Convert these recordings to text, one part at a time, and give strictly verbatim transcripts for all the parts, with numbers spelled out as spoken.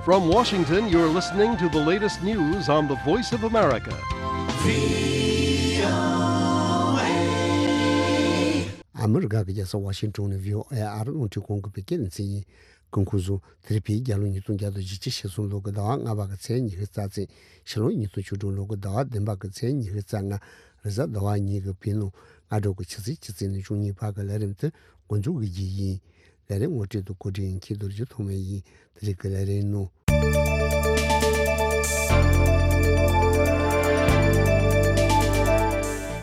From Washington, you're listening to the latest news on the Voice of America. ཨ་མི་རི་ཀ་གི་རྒྱལ་ས་ཝ་ཤིང་ཊོན་ནས་བྷི་ཨོ་ཨེ་ཨ་རི་རླུང་འཕྲིན་ཁང་གི་བོད་སྐད་སྡེ་ཚན་ཡིན། སྐུ་ཁམས་བཟང་། དེ་རིང་བོད་རྒྱལ་ལོ་ཉིས་སྟོང་བརྒྱ་དང་བཞི་བཅུ་ཞེ་གསུམ་ལོ་གི་ཟླ་བ་ལྔ་པ་གི་ཚེས་ཉི་ཤུ་རྩ་ཚེས། ཕྱི་ལོ་ཉིས་སྟོང་བཅུ་དྲུག་ལོ་གི་ཟླ་བ་བདུན་པ་གི་ཚེས་ཉི་ཤུ་རྩ་ལྔ། རེས་གཟའ་ཟླ་བ་ཉིན་གྱི་བོད་ནང་སྔ་དྲོ་གི་ཆུ་ཚོད་བཅུ་ཙམ་ནས་བཅུ་གཉིས་བར་གྱི་ལས་རིམ་དེ་འགོ་འཛུགས་ཀྱི་རྒྱུ་ཡིན། ལས་རིམ་ངོ་སྤྲོད་དང་གོ་སྒྲིག་མཁན་རྡོ་རྗེ་ཐོགས་མེད་ཡིན། དེ་རིང་གི་ལས་རིམ་ནང་།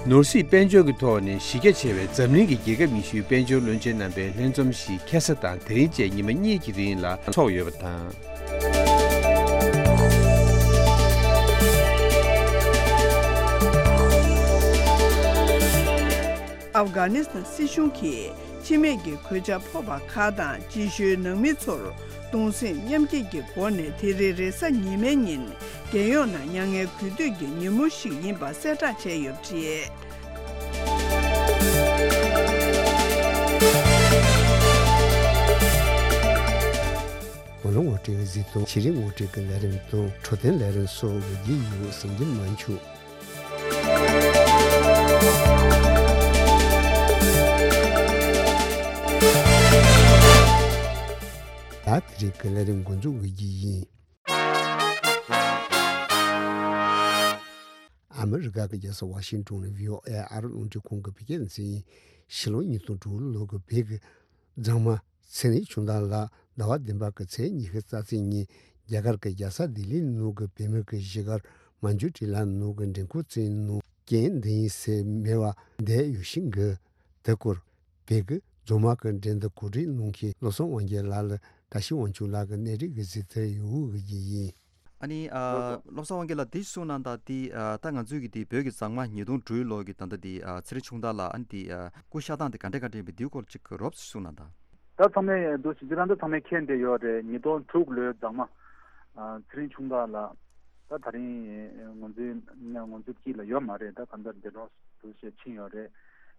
ནོར་སྲིད་དཔལ་འབྱོར་གྱི་ཐོག་ནས་གཞི་རྒྱ་ཆེ་བའི་འཛམ་གླིང་གི་རྒྱལ་ཁབ་ཉི་ཤུའི་དཔལ་འབྱོར་བློན་ཆེན་རྣམ་པའི་ལྷན་འཛོམས་ཤིག་ཁ་སང་དང་དེ་རིང་བཅས་ཉི་མ་གཉིས་ཀྱི་རིང་ལ་འཚོགས་ཡོད་པ་དང་། ཨབ་གྷ་ནི་སི་ཐན་སྲིད་གཞུང་གིས་འཆི་རྨས་ཀྱི་གོད་ཆག་ཕོག་པ་ཁག་དང་རྗེས་ཤུལ་ནང་མི་ཚོར་གདུང་སེམས་མཉམ་སྐྱེད་ཀྱི་སྒོ་ནས་དེ་རིང་རེས་གཟའ་ཉི་མའི་ཉིན་རྒྱལ་ཡོངས་ནང་མྱ་ངན་གུས་འདུད་ཀྱི་ཉིན་མོ་ཞིག་ཡིན་པ་གསལ་བསྒྲགས་བྱས་ཡོད་པ་རེད། ངོ་ལོག་ངོ་སྤྲོད་ཀྱི་གཟིགས་སྟངས། ཕྱི་རིག་ངོ་སྤྲོད་ཀྱི་ལས་རིམ་དང་འཕྲོད་བསྟེན་ལས་རིམ་སོགས་ཀྱི་རྒྱུ་ཡོད་ཟིན་གྱི་མ་འཆུག་ད་དེ་རིང་གི་ལས་རིམ་འགོ་འཛུགས་ཀྱི་རྒྱུ་ཡིན། ཨ་མི་རི་ཀ་གི་རྒྱལ་ས་ཝ་ཤིང་ཊོན་ནས་བྷི་ཨོ་ཨེ་ཨ་རི་རླུང་འཕྲིན་ཁང་གི་བོད་སྐད་སྡེ་ཚན་ཡིན། ཕྱི་ལོ་ཉིས་སྟོང་དྲུག་ལོ་གི་བོད་ཀྱི་མཛངས་མ་ཚེ་རིང་ཆུང་བདག་ལགས་ཟླ་བ་བདུན་པ་གི་ཚེས་ཉི་ཤུ་རྩ་ཚེས་ཉིན་རྒྱ་གར་གྱི་རྒྱལ་ས་ལྡི་ལི་ནང་གི་བོད་མི་གི་གཞིས་སྒར་མན་ཇུ་ཊི་ལ་ནང་གི་མགྲོན་ཁང་གཅིག་ནང་རྐྱེན་འདི་ཡིན་ཟེར་མེད་པ་བསྡད་ཡོད་བཞིན་གི། དེ་སྐོར་བོད་ཀྱི་རྫོང་དམངས་ཀྱི་འགྲན་བསྡུར་གོ་སྒྲིག་གནང་མཁན་བློ་བཟང་དབང་རྒྱལ་ལགས་ལ་བཀྲ་ཤིས་དབང་ཕྱུག་ལགས་ཀྱིས་གནས་འདྲི་གི་གཟིགས་ཚུལ་ཡོད་གི་ཡིན། ཨ་ནི་ཨ་བློ་བཟང་དབང་རྒྱལ་ལགས་འདི་གསུངས་གནང་དང་འདི་ཨ་ད་ང་ཚོའི་གི་འདི་བོད་ཀྱི་མཛངས་མ་ཉིས་སྟོང་དྲུག་ལོ་གི་ད་ལྟ་འདི་ཨ་ཚེ་རིང་ཆུང་བདག་ལགས་ཨ་ནི་འདི་ཨ་སྐུ་གཤེགས་སྟངས་འདི་ག་འདྲ་ག་འདྲ་ཡིན་པ་འདིའི་སྐོར་ཅིག་རོབ་ཙམ་གསུངས་གནང་དང་། ད་ཚང་མས་འདུག་ཟེར་ཁྱེད་རང་ཚོ་ཚང་མས་མཁྱེན་བསྡད་ཡོད་རེད། ཉིས་སྟོང་དྲུག་ལོའི་མཛངས་མ་ཨ་ཚེ་རིང་ཆུང་བདག་ལགས་ད་ད་རིང་ང་ཚོའི་ང་ཚོའི་དཀྱིལ་ལ་ཡོད་མ་རེད། ད་གང་ལྟར་འདས་གྲོངས་འདུག་ཟེར་ཕྱིན་ཡོད་རེད།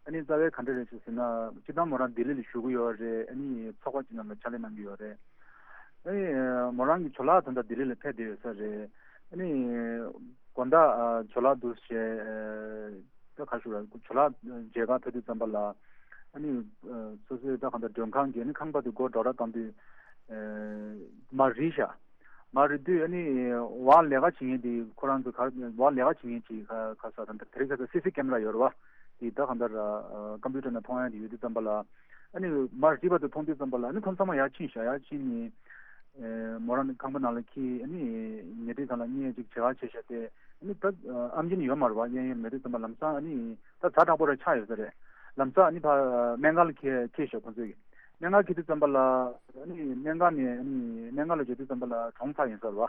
ཨ་ནི་རྩ་བའི་ག་འདྲ་རེད་ཟེར་ན་སྤྱིར་བཏང་མོ་རང་ལྡི་ལི་ལ་བཞུགས་ཀྱི་ཡོད་རེད། ཨ་ནི་ཚོགས་པ་ཅིག་ནང་ལ་ཕྱག་ལས་གནང་གི་ཡོད་རེད། ཨེ། མོ་རང་གི་ཇོ་ལགས་ད་ལྟ་ལྡི་ལི་ལ་ཕེབས་བསྡད་ཡོད་ས་རེད། ཨ་ནི། དགོང་དག་ཨ་ཇོ་ལགས་འདུག་བྱས། ཨེ། ད་ག་ཞུ་ར་ཇོ་ལགས་མཇལ་ཁ་ཕེབས་དུས་ཙམ་པ་ལ། ཨ་ནི། ཨ་སོ་སོའི་ད་གང་ལྟར་མགྲོན་ཁང་གི་ཨ་ནི་ཁང་པ་དེ་སྒོ་འགྲོ་ར་བཏང་དུས། ཨེ། མར་རིལ་ཤག་མར་རིལ་དུས་ཨ་ནི། བ་ལས་ཀ་བྱེད་མཁན་དེ་ཁོ་རང་ཚོ་ག་བ་ལས་ཀ་བྱེད་མཁན་ཅིག་ག་ག་ས་ད་ལྟ་དེ་རིང་ཁ་སང་སི་སི་ཀེམ་ར་ཡོད་རེད་བ། དེ་ད་གང་ལྟར་ཨ་ཀམ་པུ་ཊར་ནང་མཐོང་ཡ་དེ་ཡོད་དུས་ཙམ་པ་ལ། ཨ་ནི་མར་རིལ་བ་དེ་མཐོང་དུས་ཙམ་པ་ལ་ཨ་ནི་ཁོང་ཚང་མ་ཡར་ཕྱིན་ཤག་ཡར་ཕྱིན་ནས། ཨེ། མོ་རང་ནི་ཁང་པ་ནང་ལ་འཁྱེར་ཨ་ནི་ཉལ་ཁྲི་སྒང་ལ་གཉིད་ཅིག་བྱེད་ག་བྱས་ཤག་སྟེ། ཨ་ནི་ད་ཨམ་ཆི་ནི་ཡོད་མ་རེད་བ། གཡས་གཡོན་མེད་དུས་ཙམ་པ་ལམ་སང་ཨ་ནི་ད་གྲ་དྲག་པོ་རེ་ཆགས་ཡོད་ས་རེད། ལམ་སང་ཨ་ནི་ཕ་སྨན་ཁང་ལ་འཁྱེར་འཁྱེར་ཤག་ཁོང་ཚོས་ཀྱིས། སྨན་ཁང་འཁྱེར་དུས་ཙམ་པ་ལ་ཨ་ནི་སྨན་ཁང་ནས་ཨ་ནི་སྨན་ཁང་ལ་འབྱོར་དུས་ཙམ་པ་ལ་གྲོངས་ཚར་ཡིན་ས་རེད་བ།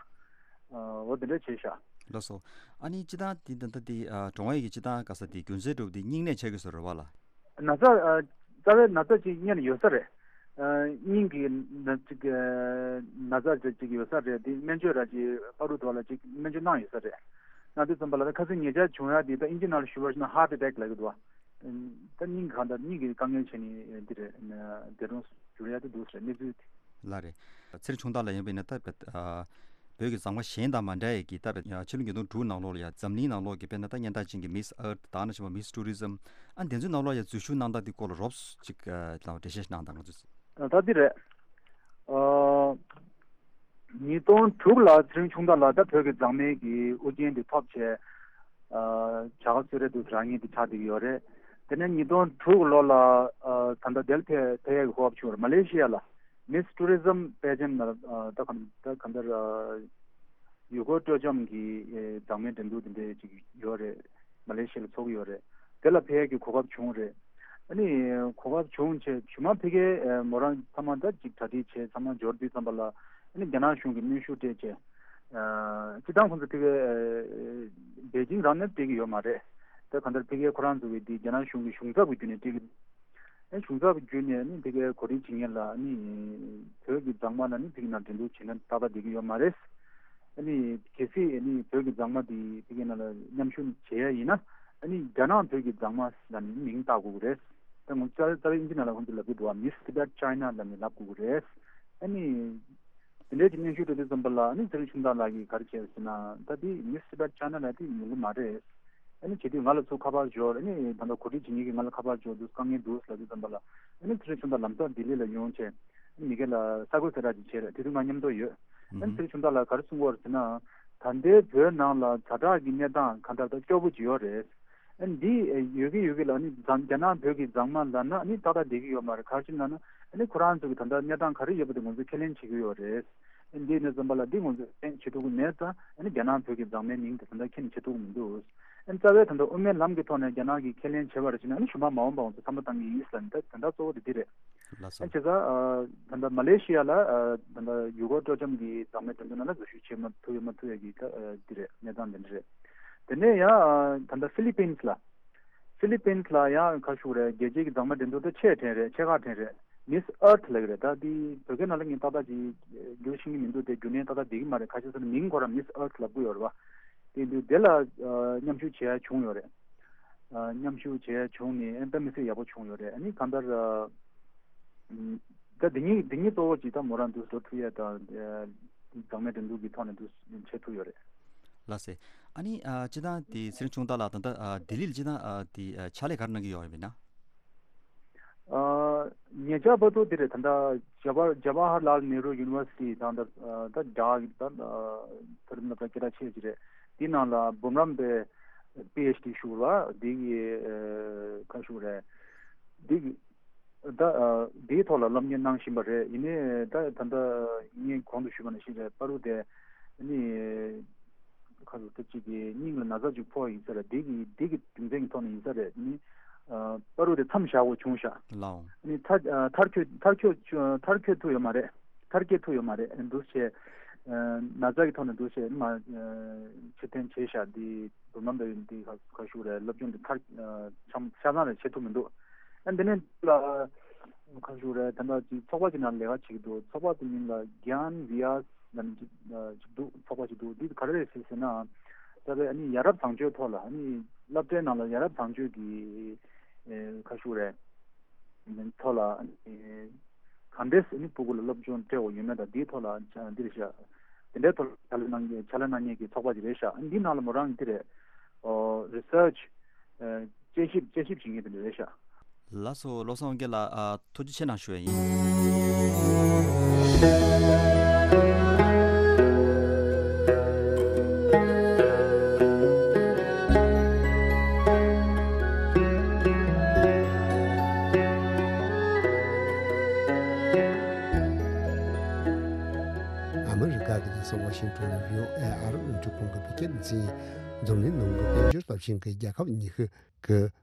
འོ་དེ་འདྲ་བྱས་ཤག་ལགས་སོ། ཨ་ནི་སྤྱིར་བཏང་འདི་ད་ལྟ་འདི་ཨ་གྲོངས་ཡས་ཀྱི་སྤྱིར་བཏང་ག་ས་འདི་རྒྱུ་མཚན་འདྲ་བོ་འདི་སྙིང་ནད་ཆགས་ཀྱི་བཟོ་འདྲ་བ་ལ། ན་ཚ་ཨ་རྩ་བའི་ན་ཚ་ཅིག་སྔོན་ནས་ཡོད་ས་རེད། ཨ་སྙིང་གི་ན་ཅིག་ཨ་ན་ཚ་ཅིག་ཅིག་ཡོད་ས་རེད། འདི་སྨན་བཅོས་ར་ཅིག་པ་རུ་དོ་ལ་ཅིག་སྨན་བཅོས་གནང་ཡོད་ས་རེད། གནང་དུས་ཙམ་པ་ལ་ད་ཁ་སང་ཉེ་ཆར་བྱུང་ཡ་འདི་ད་ཨིན་ཇི་ནང་ལ་ཞུ་བ་ཞིག་ན་ཧར་ཊི་ཨེ་ཊེག་ལབ་ཀྱི་འདུག་བ། ད་སྙིང་གང་ལྟར་སྙིང་གི་དཀའ་ངལ་བྱས་ནས་འདི་རེད། འདས་གྲོངས་གྱུར་ཡ་དེ་འདུག་ཟེར་གནས་ཚུལ་དེ། ལགས་རེད། ཚེ་རིང་ཆུང་བདག་ལགས་ཡིན་པས་ན་ད་བོད་ཨ་བོད་ཀྱི་མཛངས་མ་གཞན་དང་མ་འདྲ་ཡས་ཀྱི་ད་བོད་ཕྱི་ལོ་ཉིས་སྟོང་དྲུག་ནང་ལོགས་ལ་ཡ་འཛམ་གླིང་ནང་ལོགས་ཀྱི་དཔེར་ན་ད་སྙན་གྲགས་ཅན་གྱི་མིས་ཨར་ཐི་ད་ག་ནང་བཞིན་པ་མིས་ཊུ་རི་ཛམ་ཨ་དེ་ཚོའི་ནང་ལོགས་ལ་ཡ་འཛུལ་ཞུགས་གནང་སྟངས་དེ་སྐོར་ལ་རོབ་ཙམ་ཅིག་ཨ་ལ་འགྲེལ་བཤད་གནང་དང་། ང་ཚོས། ད་འདི་རེད། ཨ་ཉིས་སྟོང་དྲུག་ལ་ཚེ་རིང་ཆུང་བདག་ལགས་ད་བོད་ཀྱི་མཛངས་མའི་གི་དབུ་རྒྱན་དེ་ཐོབ་བྱས། ཨ་བྱ་དགའ་གསོལ་རས་དུ་རང་ཉིད་དེ་ཆགས་བསྡད་ཀྱི་ཡོད་རེད། དེ་ནས་ཉིས་སྟོང་དྲུག་ལོ་ལ་ཨ་ད་ལྟ་དེར་ཕེབས་ཕེབས་ཡག་གི་གོ་སྐབས་བྱུང་བ་རེད། མ་ལེ་ཤི་ཡ་ལ་མིས་ཊུ་རི་ཛམ་པེ་ཇེན་ཊི་ལ་ཨ་ད་ག་ད་ག་འདྲ་ཡུལ་སྐོར་སྤྲོ་འཆམ་གྱི་ཨེ་མཛངས་མའི་འགྲན་བསྡུར་དེ་འདྲ་ཅིག་ཡོད་རེད། མ་ལེ་ཤི་ཡ་ལ་ཚོགས་ཀྱི་ཡོད་རེད། དེ་ལ་ཕེབས་ཡག་གི་གོ་སྐབས་བྱུང་རེད། ཨ་ནི་གོ་སྐབས་བྱུང་བྱས་ཇི་མ་ཕ་གིའི་ཨེ་མོ་རང་ཚང་མ་ད་ཅིག་གྲ་སྒྲིག་བྱས་ཚང་མ་འབྱོར་དུས་ཙམ་པ་ལ་ཨ་ནི་རྒྱ་ནག་གཞུང་གིས་གནོན་ཤུགས་སྤྲད་བྱས། ཨ་སྤྱིར་བཏང་ཁོང་ཚོ་ཕ་གིའི་ཨེ་པེ་ཅིང་རང་ནས་སྤྲད་ཀྱི་ཡོད་མ་རེད། ད་གང་ལྟར་ཕ་གིའི་ཁོ་རང་ཚོ་གི་འདི་རྒྱ་ནག་གཞུང་གི་གཞུང་ཚབ་ཀྱི་བརྒྱུད་ནས་སྤྲད་ཀྱི། ཨ་གཞུང་ཚབ་བརྒྱུད་ནས་ཨ་ནི་ཕ་གིའི་གོ་སྒྲིག་བྱེད་མཁན་ལ་ཨ་ནི་བོད་ཀྱི་མཛངས་མ་ལ་ནི་ཕ་གི་ནང་འགྲན་བསྡུར་བྱེད་ན་ཏག་ཏག་བསྡད་ཀྱི་ཡོད་མ་རེད། ཨ་ནི་གལ་སྲིད་ཨ་ནི་བོད་ཀྱི་མཛངས་མ་དེ་ཕ་གི་ནང་ལ་མཉམ་ཞུགས་བྱེད་ཡ་ཡིན་ན་ཨ་ནི་རྒྱ་ནག་བོད་ཀྱི་མཛངས་མ་ལབ་ནས་མིང་བཏགས་དགོས་ཀྱི་རེད། ད་ངོ་རྩ་རྩ་བའི་ཨིན་ཇི་ནང་ལ་ཁོང་ཚོས་ལབ་ཀྱི་འདུག་བ། མིས་ཏི་བེད་ཅའི་ན་ལབ་ནས་ལབ་དགོས་ཀྱི་རེད། ཨ་ནི། དེ་འདྲའི་ཅིག་སྙན་ཞུ་སྤྲོད་དུས་ཙམ་པ་ལ་ཨ་ནི་ཚེ་རིང་ཆུང་བདག་ལགས་ཀྱིས་ག་རེ་བྱས་ཟེར་ན། ད་འདི་Miss Tibet China ལ་འདི་ཡོང་གི་མ་རེད། ཨ་ནི་བྱེད་དུས་ང་ལ་ཚུར་ཁ་པར་འབྱོར། ཨ་ནི་ད་ལྟ་གོ་སྒྲིག་བྱེད་མཁན་གྱིས་ང་ལ་ཁ་པར་འབྱོར་དུས་དཀའ་ངལ་འདུག་ལབ་དུས་ཙམ་པ་ལ། ཨ་ནི་ཚེ་རིང་ཆུང་བདག་ལམ་སང་ལྡི་ལི་ལ་ཡོང་བྱས། ཨ་ནི་མི་སྒེར་ལ་གསར་འགོད་གསལ་བསྒྲགས་ཅིག་བྱས་རེད། དེ་དུས་ང་མཉམ་དུ་ཡོད། ཨ་ནི་ཚེ་རིང་ཆུང་བདག་ལགས་ག་རེ་གསུང་གི་ཡོད་རེད་ཟེར་ན། ད་ལྟའི་བོད་ནང་ལ་ཛ་དྲག་གི་གནས་སྟངས་གང་ལྟར་ད་སྐྱོ་པོ་ཅིག་ཡོད་རེད། ཨ་ནི་འདི་ཡོད་ཀྱི་ཡོད་ཀྱི་ལ་ཨ་ནི་རྒྱ་ནག་བོད་ཀྱི་མཛངས་མ་ལབ་ན་ཨ་ནི་ཏག་ཏག་བསྡད་ཀྱི་ཡོད་མ་རེད། ག་རེ་ཟེར་ན་ཨ་ནི་ཁོ་རང་ཚོ་གི་ད་ལྟ་གནས་སྟངས་ག་རེ་ཡོད་པ་དེ་ང་ཚོས་ཁས་ལེན་བྱེད་ཀྱི་ཡོད་རེད། འདི་ནས་བསམ་པ་ལ་འདི་ང་ཚོས་ཁས་ལེན་བྱེད་ཐུབ་ཀྱི་མེད་ཙང་ཨ་ནི་རྒྱ་ནག་བོད་ཀྱི་མཛངས་མའི་མིང་དེ་ད་ལྟ་ཁས་ལེན་བྱེད་ཐུབ་ཀྱི་མི་འདུག་ཨ་ནི་རྩ་བའི་ད་ལྟ་དབུ་མའི་ལམ་གྱི་ཐོག་ནས་རྒྱ་ནག་གིས་ཁས་ལེན་བྱས་པ་རེད་ཟེར་ན་ཨ་ནི་ཞུ་མ་མ་འོངས་པ་ང་ཚོ་བསམ་བློ་བཏང་གི་ཡིན་ཟེར་ལབ་ནས་ད་ད་ལྟ་གཙོ་བོ་དེ་འདི་རེད། ལགས་སོ། ཨ་བྱས་ཙང་ད་ལྟ་མ་ལེ་ཤི་ཡ་ལ་ད་ལྟ་ཡུལ་སྐོར་སྤྲོ་འཆམ་གྱི་མཛངས་མའི་འགྲན་བསྡུར་ནང་ལ་འཛུལ་ཞུགས་བྱེད་མ་ཐུབ་ཡོད་མ་ཐུབ་ཡོད་ཀྱི་ད་འདི་རེད། གནས་སྟངས་འདི་འདྲ་རེད། དེ་ནས་ཡང་ད་ལྟ་ཧྥི་ལི་པིན་ལ། ཧྥི་ལི་པིན་ལ་ཡང་ག་ཞུ་རེད། རྒྱལ་སྤྱིའི་གི་མཛངས་མའི་འགྲན་བསྡུར་དེ་ཆེ་གྲས་རེད། ཆེ་ཁག་གྲས་རེད། Miss Earth ལབ་ཀྱི་རེད། ད་འདི་བོད་སྐད་ནང་ལ་ངས་ཏག་ཏག་ཅིག་འགྱུར་ཤེས་ཀྱི་མི་འདུག་དེ་རྒྱུ་མཚན་ཏག་ཏག་བསྡད་ཀྱི་མ་རེད། ཁ་ཤས་ཚོ་ནི་མིང་ཁོ་རང་Miss Earth ལབ་ཀྱི་ཡོད་རེད་བ། དེ་འདུག་དེ་ལ་མཉམ་ཞུགས་བྱས་བྱུང་ཡོད་རེད། མཉམ་ཞུགས་བྱས་བྱུང་ནས་ཨེ་ད་མི་ཚེ་ཡག་པོ་བྱུང་ཡོད་རེད། ཨ་ནི་གང་ལྟར། ད་འདི་གཉིས་འདི་གཉིས་གཙོ་བོ་ཅིག་ད་མོ་རང་འདུག་འགྲོ་ཐུབ་ཡས་དང་། མཛངས་མའི་འགྲན་བསྡུར་གྱི་ཐོག་ནས་འདུག་བྱེད་ཐུབ་ཡོད་རེད། ལགས་སེ། ཨ་ནི་ཨ་སྤྱིར་བཏང་དེ་ཚེ་རིང་ཆུང་བདག་ལགས་ད་ལྟ་ཨ་ལྡི་ལི་ལ་སྤྱིར་བཏང་ཨ་དེ་ཨ་ཕྱག་ལས་ག་རེ་གནང་གི་ཡོད་ཡིན་ན། ཨ་ཉེ་ཆར་བར་དུ་དེ་རེད། ད་ལྟ་ཇ་བྷ་ཇ་བྷ་ཧར་ལཱལ་ནེ་རུ་ཡུ་ནི་ཝར་སི་ཊི་དང་ད་ད་ཌག་ད་མཐོ་རིམ་སློབ་གྲྭ་སྐད་གྲགས་ཆེ་ཅིག་རེད། དེའི་ནང་ལ་འབུམ་རམས་པའི་པི་ཨེཆ་ཌི་ཞུ་བ་དེ་གི་ཨ་ག་ཞུ་རེད། དེ་གི་ད་ཨ་དེའི་ཐོག་ལ་སློབ་གཉེར་གནང་བཞིན་པ་རེད། ཡིན་ནའི་ད་ད་ལྟ་ངས་གོང་དུ་ཞུས་པ་ནང་བཞིན་རེད། བར་དུ་དེ་ནི་ཁ་ཚོ་ད་ཅིག་གི་སྙིང་ལ་ན་ཚ་ཅིག་ཕོག་ཡིན་ས་རེད། དེ་གི་དེ་གི་རྒྱུ་མཚན་གྱི་ཐོག་ནས་ཡིན་ས་རེད། ནི་ཨ་བར་དུ་དེ་མཚམས་བཞག་དགོས་བྱུང་ཤག་ལའོ། ནི་མཐར་ཨ་མཐར་འཁྱོལ་མཐར་འཁྱོལ་མཐར་འཁྱོལ་ཐུབ་ཡོད་མ་རེད། མཐར་སྐྱེལ་ཐུབ་ཡོད་མ་རེད། འདུག་བྱས་ཨ་ན་ཚ་གི་ཐོག་ནས་འདུག་བྱས་མ་ཨ་ཕྱིར་འཐེན་བྱས་ཤག་འདི་འབུམ་རམས་པའི་འདི་ག་ག་ཞུ་རེད། སློབ་སྦྱོང་འདི་མཐར་ཨ་ཆམ་ཆ་ཚང་རེད་བྱེད་ཐུབ་མི་འདུག་ཨ་འདི་ནས་ལ་ག་ཞུ་རེད། ད་ལྟ་ཅིག་ཚོགས་པ་ཅིག་ནང་ལས་ཀ་བྱེད་ཀྱི་འདུག་ཚོགས་པ་དེ་མིང་ལ་གྱཱན་བི་ཡཱས་ལབ་ནས་ཅིག་ཨ་ཅིག་འདུག་ཚོགས་པ་ཅིག་འདུག་འདི་ག་རེ་རེད་ཟེར་ཟེར་ན། ད་ལྟ་ཨ་ནི་ཡ་རབས་བཟང་སྤྱོད་ཐོག་ལ་ཨ་ནི་སློབ་གྲྭའི་ནང་ལ་ཡ་རབས་བཟང་སྤྱོད་ཀྱི་ཨ་ག་ཞུ་རེད། ཐོག་ལ་ཨ་ནི་ག་འདྲས་ཨ་ནི་སྤུ་གུ་ལ་སློབ་སྦྱོང་སྤྲད་དགོས་ཡོད་མེད་དང་འདིའི་ཐོག་ལ་འདི་རེད་ཤག་དེ་འདྲའི་ཐོག་ལ་ཕྱག་ལས་གནང་མཁན་ཕྱག་ལས་གནང་མཁན་གྱི་ཚོགས་པ་ཅིག་རེད་ཤག་འདིའི་ནང་ལ་མོ་རང་འདི་རེད། ཨོ་རི་སར་ཆི་དཔྱད་ཞིབ་དཔྱད་ཞིབ་བྱེད་མཁན་དེ་འདྲ་རེད་ཤག་ལགས་སོ། བློ་བཟང་དབང་རྒྱལ་ལགས་ཨ་ཐུགས་རྗེ་ཆེ་གནང་ཞུ་ཡ་ཡིན། ཨ་མི་རི་ཀ་གི་རྒྱལ་ས་ཝ་ཤིང་ཊོན་ནས་བྷི་ཨོ་ཨེ་ཨ་རིའི་རླུང་འཕྲིན་ཁང་གི་བོད་སྐད་སྡེ་ཚན་ཡིན། འཛམ་གླིང་ནང་གི་དཔལ་འབྱོར་སྟོབས་ཆེན་གྱི་རྒྱལ་ཁབ་ཉི་ཤུ་གི་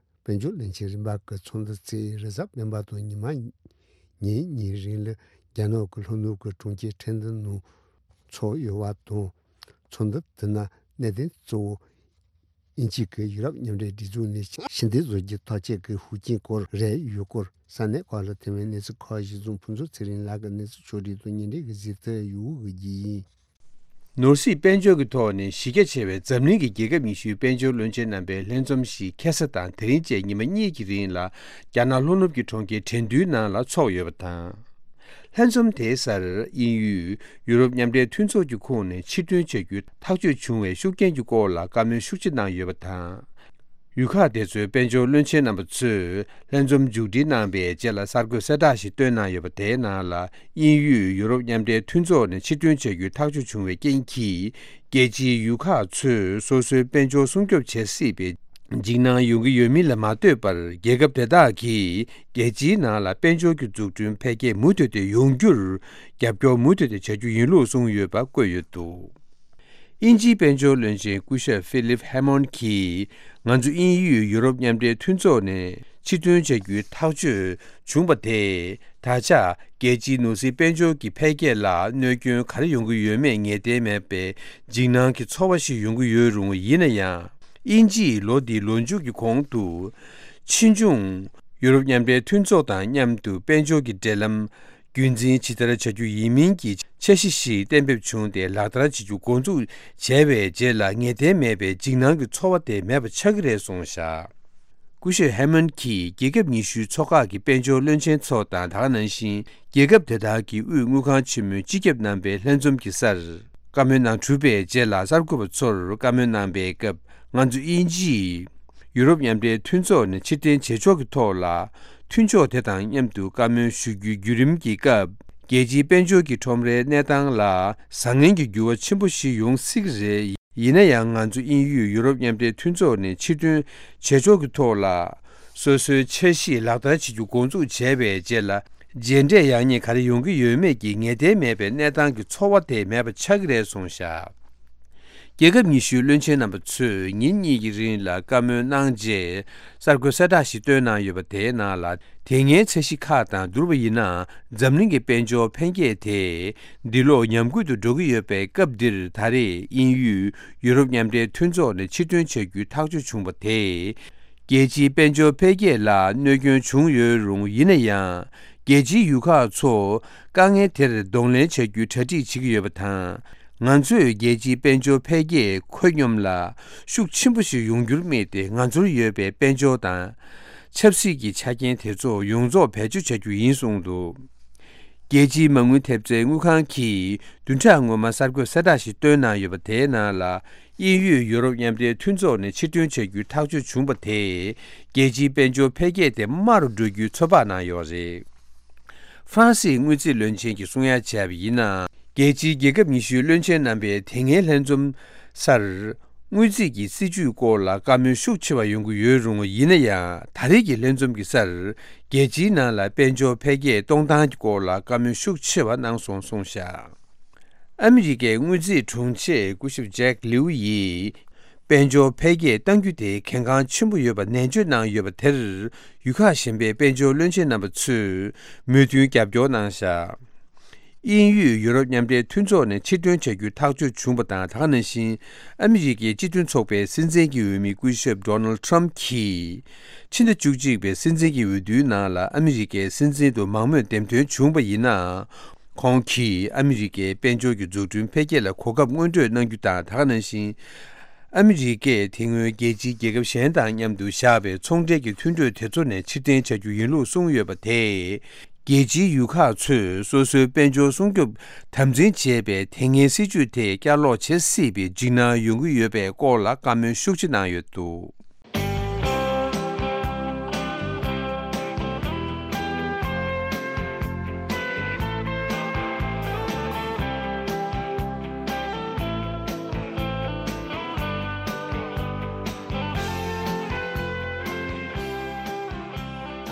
དཔལ་འབྱོར་བློན་ཆེན་རིམ་པ་གི་ཚོགས་འདུ་རྩིས་རེས་གཟའ་སྤེན་པ་དང་ཉི་མ་ཉིན་གཉིས་རིང་ལ་རྒྱ་ནག་གི་ལྷོ་ནུབ་ཀྱི་གྲོང་ཁྱེར་ཁྲེང་ཏུའུ་ནང་ཚོགས་ཡོད་པ་དང་། ཚོགས་འདུ་དེ་ནང་གནད་དོན་གཙོ་བོ་དབྱིན་ཇི་གི་ཡུ་རོབ་མཉམ་འབྲེལ་སྒྲིག་འཛུགས་ནས་ཕྱི་འཐེན་བཟོ་རྒྱུའི་ཐག་གཅོད་ཀྱི་ཤུགས་རྐྱེན་སྐོར་རེད། ཡུལ་སྐོར་ས་གནས་ཁག་ལ་ཐེ་ཝན་གནས་ཚུལ་ཁག་གཞི་བཟུང་ཕུན་ཚོགས་ཚེ་རིང་ལགས་ཀྱིས་གནས་ཚུལ་ཕྱོགས་སྒྲིག་དང་སྙན་སྒྲོན་གྱི་གཟིགས་ཐོ་ཡུ་གུ་གི་ཡིན། ནོར་སྲིད་དཔལ་འབྱོར་གྱི་ཐོག་ནས་གཞི་རྒྱ་ཆེ་བའི་འཛམ་གླིང་གི་རྒྱལ་ཁབ་ཉི་ཤུའི་དཔལ་འབྱོར་བློན་ཆེན་རྣམ་པའི་ལྷན་འཛོམས་ཤིག་ཁ་སང་དང་དེ་རིང་བཅས་ཉི་མ་གཉིས་ཀྱི་རིང་ལ་རྒྱ་ནག་ལྷོ་ནུབ་ཀྱི་གྲོང་ཁྱེར་ཁྲེང་ཏུའུ་ནང་ལ་འཚོགས་ཡོད་པ་དང་། ལྷན་འཛོམས་དེའི་སར་དབྱིན་ཡུལ་ཡུ་རོབ་མཉམ་འབྲེལ་མཐུན་ཚོགས་ཀྱི་ཁོངས་ནས་ཕྱིར་ཐོན་བྱ་རྒྱུའི་ཐག་གཅོད་བྱུང་བའི་ཤུགས་རྐྱེན་གྱི་སྐོར་ལ་བཀའ་མོལ་ཤུགས་ཆེ་གནང་ཡོད་པ་དང་། ཡུལ་ཁག་དེ་ཚོའི་དཔལ་འབྱོར་བློན་ཆེན་རྣམ་པ་ཚོས་ལྷན་འཛོམས་མཇུག་སྒྲིལ་གནང་བའི་རྗེས་ལ་གསར་འགོད་གསལ་བསྒྲགས་ཤིག་བཏོན་གནང་ཡོད་པ། དེའི་ནང་ལ་དབྱིན་ཡུལ་ཡུ་རོབ་མཉམ་འབྲེལ་མཐུན་ཚོགས་ནས་ཕྱིར་ཐོན་བྱ་རྒྱུའི་ཐག་གཅོད་བྱུང་བའི་རྐྱེན་གྱིས། རྒྱལ་སྤྱིའི་ཡུལ་ཁག་ཚོས་སོ་སོའི་དཔལ་འབྱོར་སྲུང་སྐྱོབ་བྱེད་སྲིད་པའི་འཇིགས་སྣང་ཡོང་གི་ཡོད་མིན་ལ་མ་ལྟོས་པར། རྒྱལ་ཁབ་དེ་དག་གིས་རྒྱལ་སྤྱིའི་ནང་ལ་དཔལ་འབྱོར་གྱི་འཛུགས་སྐྲུན་འཕེལ་རྒྱས་མུ་མཐུད་དེ་ཡོང་རྒྱུར་རྒྱབ་སྐྱོར་མུ་མཐུད་དེ་བྱ་རྒྱུ་ཡིན་ལུགས་གསུངས་ཡོད་པ་བཀོད་ཡོད་འདུག་དབྱིན་ཇིའི་དཔལ་འབྱོར་བློན་ཆེན་སྐུ་ཞབས་ཧྥི་ལིབ་ཧེ་མོན་གྱིས། ང་ཚོ་དབྱིན་ཡུལ་ཡུ་རོབ་མཉམ་འབྲེལ་མཐུན་ཚོགས་ནས་ཕྱིར་ཐོན་བྱ་རྒྱུའི་ཐག་གཅོད་བྱུང་བ་དེས། ད་ཆ་རྒྱལ་སྤྱིའི་ནོར་སྲིད་དཔལ་འབྱོར་གྱི་འཕེལ་རྒྱས་ལ་གནོད་སྐྱོན་ག་རེ་ཡོང་གི་ཡོད་མེད་ངེས་གཏན་མེད་པའི་འཇིགས་སྣང་གི་ཚོར་བ་ཞིག་ཡོང་གི་ཡོད་རུང་། ཡིན་ན་ཡང་། དབྱིན་ཇིས་ལོ་འདིའི་ལོ་མཇུག་གི་གོང་དུ། ཕྱིས་འབྱུང་ཡུ་རོབ་མཉམ་འབྲེལ་མཐུན་ཚོགས་དང་མཉམ་དུ་དཔལ་འབྱོར་གྱི་འབྲེལ་ལམ། རྒྱུན་འཛིན་ཇི་ལྟར་བྱ་རྒྱུ་ཡིན་མིན་གྱི་འཆར་གཞི་ཞིག་གཏན་འབེབས་བྱུང་སྟེ་ལག་བསྟར་བྱེད་རྒྱུ་འགོ་འཛུགས་བྱས་པའི་རྗེས་ལ། ངེས་གཏན་མེད་པའི་འཇིགས་སྣང་གི་ཚོར་བ་དེ་མེད་པ་ཆགས་ཀྱི་རེད་གསུངས་བཞག་སྐུ་ཞབས་ཧེ་མན་གྱིས་རྒྱལ་ཁབ་ཉི་ཤུའི་ཚོགས་ཁག་གི་དཔལ་འབྱོར་བློན་ཆེན་ཚོ་དང་། ད་ག་ནང་བཞིན་རྒྱལ་ཁབ་དེ་དག་གི་དབུས་དངུལ་ཁང་ཆེན་མོའི་སྤྱི་ཁྱབ་རྣམ་པའི་ལྷན་འཛོམས་ཀྱི་སར་བཀའ་མོལ་གནང་གྲུབ་པའི་རྗེས་ལ། གསར་འགོད་པ་ཚོར་བཀའ་མོལ་གནང་པའི་སྐབས། ང་ཚོ་དབྱིན་ཇིས་ཡུ་རོབ་མཉམ་འབྲེལ་མཐུན་ཚོགས་ནས་ཕྱིར་འཐེན་བྱེད་ཕྱོགས་ཀྱི་ཐོག་ལ། མཐུན་ཕྱོགས་དེ་དང་མཉམ་དུ་བཀའ་མོལ་ཞུ་རྒྱུའི་བརྒྱུད་རིམ་གྱི་སྐབས། རྒྱལ་སྤྱིའི་དཔལ་འབྱོར་གྱི་ཁྲོམ་རའི་གནས་སྟངས་ལ་བཟང་ངན་གྱི་འགྱུར་བ་ཆེན་པོ་ཞིག་ཡོང་སྲིད་ཀྱི་རེད། ཡིན་ན་ཡང་། ང་ཚོ་དབྱིན་ཡུལ་ཡུ་རོབ་མཉམ་འབྲེལ་མཐུན་ཚོགས་ནས་ཕྱིར་ཐོན་བྱེད་ཕྱོགས་ཀྱི་ཐོག་ལ། སོ་སོའི་འཆར་གཞི་ལག་བསྟར་བྱེད་རྒྱུ་འགོ་འཛུགས་བྱས་པའི་རྗེས་ལ། རྗེས་འབྲས་ཡག་ཉེས་ག་རེ་ཡོང་གི་ཡོད་མེད་ཀྱི་ངེས་གཏན་མེད་པའི་གནས་སྟངས་ཀྱི་ཚོར་བ་དེ་མེད་པ་ཆགས་ཀྱི་རེད་གསུངས་བཞག་རྒྱལ་ཁབ་ཉི་ཤུའི་བློན་ཆེན་རྣམ་པ་ཚོས་ཉིན་གཉིས་ཀྱི་རིང་ལ་བཀའ་མོལ་གནང་རྗེས། གསར་འགོད་གསལ་བསྒྲགས་ཤིག་བཏོན་གནང་ཡོད་པ། དེའི་ནང་ལ། དེ་སྔའི་འཆར་གཞི་ཁག་དང་བསྡུར་བ་ཡིན་ན། འཛམ་གླིང་གི་དཔལ་འབྱོར་འཕེལ་རྒྱས་དེ་འདི་ལོ་ཉམས་རྒུད་དུ་འགྲོ་གི་ཡོད་པའི་སྐབས་འདིར། ད་རེས་དབྱིན་ཡུལ་ཡུ་རོབ་མཉམ་འབྲེལ་མཐུན་ཚོགས་ནས་ཕྱིར་ཐོན་བྱ་རྒྱུའི་ཐག་གཅོད་བྱུང་བ་དེས། རྒྱལ་སྤྱིའི་དཔལ་འབྱོར་འཕེལ་རྒྱས་ལ་གནོད་སྐྱོན་བྱུང་ཡོད་རུང་། ཡིན་ན་ཡང་། རྒྱལ་སྤྱིའི་ཡུལ་ཁག་ཚོ་དཀའ་ངལ་དེར་གདོང་ལེན་བྱ་རྒྱུའི་གྲ་སྒྲིག་བྱེད་ཀྱི་ཡོད་པ་དང་། ང་ཚོས་རྒྱལ་སྤྱིའི་དཔལ་འབྱོར་འཕེལ་རྒྱས་ཁོད་སྙོམས་ལ་ཤུགས་ཆེན་པོ་ཞིག་ཡོང་རྒྱུར་དམིགས་ཏེ། ང་ཚོར་ཡོད་པའི་དཔལ་འབྱོར་དང་ཆབ་སྲིད་ཀྱི་ཆ་རྐྱེན་དེ་ཚོ་ཡོངས་རྫོགས་བེད་སྤྱོད་བྱ་རྒྱུ་ཡིན་གསུངས་འདུག་རྒྱལ་སྤྱིའི་མ་དངུལ་ཐེབས་རྩའི་དངུལ་ཁང་གིས་བདུན་ཕྲག་སྔོན་མ་གསར་འགོད་གསལ་བསྒྲགས་ཤིག་བཏོན་གནང་ཡོད་པ། དེའི་ནང་ལ། དབྱིན་ཡུལ་ཡུ་རོབ་མཉམ་འབྲེལ་མཐུན་ཚོགས་ནས་ཕྱིར་ཐོན་བྱ་རྒྱུའི་ཐག་གཅོད་བྱུང་བ་དེས། རྒྱལ་སྤྱིའི་དཔལ་འབྱོར་འཕེལ་རྒྱས་དེ་དམའ་རུ་འགྲོ་རྒྱུའི་ཚོད་དཔག་གནང་ཡོད་རེད། ཧྥ་རན་སིའི་དངུལ་རྩིས་བློན་ཆེན་གྱིས་གསུང་ཡ་བྱས་པ་ཡིན་ན། རྒྱལ་སྤྱིའི་རྒྱལ་ཁབ་ཉི་ཤུའི་བློན་ཆེན་རྣམ་པའི་དེ་སྔའི་ལྷན་འཛོམས་སར། དངུལ་རྩིས་ཀྱི་སྲིད་ཇུས་སྐོར་ལ་བཀའ་མོལ་ཤུགས་ཆེ་བ་ཡོང་གི་ཡོད་རུང་། ཡིན་ན་ཡང་། ད་རེས་ཀྱི་ལྷན་འཛོམས་ཀྱི་སར། རྒྱལ་སྤྱིའི་ནང་ལ་དཔལ་འབྱོར་འཕེལ་རྒྱས་གཏོང་སྟངས་ཀྱི་སྐོར་ལ་བཀའ་མོལ་ཤུགས་ཆེ་བ་གནང་སོང་གསུངས་བཞག་ཨ་མི་རི་ཀའི་དངུལ་རྩིས་དྲུང་ཆེ་སྐུ་ཞབས་ཇེག་ལིའུ་ཡིས། དཔལ་འབྱོར་འཕེལ་རྒྱས་གཏང་རྒྱུ་དེ་གལ་འགངས་ཆེན་པོ་ཡོད་པ་ནན་བརྗོད་གནང་ཡོད་པ་དེར། ཡུལ་ཁག་གཞན་པའི་དཔལ་འབྱོར་བློན་ཆེན་རྣམ་པ་ཚོས་མོས་མཐུན་རྒྱབ་སྐྱོར་གནང་བཞག་དབྱིན་ཡུལ་ཡུ་རོབ་མཉམ་འབྲེལ་མཐུན་ཚོགས་ནས་ཕྱིར་ཐོན་བྱ་རྒྱུའི་ཐག་གཅོད་བྱུང་བ་དང་། ད་ག་ནང་བཞིན་ཨ་མི་རི་ཀའི་སྤྱི་མཐུན་ཚོགས་པའི་སྲིད་འཛིན་གྱི་འོས་མི་སྐུ་ཞབས་ཌོ་ནལ་ཊམ་གྱིས། ཕྱི་ཟླ་བཅུ་གཅིག་པའི་སྲིད་འཛིན་གྱི་འོས་བསྡུའི་ནང་ལ་ཨ་མི་རི་ཀའི་སྲིད་འཛིན་དུ་མང་མོས་འདེམས་ཐོན་བྱུང་བ་ཡིན་ན། ཁོང་གིས་ཨ་མི་རི་ཀའི་དཔལ་འབྱོར་གྱི་འཛུགས་སྐྲུན་འཕེལ་རྒྱས་ལ་གོ་སྐབས་སྔོན་སྤྲོད་གནང་རྒྱུ་དང་། ད་ག་ནང་བཞིན། ཨ་མི་རི་ཀས་དེ་སྔོན་རྒྱལ་སྤྱིའི་རྒྱལ་ཁབ་གཞན་དང་མཉམ་དུ་བཞག་པའི་ཚོང་འབྲེལ་གྱི་མཐུན་གྲོས་དེ་ཚོ་ནས་ཕྱིར་འཐེན་བྱ་རྒྱུ་ཡིན་ལུགས་གསུངས་ཡོད་པ་དེས། རྒྱལ་སྤྱིའི་ཡུལ་ཁག་ཚོས་སོ་སོའི་དཔལ་འབྱོར་སྲུང་སྐྱོབ་དམ་འཛིན་བྱེད་པའི་དེ་སྔའི་སྲིད་ཇུས་དེ་བསྐྱར་ལོག་བྱེད་སྲིད་པའི་འཇིགས་སྣང་ཡོང་གི་ཡོད་པའི་སྐོར་ལ་བཀའ་མོལ་ཤུགས་ཆེ་གནང་ཡོད་འདུག་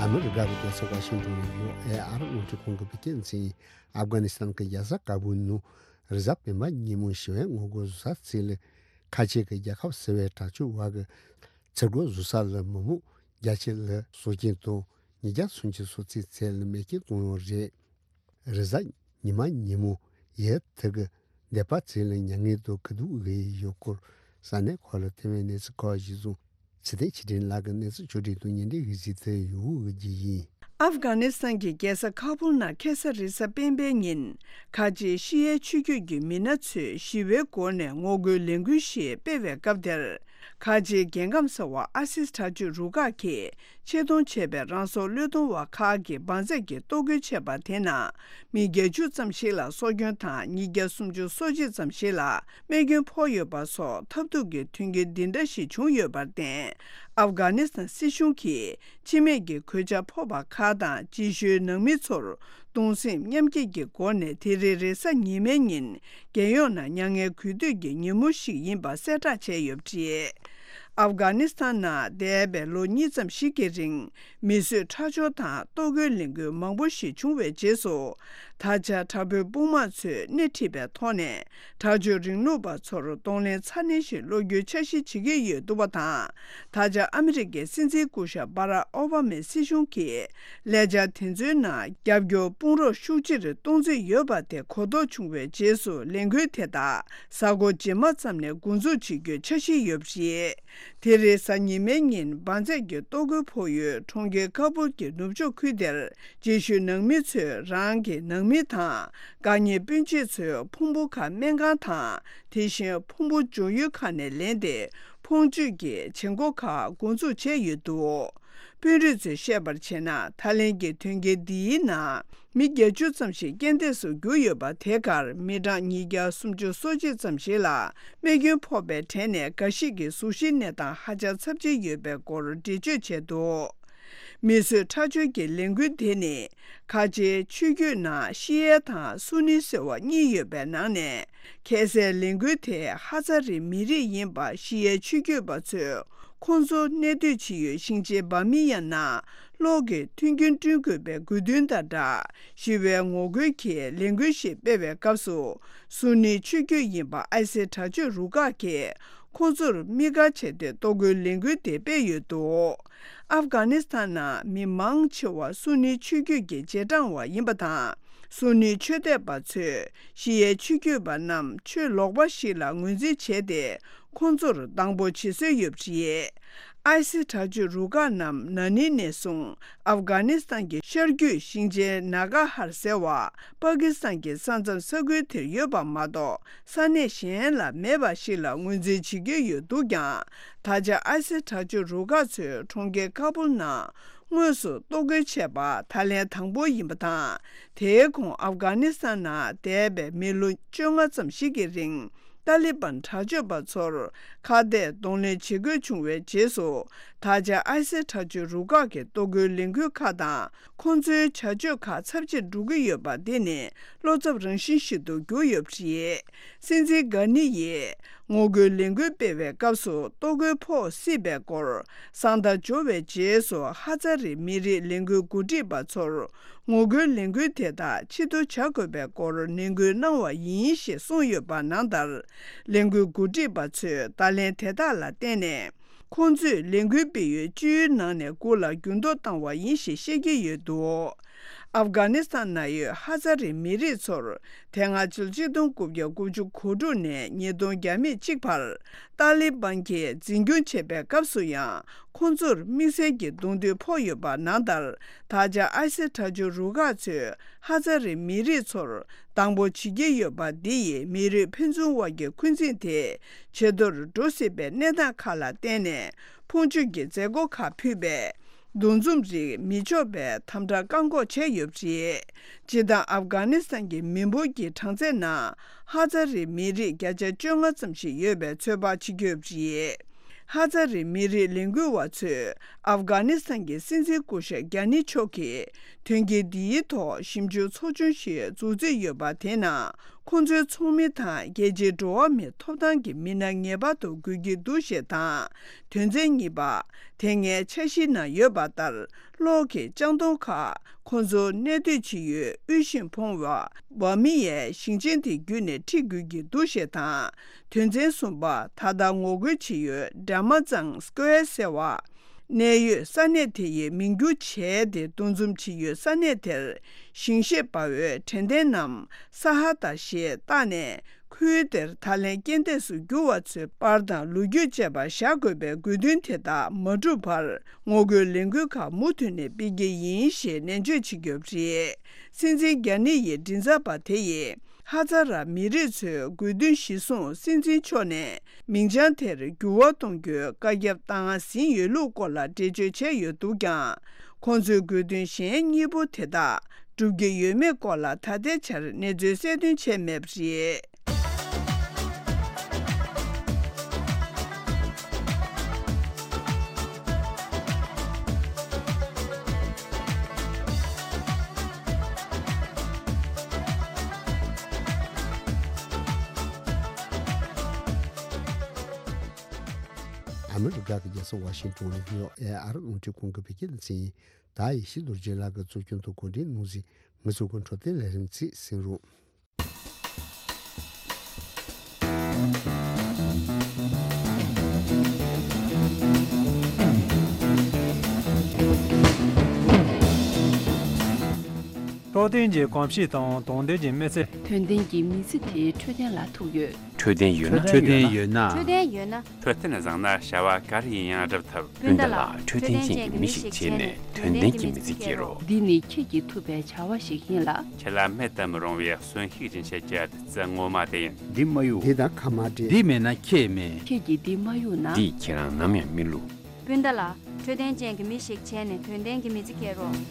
ཨ་མི་རི་ཀ་གི་རྒྱལ་ས་ཝ་ཤིང་ཊོན་ནས་ཡོ་ཨེ་ཨར་རླུང་འཕྲིན་ཁང་གི་བོད་སྐད་སྡེ་ཚན་ཡིན། ཨབ་གྷ་ནི་སི་ཐན་གྱི་རྒྱལ་ས་ཀ་བུལ་ནང་རེས་གཟའ་སྤེན་པ་ཉིན་མོ་ཞི་བའི་ངོ་རྒོལ་བཟོ་ས་ཚད་ལས། ཁ་ཆེ་གི་རྒྱལ་ཁབ་ཟེར་བའི་དྲག་སྤྱོད་བ་གི་ཚེ་སྒོ་བཟོ་ས་ལ་མི་མང་བརྒྱ་ཆ་ལ་སྲོག་སྐྱོན་དང་ཉིས་བརྒྱ་སུམ་ཅུ་སོ་གཅིག་ཚད་ལ་རྨས་སྐྱོན་བཏང་ཡོད་རེད། རེས་གཟའ་ཉི་མ་ཉིན་མོ་ཡུལ་དེ་གི་སྡེ་པ་ཚོ་ལ་མྱ་ངན་དང་སྐྱིད་སྡུག་གི་ཡོད་སྐོར་ས་གནས་ཁག་ལ་ཐོན་པའི་གནས་ཚུལ་ཁག་གཞིར་བཟུང་། ཚེ་བརྟན་ཆོས་སྒྲོན་ལགས་ཀྱིས་གནས་ཚུལ་ཕྱོགས་སྒྲིག་དང་སྙན་སྒྲོན་ཞུས་ཏེ་ཡོད་རྒྱུ་ཡིན། ཨབ་གྷ་ནི་སི་ཐན་གྱི་རྒྱལ་ས་ཁ་བུལ་ནང་ཁ་སང་རེས་གཟའ་སྤེན་པའི་ཉིན། ཁ་ཆེའི་ཤི་ཡའི་ཆོས་བརྒྱུད་ཀྱི་མི་སྣ་ཚོས་ཞི་བའི་སྒོ་ནས་ངོ་རྒོལ་ལས་འགུལ་ཞིག་སྤེལ་བའི་སྐབས་དེར། ཁ་ཆེའི་རྒྱལ་ཁམས་ཟེར་བ་ཨ་སིས་དྲག་སྤྱོད་རུ་ཁག་གིས་ཆེད་གཏོང་བྱས་པའི་རང་སྲོག་བློས་གཏོང་བ་ཁག་གིས་འབར་རྫས་ཀྱི་གཏོར་རྒོལ་བྱས་པ་དེ་ནང་། མི་བརྒྱད་ཅུ་ཙམ་ཞིག་ལ་སྲོག་སྐྱོན་དང་། ཉིས་བརྒྱ་སུམ་ཅུ་སོ་གཅིག་ཙམ་ཞིག་ལ་རྨས་སྐྱོན་ཕོག་ཡོད་པ་སོགས་ཐབས་སྡུག་གི་མཐུན་རྐྱེན་འདི་འདྲ་ཞིག་བྱུང་ཡོད་པར་བརྟེན། ཨབ་གྷ་ནི་སི་ཐན་སྲིད་གཞུང་གིས་འཆི་རྨས་ཀྱི་གོད་ཆག་ཕོག་པ་ཁག་དང་། རྗེས་ཤུལ་ནང་མི་ཚོར་གདུང་སེམས་མཉམ་སྐྱེད་ཀྱི་སྒོ་ནས་དེ་རིང་རེས་གཟའ་ཉི་མའི་ཉིན། རྒྱལ་ཡོངས་ནང་མྱ་ངན་གུས་འདུད་ཀྱི་ཉིན་མོ་ཞིག་ཡིན་པ་གསལ་བསྒྲགས་བྱས་ཡོད་པ་རེད། ཨབ་གྷ་ནི་སི་ཐན་ནང་འདས་པའི་ལོ་གཉིས་ཙམ་ཞིག་གི་རིང་། མི་གསོད་ཁྲག་སྦྱོར་དང་གཏོར་རྒོལ་ལས་འགུལ་མང་པོ་ཞིག་བྱུང་བའི་རྗེས་སུ། ད་ཆ་དྲག་པོའི་དཔུང་དམག་ཚོས་སྣེ་ཁྲིད་པའི་ཐོག་ནས། དྲག་སྤྱོད་རིང་ལུགས་པ་ཚོར་གདོང་ལེན་ཚ་ནན་ཞིག་སློག་རྒྱུའི་འཆར་གཞི་བྱེད་ཀྱི་ཡོད་འདུག་པ་དང་། ད་ཆ་ཨ་མི་རི་ཀའི་སྲིད་འཛིན་སྐུ་ཞབས་བྷ་རག་ཨོ་བྷ་མའི་སྲིད་གཞུང་གིས། ཀླད་ཆག་དེ་ཚོའི་ནང་རྒྱབ་སྐྱོར་དཔུང་རོགས་ཤུགས་ཆེར་གཏོང་རྩིས་ཡོད་པ་དེ་གོ་རྟོགས་བྱུང་བའི་རྗེས་སུ། ལས་འགུལ་དེ་དག་གཟའ་འཁོར་རྗེས་མ་ཙམ་ནས་འགོ་འཛུགས་བྱེད་རྒྱུའི་འཆར་གཞི་ཡོད་པ་རེད། དེ་རིང་གཟའ་ཉི་མའི་ཉིན་འབར་རྫས་ཀྱི་གཏོར་རྒོལ་ཕོག་ཡུལ་གྲོང་ཁྱེར་ཁ་བུལ་གྱི་ནུབ་ཕྱོགས་ཁུལ་དེར། རྗེས་ཤུལ་ནང་མི་ཚོས་རང་གི་ནང་མི་དང་། དགའ་ཉེ་སྤུན་མཆེད་ཚོའི་ཕུང་པོ་ཁག་སྨན་ཁང་དང་། དེ་བཞིན་ཕུང་པོ་འཇོག་ཡུལ་ཁག་ནས་ལེན་ཏེ། ཁོང་ཚོས་ཀྱི་བྱེད་སྒོ་ཁག་འགོ་འཛུགས་བྱས་ཡོད་འདུག་དཔོན་རིགས་ཚོས་བཤད་པར་བྱས་ན། ཐའི་ལེན་གྱི་དོན་རྐྱེན་འདིའི་ནང་མི་བརྒྱད་ཅུ་ཙམ་ཞིག་རྐྱེན་འདས་སུ་གྱུར་ཡོད་པ། དེ་གར་མི་གྲངས་ཉིས་བརྒྱ་སུམ་ཅུ་སོ་གཅིག་ཙམ་ཞིག་ལ་རྨས་སྐྱོན་ཕོག་པའི་གྲས་ནས་འགའ་ཞིག་གི་གཟུགས་གཞིའི་གནས་སྟངས་ཧ་ཅང་ཚབས་ཆེན་ཡོད་པའི་སྐོར་འགྲེལ་བརྗོད་བྱས་འདུག་མིས་བཟོས་ཁྲག་སྦྱོར་གྱི་ལས་འགུལ་དེ་ནི། ཁ་ཆེའི་ཆོས་བརྒྱུད་ནང་ཤི་ཡའི་དང་སུ་ནི་ཟེར་བ་གཉིས་ཡོད་པའི་ནང་ནས། ཁ་སའི་ལས་འགུལ་དེ་ཧ་ཛ་རི་མི་རིགས་ཡིན་པ། ཤི་ཡའི་ཆོས་བརྒྱུད་པ་ཚོས་ཁོང་ཚོ་གནས་སྡོད་བྱེད་ཡུལ་ཞིང་ཆེན་བྷ་མི་ཡན་ནང་གློག་གི་མཐུན་རྐྱེན་བསྐྲུན་དགོས་པའི་དགོས་འདུན་དང་སྦྲགས། ཞི་བའི་ངོ་རྒོལ་གྱི་ལས་འགུལ་ཞིག་སྤེལ་བའི་སྐབས་སུ། སུ་ནི་ཆོས་བརྒྱུད་ཡིན་པ་ཨའི་སི་དྲག་སྤྱོད་རུ་ཁག་གིས་ཁོང་ཚོར་དམིགས་བཀར་བྱས་ཏེ་གཏོར་རྒོལ་ལས་འགུལ་དེ་སྤེལ་ཡོད་འདུག་ཨབ་གྷ་ནི་སི་ཐན་ནང་མི་མང་ཆེ་བ་སུ་ནི་ཆོས་བརྒྱུད་ཀྱི་རྗེས་འབྲང་བ་ཡིན་པ་དང་། སུ་ནི་ཆོས་དད་པ་ཚོས་ཤི་ཡའི་ཆོས་བརྒྱུད་པ་རྣམས་ཆོས་ལོག་པ་ཞིག་ལ་ངོས་འཛིན་བྱས་ཏེ། ཁོང་ཚོར་སྡང་པོ་བྱེད་སྲོལ་ཡོད་པ་རེད། ཨའི་སི་དྲག་སྤྱོད་རུ་ཁག་རྣམས་ན་ནིང་ནས་བཟུང་ཨབ་གྷ་ནི་སི་ཐན་གྱི་ཤར་རྒྱུད་ཞིང་ཆེན་ནཱ་གྷ་ཧར་ཟེར་བ། པ་ཀི་སི་ཐན་གྱི་ས་མཚམས་ས་ཁུལ་དེར་ཡོད་པ་མ་གཏོགས། ས་གནས་གཞན་ལ་མེད་པ་ཞིག་ལ་ངོས་འཛིན་བྱེད་ཀྱི་ཡོད་འདུག་ཀྱང་། ད་ཆ་ཨའི་སི་དྲག་སྤྱོད་རུ་ཁག་ཚོས་གྲོང་ཁྱེར་ཁ་བུལ་ནང་དངོས་སུ་གཏོར་རྒོལ་བྱས་པ་ད་ལན་དང་པོ་ཡིན་པ་དང་། དེའི་གོང་ཨབ་གྷ་ནི་སི་ཐན་ནང་འདས་པའི་མི་ལོ་བཅོ་ལྔ་ཙམ་ཞིག་གི་རིང་། ཏཱ་ལི་བན་དྲག་སྤྱོད་པ་ཚོར་ཁ་གཏད་གདོང་ལེན་བྱེད་དགོས་བྱུང་བའི་རྗེས་སུ། ད་ཆ་ཨའི་སི་དྲག་སྤྱོད་རུ་ཁག་གི་གཏོར་རྒོལ་ལས་འགུལ་ཁག་དང་། ཁོང་ཚོའི་བྱ་སྤྱོད་ཁག་ཚབས་ཆེར་འགྲོ་གི་ཡོད་པ་འདི་ནི་བློ་འཚབ་རང་བཞིན་ཞིག་ཏུ་གྱུར་ཡོད་པ་རེད། སྲིད་འཛིན་གྷ་ནི་ཡིས་ངོ་རྒོལ་ལས་འགུལ་སྤེལ་བའི་སྐབས་སུ་གཏོར་རྒོལ་ཕོག་སྲིད་པའི་སྐོར་གསང་བརྡ་འབྱོར་བའི་རྗེས་སུ། ཧ་ཛ་རི་མི་རིགས་ལས་འགུལ་འགོ་ཁྲིད་པ་ཚོར་ངོ་རྒོལ་ལས་འགུལ་དེ་དག་ཕྱིར་བསྡུ་བྱ་དགོས་པའི་སྐོར་ནན་སྐུལ་གནང་བ་ཡིན་ཞེས་གསུངས་ཡོད་པ་ནང་ལྟར། ལས་འགུལ་འགོ་ཁྲིད་པ་ཚོས་བརྡ་ལན་དེ་དག་ལ་བརྟེན་ནས། ཁོང་ཚོས་ལས་འགུལ་སྤེལ་ཡུལ་བཅུའི་ནང་ནས་དགུ་ལ་འགྱུར་ལྡོག་བཏང་བ་ཡིན་ཞེས་བཤད་ཀྱི་ཡོད་འདུག་ཨབ་གྷ་ནི་སི་ཐན་ནང་ཡོད་ཧ་ཛ་རི་མི་རིགས་ཚོར་དེ་སྔ་ཕྱི་ལོ་ཆིག་སྟོང་དགུ་བརྒྱ་དགུ་བཅུ་གོ་དྲུག་ནས་ཉིས་སྟོང་བརྒྱ་མེད་གཅིག་བར་ཏཱ་ལི་བན་གྱིས་འཛིན་སྐྱོང་བྱེད་པའི་སྐབས་སུ་ཡང་། ཁོང་ཚོར་དམིགས་བསལ་གྱི་གདོང་ཐུག་ཕོག་ཡོད་པ་ནང་ལྟར། ད་ཆ་ཨའི་སི་དྲག་སྤྱོད་རུ་ཁག་ཚོས་ཧ་ཛ་རི་མི་རིགས་ཚོར་སྡང་པོ་བྱེད་ཀྱི་ཡོད་པ་འདི་ཡིས་མི་རིགས་ཕན་ཚུན་དབར་གྱི་འཁོན་འཛིན་དེ་ཇེ་མཐོར་འགྲོ་སྲིད་པའི་གནས་སྟངས་ཁག་ལ་བརྟེན་ནས། ཕུང་མཆོད་ཀྱི་མཛད་སྒོ་ཁག་ཕུད་པའི་འདུ་འཛོམས་རིགས་མི་འཇོག་པའི་དམ་དྲག་བཀག་འགོག་བྱས་ཡོད་པ་རེད། སྤྱིར་བཏང་ཨབ་གྷ་ནི་སི་ཐན་གྱི་མི་འབོར་གྱི་གྲངས་ཚད་ནང་ཧ་ཛ་རི་མི་རིགས་བརྒྱ་ཆ་བཅོ་ལྔ་ཙམ་ཞིག་ཡོད་པའི་ཚོད་དཔག་བྱེད་ཀྱི་ཡོད་པ་རེད། ཧ་ཛ་རི་མི་རིགས་ལས་འགུལ་བ་ཚོས་ཨབ་གྷ་ནི་སི་ཐན་གྱི་སྲིད་འཛིན་སྐུ་ཞབས་གྷ་ནི་མཆོག་གིས་དོན་རྐྱེན་འདིའི་ཐོག་ཞིབ་འཇུག་ཚོགས་ཆུང་ཞིག་འཛུགས་རྩིས་ཡོད་པ། དེ་ནང་ཁོང་ཚོའི་ཚོགས་མི་དང་རྒྱལ་སྤྱིའི་འགྲོ་བ་མིའི་ཐོབ་ཐང་གི་མི་སྣ་ངེས་པར་དུ་དགོས་ཀྱི་འདུག་ཞེས་དང་། དོན་ཚན་གཉིས་པ། དེ་སྔའི་འཆར་གཞིའི་ནང་ཡོད་པ་ལྟར། གློག་གི་ལྕགས་དོང་ཁག་ཁོང་ཚོ་གནས་སྡོད་བྱེད་ཡུལ་དབུལ་ཞིང་ཕོངས་པ་བྷ་མི་ཡའི་ཞིང་ཆེན་དེ་བརྒྱུད་ནས་ཁྲིད་དགོས་ཀྱི་འདུག་ཞེས་དང་། དོན་ཚན་གསུམ་པ། ད་ལྟ་ངོ་རྒོལ་བྱེད་ཡུལ་ཌ་མ་ཙང་སྐོར་ཟེར་བ། གནས་ཡུལ་ས་གནས་དེ་ཡི་མིང་བསྒྱུར་བྱས་ཏེ། འདུ་འཛོམས་བྱེད་ཡུལ་ས་གནས་དེར་ཞིང་གཤེད་པ་བོའི་དྲན་རྟེན་ནམ་ས་ཧ་ད་ཞེས་བཏགས་ནས། ཁུལ་དེར་ད་ལན་རྐྱེན་འདས་སུ་གྱུར་བ་ཚོའི་པར་དང་ལོ་རྒྱུས་བཅས་པ་བཞག་དགོས་པའི་དགོས་འདུན་དེ་དག་མ་འགྲུབ་བར། ངོ་རྒོལ་ལས་འགུལ་ཁག་མུ་མཐུད་ནས་སྤེལ་གྱི་ཡིན་ཞེས་ནན་བརྗོད་བྱེད་ཀྱི་ཡོད་པ་རེད། སྲིད་འཛིན་གྷ་ནི་ཡི་མགྲིན་ཚབ་པ་དེ་ཡིས། ཧ་ཛ་ར་མི་རིགས་ཚོའི་དགོས་འདུན་གཞིར་བཟུང་སྲིད་འཛིན་མཆོག་ནས་མིང་བྱང་དེར་འགྱུར་བ་གཏོང་རྒྱུའི་བཀའ་ཁྱབ་བཏང་ཟིན་ཡོད་ལུགས་སྐོར་ལ་འགྲེལ་བརྗོད་བྱས་ཡོད་འདུག་ཀྱང་། ཁོང་ཚོའི་དགོས་འདུན་གཞན་གཉིས་པོ་དེ་དག་འགྲུབ་ཀྱི་ཡོད་མེད་སྐོར་ལ་ད་ལྟའི་ཆར་གནས་ཚུལ་གསལ་སྟོན་བྱས་མེད་པ་རེད། ཨ་མི་རི་ཀ་གི་རྒྱལ་ས་ཝ་ཤིང་ཏོན་ནས་ནིའུ་ཡོག་ཨེ་ཨར་རླུང་འཕྲིན་ཁང་གི་བོད་སྐད་སྡེ་ཚན་ཡིན། ད་ཡིན་ཤིན་ཏུ་རྗེ་ལགས་ཀྱིས་གཙོ་སྐྱོང་དུ་གོ་སྒྲིག་གནང་ཟིན་ང་ཚོའི་འཕྲོད་བསྟེན་ལས་རིམ་ཚིག་གསན་རོགས། འཕྲོད་བསྟེན་གྱི་གོམས་གཤིས་དང་དོན་ལྡན་གྱི་མི་ཚེ། དོན་ལྡན་གྱི་མི་ཚེ་དེའི་འཕྲོད་བསྟེན་ལ་ཐུག་ཡོད། འཕྲོད་བསྟེན་ཡོད་ན། འཕྲོད་བསྟེན་ཡོད་ན། འཕྲོད་བསྟེན་ཡོད་ན། འཕྲོད་བསྟེན་བཟང་ན་བྱ་བ་ག་རེ་ཡིན་ཡང་སྒྲུབ་ཐུབ། སྤུན་ཟླ་ལགས། འཕྲོད་བསྟེན་ཅན་གྱི་མི་ཞིག་བྱས་ནས་དོན་ལྡན་གྱི་མི་ཚེ་སྐྱེལ་རོགས། འདི་ནི་ཁྱེད་ཀྱིས་ཐུབ་པའི་བྱ་བ་ཞིག་ཡིན་ལ། ཁྱེད་ལ་མེད་དུ་མི་རུང་བའི་གསོན་ཤུགས་ཅན་བྱེད་ཀྱི་བདུད་རྩི་ངོ་མ་དེ་ཡིན། འདི་མ་གཡུག་འདི་དང་ཁ་མ་འབྲལ། འདི་མེད་ན་ཁྱེད་མེད། ཁྱེད་ཀྱིས་འདི་མ་གཡུག་ན། འདིས་ཁྱེད་རང་ནམ་ཡང་མི་བསླུ། སྤུན་ཟླ་ལགས། འཕྲོད་བསྟེན་ཅན་གྱི་མི་ཞིག་བྱས་ནས་དོན་ལྡན་གྱི་མི་ཚེ་སྐྱེལ་རོགས།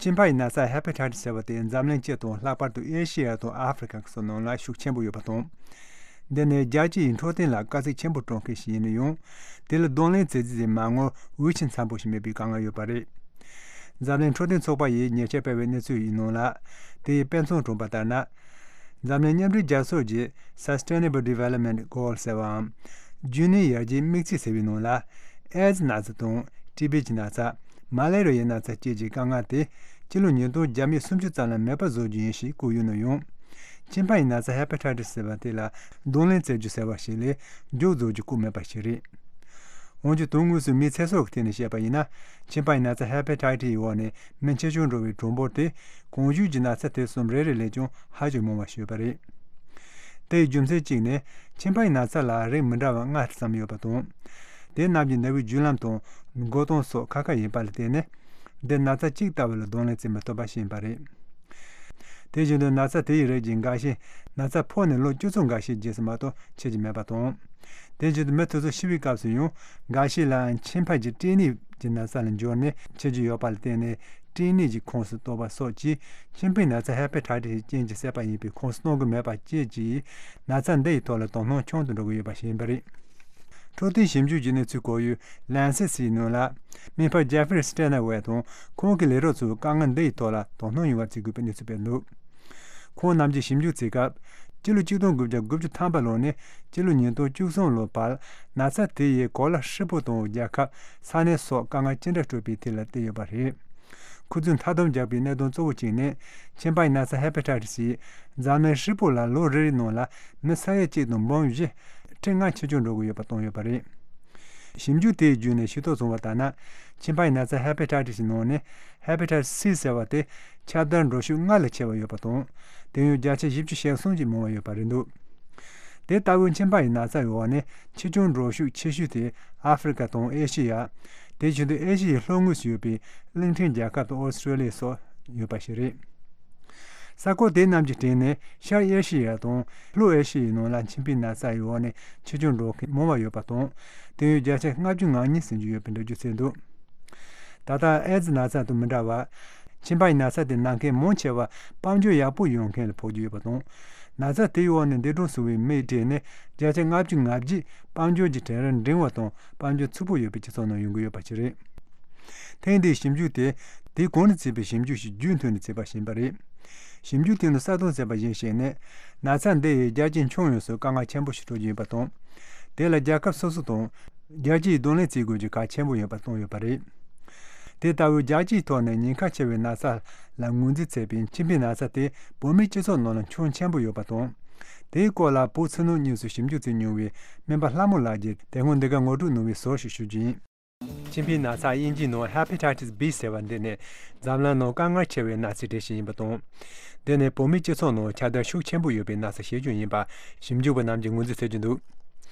མཆིན་པ་ཡི་ན་ཚ་ཧེ་པ་ཊའི་ཊི་སི་ཟེར་བ་དེ་འཛམ་གླིང་སྤྱི་དང་ལྷག་པར་དུ་ཨེ་ཤེ་ཡ་དང་ཨ་ཧྥེ་རི་ཁ་སོགས་ནང་ལ་ཤུགས་ཆེན་པོ་ཡོད་པ་དང་། འདི་ནི་རྒྱལ་སྤྱི་ཡི་འཕྲོད་བསྟེན་ལ་དཀའ་ཚེགས་ཆེན་པོ་སྤྲོད་མཁན་ཞིག་ཡིན་ན་ཡང་། དེ་ལ་གདོང་ལེན་བྱེད་རྩིས་དེ་མ་དངུལ་འོས་ཆེན་འཚམ་པོ་ཞིག་མེད་པའི་དཀའ་ངལ་ཡོད་པ་རེད། འཛམ་གླིང་འཕྲོད་བསྟེན་ཚོགས་པ་ཡིས་ཉེས་ཆད་སྤེལ་བའི་གནས་ཚུལ་ཡི་ནང་ལ། དེ་ཡི་དཔེ་མཚོན་དྲངས་པ་ལྟར་ན། འཛམ་གླིང་མཉམ་འབྲེལ་རྒྱལ་ཚོགས་ཀྱི་Sustainable Development Goal ཟེར་བའམ། རྒྱུན་གནས་ཡར་རྒྱས་དམིགས་ཚད་ཟེར་བའི་ནང་ལ། ཨེ་ཛི་ན་ཚ་དང་ཊི་བི་གི་ན་ཚ། མ་ལེ་རི་ཡའི་ན་ཚ་བཅས་ཀྱི་དཀའ་ངལ་དེ་སྤྱི་ལོ་ཉིས་སྟོང་བརྒྱ་མེད་སུམ་ཅུ་ཙམ་ལ་མེད་པ་བཟོ་རྒྱུ་ཡིན་ཞེས་བཀོད་ཡོད་ན་ཡང་། མཆིན་པ་ཡི་ན་ཚ་ཧེ་པ་ཊའི་ཊི་སི་ཟེར་བ་དེ་ལ་གདོང་ལེན་བྱེད་རྒྱུ་ཟེར་བ་ཞིག་ལས་མགྱོགས་རྫོགས་རྒྱུ་བཀོད་མེད་པ་ཞིག་རེད། འོན་ཀྱང་དོན་དངོས་སུ་མིའི་ཚེ་སྲོག་གི་ཐད་ནས་བཤད་པ་ཡིན་ན། མཆིན་པ་ཡི་ན་ཚ་ཧེ་པ་ཊའི་ཊི་སི་ཡི་འོག་ནས་མི་ཆེ་ཆུང་འགྲོ་བའི་གྲངས་འབོར་དེ་གོང་ཞུས་ཀྱི་ན་ཚ་དེ་གསུམ་རེ་རེ་ལས་ཀྱང་ཧ་ཅང་མང་བ་ཞིག་ཡོད་པ་རེད། དེའི་རྒྱུ་མཚན་གཅིག་ནི་མཆིན་པ་ཡི་ན་ཚ་ལ་རིགས་མི་འདྲ་བ་ལྔ་ཙམ་ཡོད་པ་དང་། དེ་རྣམས་ཀྱི་ནད་པའི་རྒྱུ་ལམ་དང་འགོས་སྟངས་སོགས་ཁ་ཁ་ཡིན་པ་ལ་བརྟེན་ནས། འདི་ན་ཚ་གཅིག་ལྟ་བུ་ལ་གདོང་ལེན་བྱེད་མི་ཐུབ་པ་ཞིག་ཡིན་པ་རེད། དེ་བཞིན་དུ་ན་ཚ་དེ་ཡི་རིགས་ཀྱི་འགའ་ཤས་ན་ཚ་ཕོག་ནས་ལོ་བཅུ་ཙམ་འགའ་ཤས་རྗེས་སུ་མ་གཏོགས་འཆི་རྒྱུ་མེད་པ་དང་། དེ་བཞིན་དུ་མི་དེ་ཚོ་ཤི་བའི་སྐབས་སུ་ཡང་འགའ་ཤས་ལ་མཆིན་པ་གྱི་སྐྲན་ནད་ཀྱི་ན་ཚ་ལ་འགྱུར་ནས་འཆི་རྒྱུ་ཡོད་པ་ལ་བརྟེན་ནས། སྐྲན་ནད་ཀྱི་ཁོངས་སུ་གཏོགས་པ་སོགས་ཀྱིས་མཆིན་པའི་ན་ཚ་ཧེ་པ་ཊའི་ཊི་སི་ཀྱི་རྐྱེན་གྱིས་བསད་པ་ཡིན་པའི་ཁོངས་སུ་གཏོང་གི་མེད་པ་བཅས་ཀྱི་ན་ཚ་འདི་ཡི་ཐོག་ལ་དོ་སྣང་ཆུང་དུ་འགྲོ་གི་ཡོད་པ་ཞིག་ཡིན་པ་རེད། འཕྲོད་བསྟེན་ཞིབ་འཇུག་གི་གནས་ཚུལ་སྐོར་ཡུལ་ལན་སེ་སི་ནང་ལ། སྨན་པ་ཇེ་ཧྥི་རི་སི་ཊེ་ན་ཝེ་དང་ཁོང་གི་ལས་རོགས་ཚོས་དཀའ་ངལ་འདི་ཡི་ཐོག་ལ་དོ་སྣང་ཡོང་བར་བྱེད་དགོས་པའི་གནས་ཚུལ་སྤེལ་འདུག་ཁོང་རྣམས་ཀྱིས་ཞིབ་འཇུག་བྱེད་སྐབས། སྤྱི་ལོ་ཆིག་སྟོང་དགུ་བརྒྱ་དགུ་བཅུ་ཐམ་པ་ལོ་ནས་སྤྱི་ལོ་ཉིས་སྟོང་བཅུ་གསུམ་ལོ་བར་ན་ཚ་དེ་ཡིས་གོ་ལ་ཧྲིལ་པོ་དང་རྒྱལ་ཁབ། ས་གནས་སོགས་དཀའ་ངལ་ཅི་འདྲ་སྤྲོད་པའི་ཐད་ལ་བལྟས་ཡོད་པ་རེད། ཁོ་ཚོས་མཐའ་སྡོམ་རྒྱག་པའི་གནད་དོན་གཙོ་བོ་གཅིག་ནི། མཆིན་པ་ཡི་ན་ཚ་ཧེ་པ་ཊའི་ཊི་སི་ཡིས་འཛམ་གླིང་ཧྲིལ་པོ་ལ་ལོ་རེ་རེའི་ནང་ལ་མི་ས་ཡ་གཅིག་དང་འབུམ་བཞི་ཁྲི་ལྔ་འཆི་སྐྱོན་འགྲོ་གི་ཡོད་པ་བཏང་ཡོད་པ་རེད། ཞིབ་འཇུག་དེའི་བརྒྱུད་ནས་ཤེས་རྟོགས་བྱུང་བ་ལྟར་ན། མཆིན་པ་ཡི་ན་ཚ་ཧེ་པ་ཊའི་ཊི་སི་ནང་ནས་ཧེ་པ་ཊའི་ཊི་སི་སི་ཟེར་བ་དེ་ཁྱབ་བརྡལ་འགྲོ་ཤུགས་སྔར་ལས་ཆེ་བ་ཡོད་པ་དང་། དེ་ཡང་བརྒྱ་ཆ་བཞི་བཅུ་ཞེ་གསུམ་གྱིས་མང་བ་ཡོད་པ་རེད་འདུག་དེ་ལྟ་བུའི་མཆིན་པ་ཡི་ན་ཚ་ཡི་འོག་ནས་འཆི་སྐྱོན་འགྲོ་ཤུགས་ཆེ་ཤོས་དེ་ཨ་ཧྥེ་རི་ཁ་དང་ཨེ་ཤེ་ཡ། དེ་བཞིན་དུ་ཨེ་ཤེ་ཡའི་ལྷོ་ངོས་སུ་ཡོད་པའི་གླིང་ཕྲན་རྒྱལ་ཁབ་དང་ཨོ་སི་ཀྲོ་ལི་ཡ་སོགས་ཡོད་པ་ཞིག་རེད། ས་ཁོངས་དེ་རྣམས་ཀྱི་སྟེང་ནས་ཤར་ཨེ་ཤེ་ཡ་དང་ལྷོ་ཨེ་ཤེ་ཡའི་ནང་ལ་མཆིན་པའི་ན་ཚ་ཡི་འོག་ནས་འཆི་སྐྱོན་འགྲོ་མཁན་མང་བ་ཡོད་པ་དང་། དེ་ཡང་བརྒྱ་ཆ་ལྔ་བཅུ་ང་གཉིས་ཟིན་གྱི་ཡོད་པའི་འགྲེལ་བརྗོད་བྱས་འདུག་ད་ལྟ་ཨེ་ཛི་ན་ཚ་དང་མི་འདྲ་བར། མཆིན་པ་ཡི་ན་ཚ་དེ་ན་མཁན་མང་ཆེ་བ་དཔལ་འབྱོར་ཡག་པོ་ཡོད་མཁན་ལ་ཕོག་རྒྱུ་ཡོད་པ་དང་། ན་ཚ་དེའི་འོག་ནས་འདས་གྲོངས་སོང་བའི་མིའི་གྲས་ནི་བརྒྱ་ཆ་ལྔ་བཅུ་ང་བརྒྱད་དཔལ་འབྱོར་གྱི་གྲལ་རིམ་འབྲིང་བ་དང་དཔལ་འབྱོར་ཕྱུག་པོ་ཡོད་པའི་སྤྱི་ཚོགས་ནང་ཡོང་གི་ཡོད་པ་ཞིག་རེད། ཐེངས་འདིའི་ཞིབ་འཇུག་དེ། དེའི་གོང་ནས་བྱས་པའི་ཞིབ་འཇུག་ཞིག་རྒྱུན་མཐུད་ནས་བྱས་པ་ཞིག་ཡིན་པ་རེད། ཞིབ་འཇུག་དེ་ནི་གསལ་སྟོན་བྱས་པ་ཡིན་ཞེས་ནས། ན་ཚ་འདི་ཡིས་རྒྱལ་སྤྱིའི་ཁྱོན་ཡོངས་སུ་དཀའ་ངལ་ཆེན་པོ་ཞིག་སྤྲོད་ཀྱི་ཡོད་པ་དང་། དེ་ལ་རྒྱལ་ཁབ་སོ་སོ་དང་། རྒྱལ་སྤྱིའི་གདོང་ལེན་བྱེད་དགོས་རྒྱུ་གལ་ཆེན་པོ་ཡིན་པ་གསུངས་ཡོད་པ་རེད། དེ་ལྟ་བུའི་རྒྱལ་སྤྱིའི་ཐོག་ནས་ཉེན་ཁ་ཆེ་བའི་ན་ཚ་ལ་ངོས་འཛིན་བྱས་པའི་མཆིན་པའི་ན་ཚ་དེ་བོད་མིའི་སྤྱི་ཚོགས་ནང་ལ་ཁྱོན་ཆེན་པོ་ཡོད་པ་དང་། དེའི་སྐོར་ལ་བོད་ཕྱི་ནང་གཉིས་སུ་ཞིབ་འཇུག་བྱས་མྱོང་བའི་སྨན་པ་ལྷ་མོ་ལགས་ཀྱིས་དེ་སྔོན་འདི་ག་ངོ་སྤྲོད་གནང་བའི་ཟུར་ཞིག་ཞུ་རྒྱུ་ཡིན། མཆིན་པའི་ན་ཚ་དབྱིན་ཇིའི་ནང་Hepatitis B ཟེར་བ་འདི་ནི་འཛམ་གླིང་ནང་དཀའ་ངལ་ཆེ་བའི་ན་ཚའི་གྲས་ཤིག་ཡིན་པ་དང་། འདི་ནི་བོད་མིའི་སྤྱི་ཚོགས་ནང་ཁྱབ་གདལ་ཤུགས་ཆེན་པོ་ཡོད་པའི་ན་ཚ་ཞིག་ཀྱང་ཡིན་པ་ཞིབ་འཇུག་པ་རྣམས་ཀྱིས་ངོས་འཛིན་བྱེད་ཀྱི་འདུག་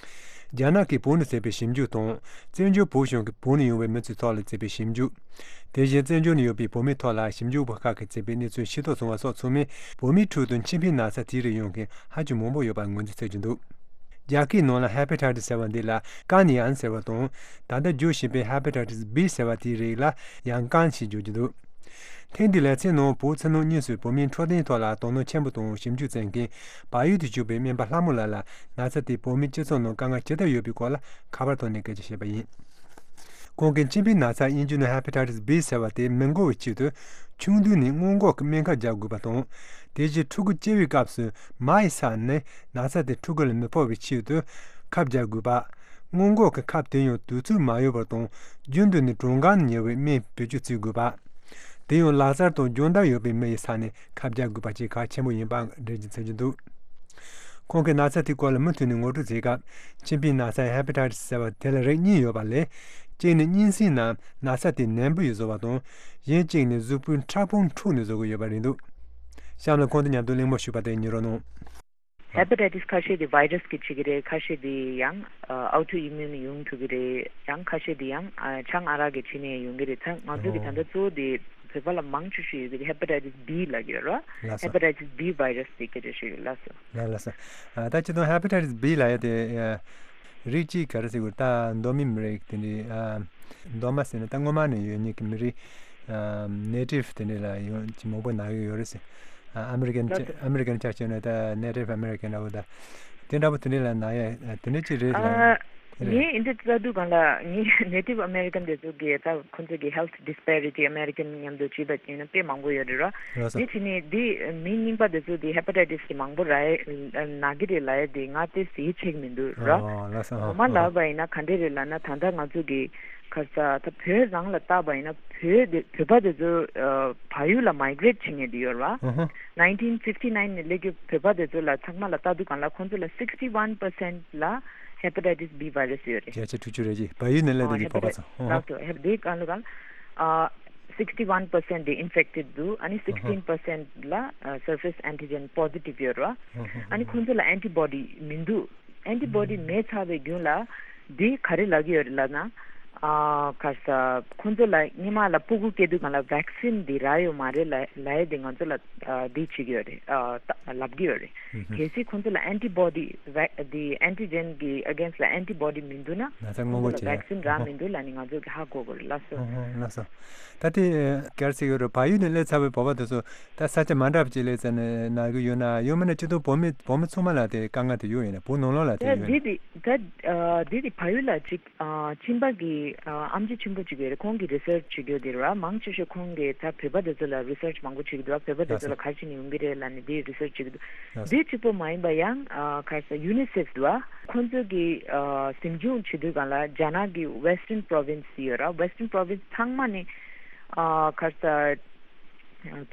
རྒྱ་ནག་གིས་བོད་ནང་བྱས་པའི་ཞིབ་འཇུག་དང་། བཙན་བྱོལ་བོད་གཞུང་གིས་བོད་ནང་ཡོང་བའི་མི་ཚོའི་ཐོག་ལ་བྱས་པའི་ཞིབ་འཇུག་དེ་བཞིན་བཙན་བྱོལ་ནང་ཡོད་པའི་བོད་མིའི་ཐོག་ལ་ཞིབ་འཇུག་པ་ཁག་གིས་བྱས་པའི་གནས་ཚུལ་ཤེས་རྟོགས་བྱུང་བ་སོགས་ཚང་མས་བོད་མིའི་ཁྲོད་དུ་མཆིན་པའི་ན་ཚ་དེའི་རིགས་ཡོང་མཁན་ཧ་ཅང་མང་པོ་ཡོད་པར་ངོས་འཛིན་བྱེད་ཀྱི་འདུག་རྒྱ་སྐད་ནང་ལ་Hepatitis ཟེར་བ་འདི་ལ་ཀན་ཡན་ཟེར་བ་དང་། ད་ལྟ་བརྗོད་བཞིན་པའི་Hepatitis B ཟེར་བ་དེའི་རིགས་ལ་ཡང་ཀན་ཞེས་བརྗོད་ཀྱི་འདུག་ཐེངས་འདིའི་ལེ་ཚན་ནང་བོད་ཕྱི་ནང་གཉིས་སུ་བོད་མིའི་འཕྲོད་བསྟེན་ཐོག་ལ་དོ་སྣང་ཆེན་པོ་དང་ཞིབ་འཇུག་བྱེད་མཁན་བལ་ཡུལ་དུ་བཞུགས་པའི་སྨན་པ་ལྷ་མོ་ལགས་ལ་ན་ཚ་དེས་བོད་མིའི་སྤྱི་ཚོགས་ནང་དཀའ་ངལ་ཇི་ལྟར་ཡོད་པའི་སྐོར་ལ་ཁ་པར་ཐོག་ནས་སྐད་ཆ་བཤད་པ་ཡིན། ཁོང་གིས་མཆིན་པའི་ན་ཚ་དབྱིན་ཇི་ནང་Hepatitis B ཟེར་བ་དེ་མི་འགོ་བའི་ཆེད་དུ་ཆུང་དུས་ནས་སྔོན་འགོག་གི་སྨན་ཁབ་རྒྱག་དགོས་པ་དང་། དེ་རྗེས་ཕྲུ་གུ་སྐྱེ་བའི་སྐབས་སུ་མ་ཡི་ས་ནས་ན་ཚ་དེ་ཕྲུ་གུ་ལ་མི་ཕོག་པའི་ཆེད་དུ་ཁབ་རྒྱག་དགོས་པ། སྔོན་འགོག་གི་ཁབ་དེ་ཡང་དུས་ཚོད་མ་ཡོལ་བར་དང་རྒྱུན་དུ་ནས་གྲངས་ཀ་ཉེ་བའི་སྨན་བེད་སྤྱོད་བྱེད་དགོས་པ། དེ་ཡང་ལག་རྩལ་དང་སྦྱོང་བརྡར་ཡོད་པའི་མི་ཡི་ས་ནས་ཁབ་རྒྱག་དགོས་པ་བཅས་གལ་ཆེན་པོ་ཡིན་པ་འགྲེལ་བརྗོད་བྱེད་ཀྱི་འདུག་ཁོང་གིས་ན་ཚ་དེའི་སྐོར་ལ་མུ་མཐུད་ནས་ངོ་སྤྲོད་བྱེད་སྐབས། མཆིན་པའི་ན་ཚ་ཧེ་པ་ཊའི་ཊི་སི་ཟེར་བ་དེ་ལ་རིགས་གཉིས་ཡོད་པ་ལས། གཅིག་ནི་གཉན་སྲིན་ནམ་ན་ཚ་དེ་ནན་པོ་ཡོད་བཟོ་བ་དང་། གཞན་གཅིག་ནི་གཟུགས་པོའི་ཕྲ་ཕུང་འཁྲུགས་ནས་བཟོ་གི་ཡོད་པ་རེད་འདུག་གཤམ་ལ་ཁོང་དང་མཉམ་དུ་གླེང་མོལ་ཞུས་པ་དེ་ཉན་རོགས་གནང་། ཧེ་པ་ཊའི་ཊི་སི་ཁ་ཤས་དེ་བྷའི་ར་སི་གིས་བྱེད་ཀྱི་རེད། ཁ་ཤས་དེ་ཡང་ཨ་ཨོ་ཊོ་ཨི་མིའུན་ཡོང་ཐུབ་ཀྱི་རེད། ཡང་ཁ་ཤས་དེ་ཡང་ཨ་ཆང་ཨ་རག་གིས་བྱས་ནས་ཡོང་གི་རེད། ད་ང་ཚོ་གི་ད་ལྟ་གཙོ་བོ་དེ་བོད་པ་ལ་མང་ཆེ་ཤོས་ཡོད་ཀྱི་རེད། ཧེ་པ་ཊའི་ཊི་སི་བྷི་ལབ་ཀྱི་ཡོད་རེད། ལགས་སོ། ཧེ་པ་ཊའི་ཊི་སི་བྷི་བྷའི་ར་སི་དེ་སྐད་ཆ་ཤོད་ཡོད། ལགས་སོ། ལགས་ལགས་སོ། ཨ་ད་སྤྱིར་བཏང་ཧེ་པ་ཊའི་ཊི་སི་བྷི་ལབ་ཡ་དེ་ཨ་རིགས་གཅིག་ག་རེ་ཟེར་དགོས་རེད། ད་མདོ་མི་མི་རིགས་དེ་འདྲའི་ཨ་མདོ་མ་ཟེར་ན་ད་སྔོན་མ་ནས་ཡོད་མཁན་གྱི་མི་རིགས་ཨ་ནེ་ཊིབ་དེ་འདྲ་ལ་ཡོད་ཅིག་མང་པོ་ན་གི་ཡོད་རེད་ཟེར། ཨ་ཨ་མི་རི་ཀན་ལགས་སོ། ཨ་མི་རི་ཀན་ཆ་བཞག་ན་ད་ནེ་ཊིབ་ཨ་མི་རི་ཀན་འདྲ་བོ་ད་དེ་འདྲ་བོ་དེ་འདྲ་ལ་ན་ཡ་དེ་འདྲ་ཅིག་རེད་ལ། ཨ་རེད། ངས་འདི་ལྟ་དུས་སྒང་ལ་ངས་ནེ་ཊིབ་ཨ་མེ་རི་ཀན་དེ་ཚོ་གི་ད་ཁོང་ཚོ་གི་ཧེལ་ཐི་ཌི་སི་པེ་རི་ཊི་ཨ་མེ་རི་ཀན་མཉམ་དུ་བྱས་པ་ཡིན་ན་དཔེ་མང་པོ་ཡོད་རེད་ར། ལགས་སོ། དེ་བྱས་ནས་འདི་མི་རྙིང་པ་དེ་ཚོ་དེ་ཧེ་པ་ཊའི་ཊི་སི་གི་མང་པོ་ར་ན་གི་རེད་ལབ་ཡ་དེ་ང་དེ་ཟེར་ཆེག་མི་འདུག་ར། ཨོ་ལགས་སོ། ངོ་མ་ལབ་པ་ཡིན་ན་ག་འདྲ་རེད་ལབ་ན་ད་ལྟ་ང་ཚོ་གི་ག་རེ་ཟེར་ད་བོད་རང་ལ་བལྟས་པ་ཡིན་ན་བོད་དེ་བོད་པ་དེ་ཚོ་བལ་ཡུལ་ལ་མའི་གི་རེཊ་བྱེད་མཁན་དེ་ཡོད་ར། ཨ་ཧ། ནའིན་ཊིན་ཕིབ་ཊི་ནའིན་ནས་སླེབས་རྒྱུ་བོད་པ་དེ་ཚོ་ལ་ཚང་མ་ལ་ལྟ་དུས་སྒང་ལ་ཁོང་ཚོ་ལ་སིག་སི་ཊི་ཝན་པར་སེན་ཊི་ལ་ཧེ་པ་ཊའི་ཊི་སི་བྷི་བྷའི་ར་སི་ཡོད་རེད། བརྒྱ་ཆ་དྲུག་ཅུ་རེ་གཅིག་བལ་ཡུལ་ནས་སླེབས་ཨ་བསྡད་ཀྱི་བོད་པ་ཚོ། ལགས་སོ། ཧེ་པ་དེ་གང་ལ་གང་ཨ་སིག་སི་ཊི་ཝན་པར་སེན་ཊི་དེ་ཨིན་ཕེག་ཊེཌ་འདུག་ཨ་ནི་སིག་སི་ཊིན་པར་སེན་ཊི་ལ་ཨ་སར་ཕེ་སི་ཨན་ཊི་ཇེན་པོ་ཟི་ཊིབ་ཡོད་རེད་བ། ཨ་ནི་ཁོང་ཚོ་ལ་ཨན་ཊི་བོ་ཌི་མི་འདུག་ཨན་ཊི་བོ་ཌི་མེད་ཚར་བའི་རྒྱུན་ལ་འདི་ག་རེ་ལབ་ཀྱི་ཡོད་རེད་ལབ་ན། ཨ་ག་རེ་ཟེར་ཁོང་ཚོ་ལ་སྔོན་མ་ལ་སྤུ་གུ་སྐྱེ་དུས་སྒང་ལ་ཝེག་སིན་འདི་རག་ཡོད་མ་རེད་ལབ་ལབ་ཡས་དེ་ང་ཚོ་ལ་ཨ་འདི་བྱེད་ཀྱི་ཡོད་རེད། ཨ་ད་ལབ་ཀྱི་ཡོད་རེད། ཧུམ་ཧུམ། གལ་སྲིད་ཁོང་ཚོ་ལ་ཨན་ཊི་བོ་ཌི་ཝེག་འདི་ཨན་ཊི་ཇེན་གི་ཨེ་གེན་སི་ཊི་ལ་ཨན་ཊི་བོ་ཌི་མི་འདུག་ན་ན་ཚ་སྔོན་འགོག་ཁོང་ཚོ་ལ་བྱེད་ཝེག་སིན་རག་མི་འདུག་ལབ་ནས་ང་ཚོ་གི་ཧ་གོ་དགོས་རེད་ལགས་སོ། ཧུམ་ཧུམ། ལགས་སོ། ད་དེ་ག་རེ་ཟེར་གྱི་ཡོད་རེད། བལ་ཡུལ་ནས་སླེབས་ཚར་བའི་བོད་པ་དེ་ཚོ་ད་ས་ཆ་མ་འདྲ་བ་ཅིག་སླེབས་ཚར་ནས་ན་གི་ཡོད་ན་ཡང་མིན་ན་སྤྱིར་བཏང་བོད་མི་བོད་མི་ཚང་མ་ལ་དེ་དཀའ་ངལ་དེ་ཡོད་ཡིན་ན་བོད་ནང་ལོགས་ལ་དེ་ད་ཡོད་ཡིན་ན། འདི་དེ་ད་ཨ་འདི་དེ་བལ་ཡུལ་ལ་ཅིག་ཨ་གཅིན་པ་གི་ཨ་ཨེམ་ཆི་ཆེན་པོ་ཅིག་ཡོད་རེད། ཁོང་གིས་རི་སར་ཆི་བྱེད་ཀྱི་ཡོད་དེ་རེད་བ། མང་ཆེ་ཤོས་ཁོང་གིས་ད་བོད་པ་དེ་ཚོ་ལ་རི་སར་ཆི་མང་པོ་བྱེད་ཀྱི་འདུག་བ། བོད་པ་དེ་ཚོ་ལ་ག་རེ་བྱས་ནས་ཡོང་གི་རེད་ལབ་ནས་དེ་རི་སར་ཆི་བྱེད་ཀྱི་འདུག་ལགས་སོ། དེ་གཅིག་པོ་མ་ཡིན་པ་ཡང་ཨ་ག་རེ་ཟེར་ཡུ་ནི་སེཕ་འདུག་བ། ཁོང་ཚོ་གིས་ཨ་ཟིང་སྐྱོང་བྱེད་དུས་སྒང་ལ་རྒྱ་ནག་གི་ཝེ་སི་ཊརན་པོ་རོ་ཝིན་སི་ཡོད་ར། ཝེ་སི་ཊརན་པོ་རོ་ཝིན་སི་ཚང་མ་ནས་ཨ་ག་རེ་ཟེར་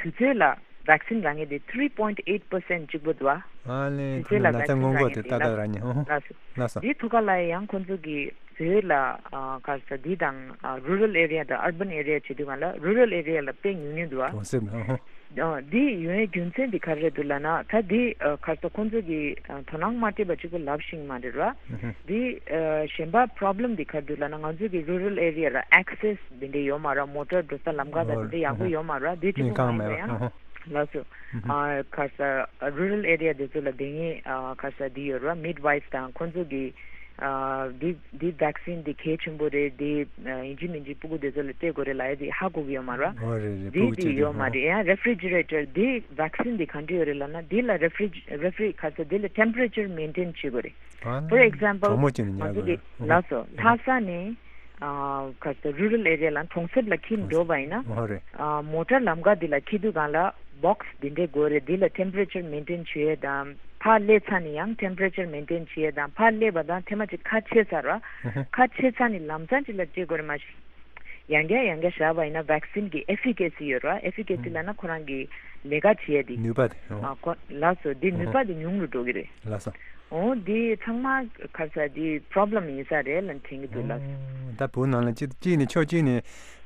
དུས་ཚོད་ལ་ཝེག་སིན་རག་མཁན་དེ་ཐི་རི་པོ་ཡིན་ཊི་ཨེ་ཊི་པར་སེན་ཊི་གཅིག་པོ་འདུག་བ། ཨ་ལས། དུས་ཚོད་ལ་ན་ཚ་ཝེག་སིན་སྔོན་འགོག་རག་མཁན་དེ་དེ་ཏག་ཏག་ལགས་རག་མཁན། ཧོ་ཧོ། ལགས་སོ། ལགས་སོ། དེའི་ཐོག་ཁ་ལ་ཡང་ཁོང་ཚོ་གིས་བོད་ལ་ཨ་ག་རེ་ཟེར་འདི་དང་ཨ་རུ་རལ་ཨེ་རི་ཡ་དང་ཨར་བན་ཨེ་རི་ཡ་བྱེད་དུས་སྒང་ལ་རུ་རལ་ཨེ་རི་ཡ་ལ་དཔེ་ཉུང་ཉུང་འདུག་བ། གྲོང་གསེབ་ལ། ཧོ་ཧོ། ཨ་འདི་ཡོང་ཡའི་རྒྱུ་མཚན་འདི་ག་རེ་རེད་འདུག་ལབ་ན། ད་འདི་ཨ་ག་རེ་ཟེར་ཁོང་ཚོ་གིས་ཨ་དོ་སྣང་མ་སྤྲད་པ་གཅིག་པོ་ལབ་ཤེས་ཀྱི་མ་རེད་ར། ཧུ་ཧུ། འདི་ཨ་གཞན་པ་པོ་རོ་བྷི་ལེམ་འདི་ག་རེ་འདུག་ལབ་ན། ང་ཚོ་གི་རུ་རལ་ཨེ་རི་ཡ་ལ་ཨེག་སེ་སི་འདི་འདྲ་ཡོད་མ་རེད། མོ་ཊར་འགྲོ་ས་ལམ་ཁ་དང་འདི་འདྲ་ཡག་པོ་ཡོད་མ་རེད། འདི་གཅིག་པོ་མ་ཡིན་པ་ཡང་། ལགས་སོ། ཨ་ག་རེ་ཟེར་རུ་རལ་ཨེ་རི་ཡ་དེ་ཚོ་ལ་དེ་སྔའི་ཨ་ག་རེ་ཟེར་འདི་ཡོད་རེད་བ། མིཌ་ཝའིཕ་དང་ཁོང་ཚོ་གིས་ཨ་འདི་འདི་ཝེག་སིན་འདི་གལ་ཆེན་པོ་རེད། འདི་ཨ་ཡིན་གཅིག་མིན་གཅིག་སྤུ་གུ་དེ་ཚོ་ལ་སྤྲད་དགོས་རེད་ལབ་ཡ་དེ་ཧ་གོ་གི་ཡོད་མ་རེད་བ། འོ་རེད་རེད། འདི་སྤུ་གུ་དེ་གཅིག་ཡོད་མ་རེད། ཡང་རེ་ཕི་རི་ཇི་རེ་ཊར་འདི་ཝེག་སིན་འདི་ག་འདྲ་ཡོད་རེད་ལབ་ན། འདི་ལ་རེ་ཕི་རི་རེ་ཕི་རི་ག་རེ་ཟེར་འདི་ལ་ཊེམ་པ་རེ་ཅར་མེན་ཊེན་བྱེད་དགོས་རེད། ཨ་ཕོར་ཨེག་ཛམ་པལ་གྲང་མོ་བྱས་ནས་ང་ཉར་ཚོ་གི་དགོས་རེད། ལགས་སོ། ལྷ་ས་ནས་ཨ་ག་རེ་ཟེར་རུ་རལ་ཨེ་རི་ཡ་ལ་གྲོང་གསེབ་ལ་འཁྱེར་འགྲོ་བ་ཡིན་ན། ཨོ་རེད། ཨ་མོ་ཊར་ལམ་ཁ་འདི་ལ་འཁྱེར་དུས་སྒང་ལ་བོག་སི་འདི་འདྲས་དགོས་རེད། འདི་ལ་ཊེམ་པ་རེ་ཅར་མེན་ཊེན་བྱེད་ཡས་དང་། ཕར་སླེབས་ཚར་ནས་ཡང་ཊེམ་པ་རེ་ཅར་མེན་ཊེན་བྱེད་ཡས་དང་། ཕར་སླེབས་པ་དང་ཐེངས་མ་གཅིག་ཁ་ཕྱེ་ཚར་བ། ཧུ་ཧུ། ཁ་ཕྱེ་ཚར་ནས་ལམ་སང་གཅིག་ལ་སྤྲད་དགོས་རེད། མ་གཞི་ཡང་བསྐྱར་ཡང་བསྐྱར་བཞག་པ་ཡིན་ན་ཝེག་སིན་གྱི་ཨེ་ཕི་ཀེ་སི་ཡོད་རེད་བ། ཨེ་ཕི་ཀེ་སི་ལབ་ན་ཁོ་རང་གི་ལས་ཀ་བྱེད་ཡས་དེ། ནུས་པ་དེ། ཨོ། ཨ་ཁོ་ལགས་སོ། འདི་ནུས་པ་དེ་ཉུང་རུ་འགྲོ་གི་རེད། ལགས་སོ། འོ་འདི་ཚང་མ་ག་རེ་ཟེར་འདི་པོ་རོ་བྷི་ལེམ་ཡིན་ས་རེད་ལབ་དྲན་གྱི་འདུག་ལགས། ཨོ་ད་བོད་ནང་ལ་གཅིག་གཅིག་ནས་ཕྱོགས་གཅིག་ནས་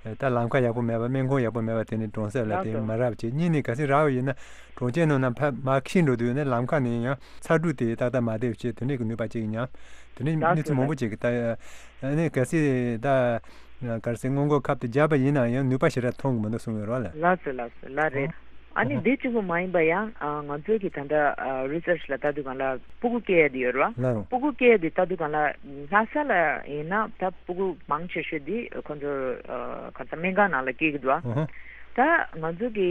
ད་ལམ་ཁ་ཡག་པོ་མེད་པ། སྨན་ཁང་ཡག་པོ་མེད་པ། དེ་ནས་གྲོང་གསེབ་ལ་དེ་ལགས་སོ། མ་རག་པ་བྱས། གཉིས་ནས་གལ་སྲིད་རག་པ་ཡིན་ན་གྲོང་ཁྱེར་ནང་ནས་ཕར་མར་འཁྱེར་འགྲོ་དུས་ནས་ལམ་ཁ་ནས་ཡང་ཚ་དྲོད་དེ་ཏག་ཏག་མ་བསྡད་པ་བྱས། དེ་ནས་ཀྱི་ནུས་པ་གཅིག་ཉམས། དེ་ནས་ལགས་གནས་ཚུལ་སོ། མང་པོ་ཅིག་གི་ད་ཨ་ནི་གལ་སྲིད་ད་ག་རེ་ཟེར་སྔོན་འགོག་ཁབ་དེ་བརྒྱབ་པ་ཡིན་ན་ཡང་ནུས་པ་ཞེ་དྲག་ཐོན་གི་མི་འདུག་གསུངས་ཡོད་རེད་བ་ལགས། ལགས་སོ། ལགས་སོ། ལགས་རེད། ཨ་ནི་ཨ་འདི་གཅིག་པོ་མ་ཡིན་པ་ཡང་ཨ་ང་ཚོའི་གི་ད་ལྟ་ཨ་རི་སར་ཆི་ལ་ལྟ་དུས་སྒང་ལ་སྤུ་གུ་སྐྱེ་ཡ་དེ་ཡོད་རེད་བ། ལགས་རེད། སྤུ་གུ་སྐྱེ་ཡ་དེ་ལྟ་དུས་སྒང་ལ་ལྷ་ས་ལ་ཡིན་ན་ད་སྤུ་གུ་མང་ཆེ་ཤོས་དེ་ཁོ་ཚོ་ཨ་ག་རེ་ཟེར་སྨན་ཁང་ནང་ལ་སྐྱེ་གི་འདུག་བ། ཨ་ཧ། ད་ང་ཚོ་གི་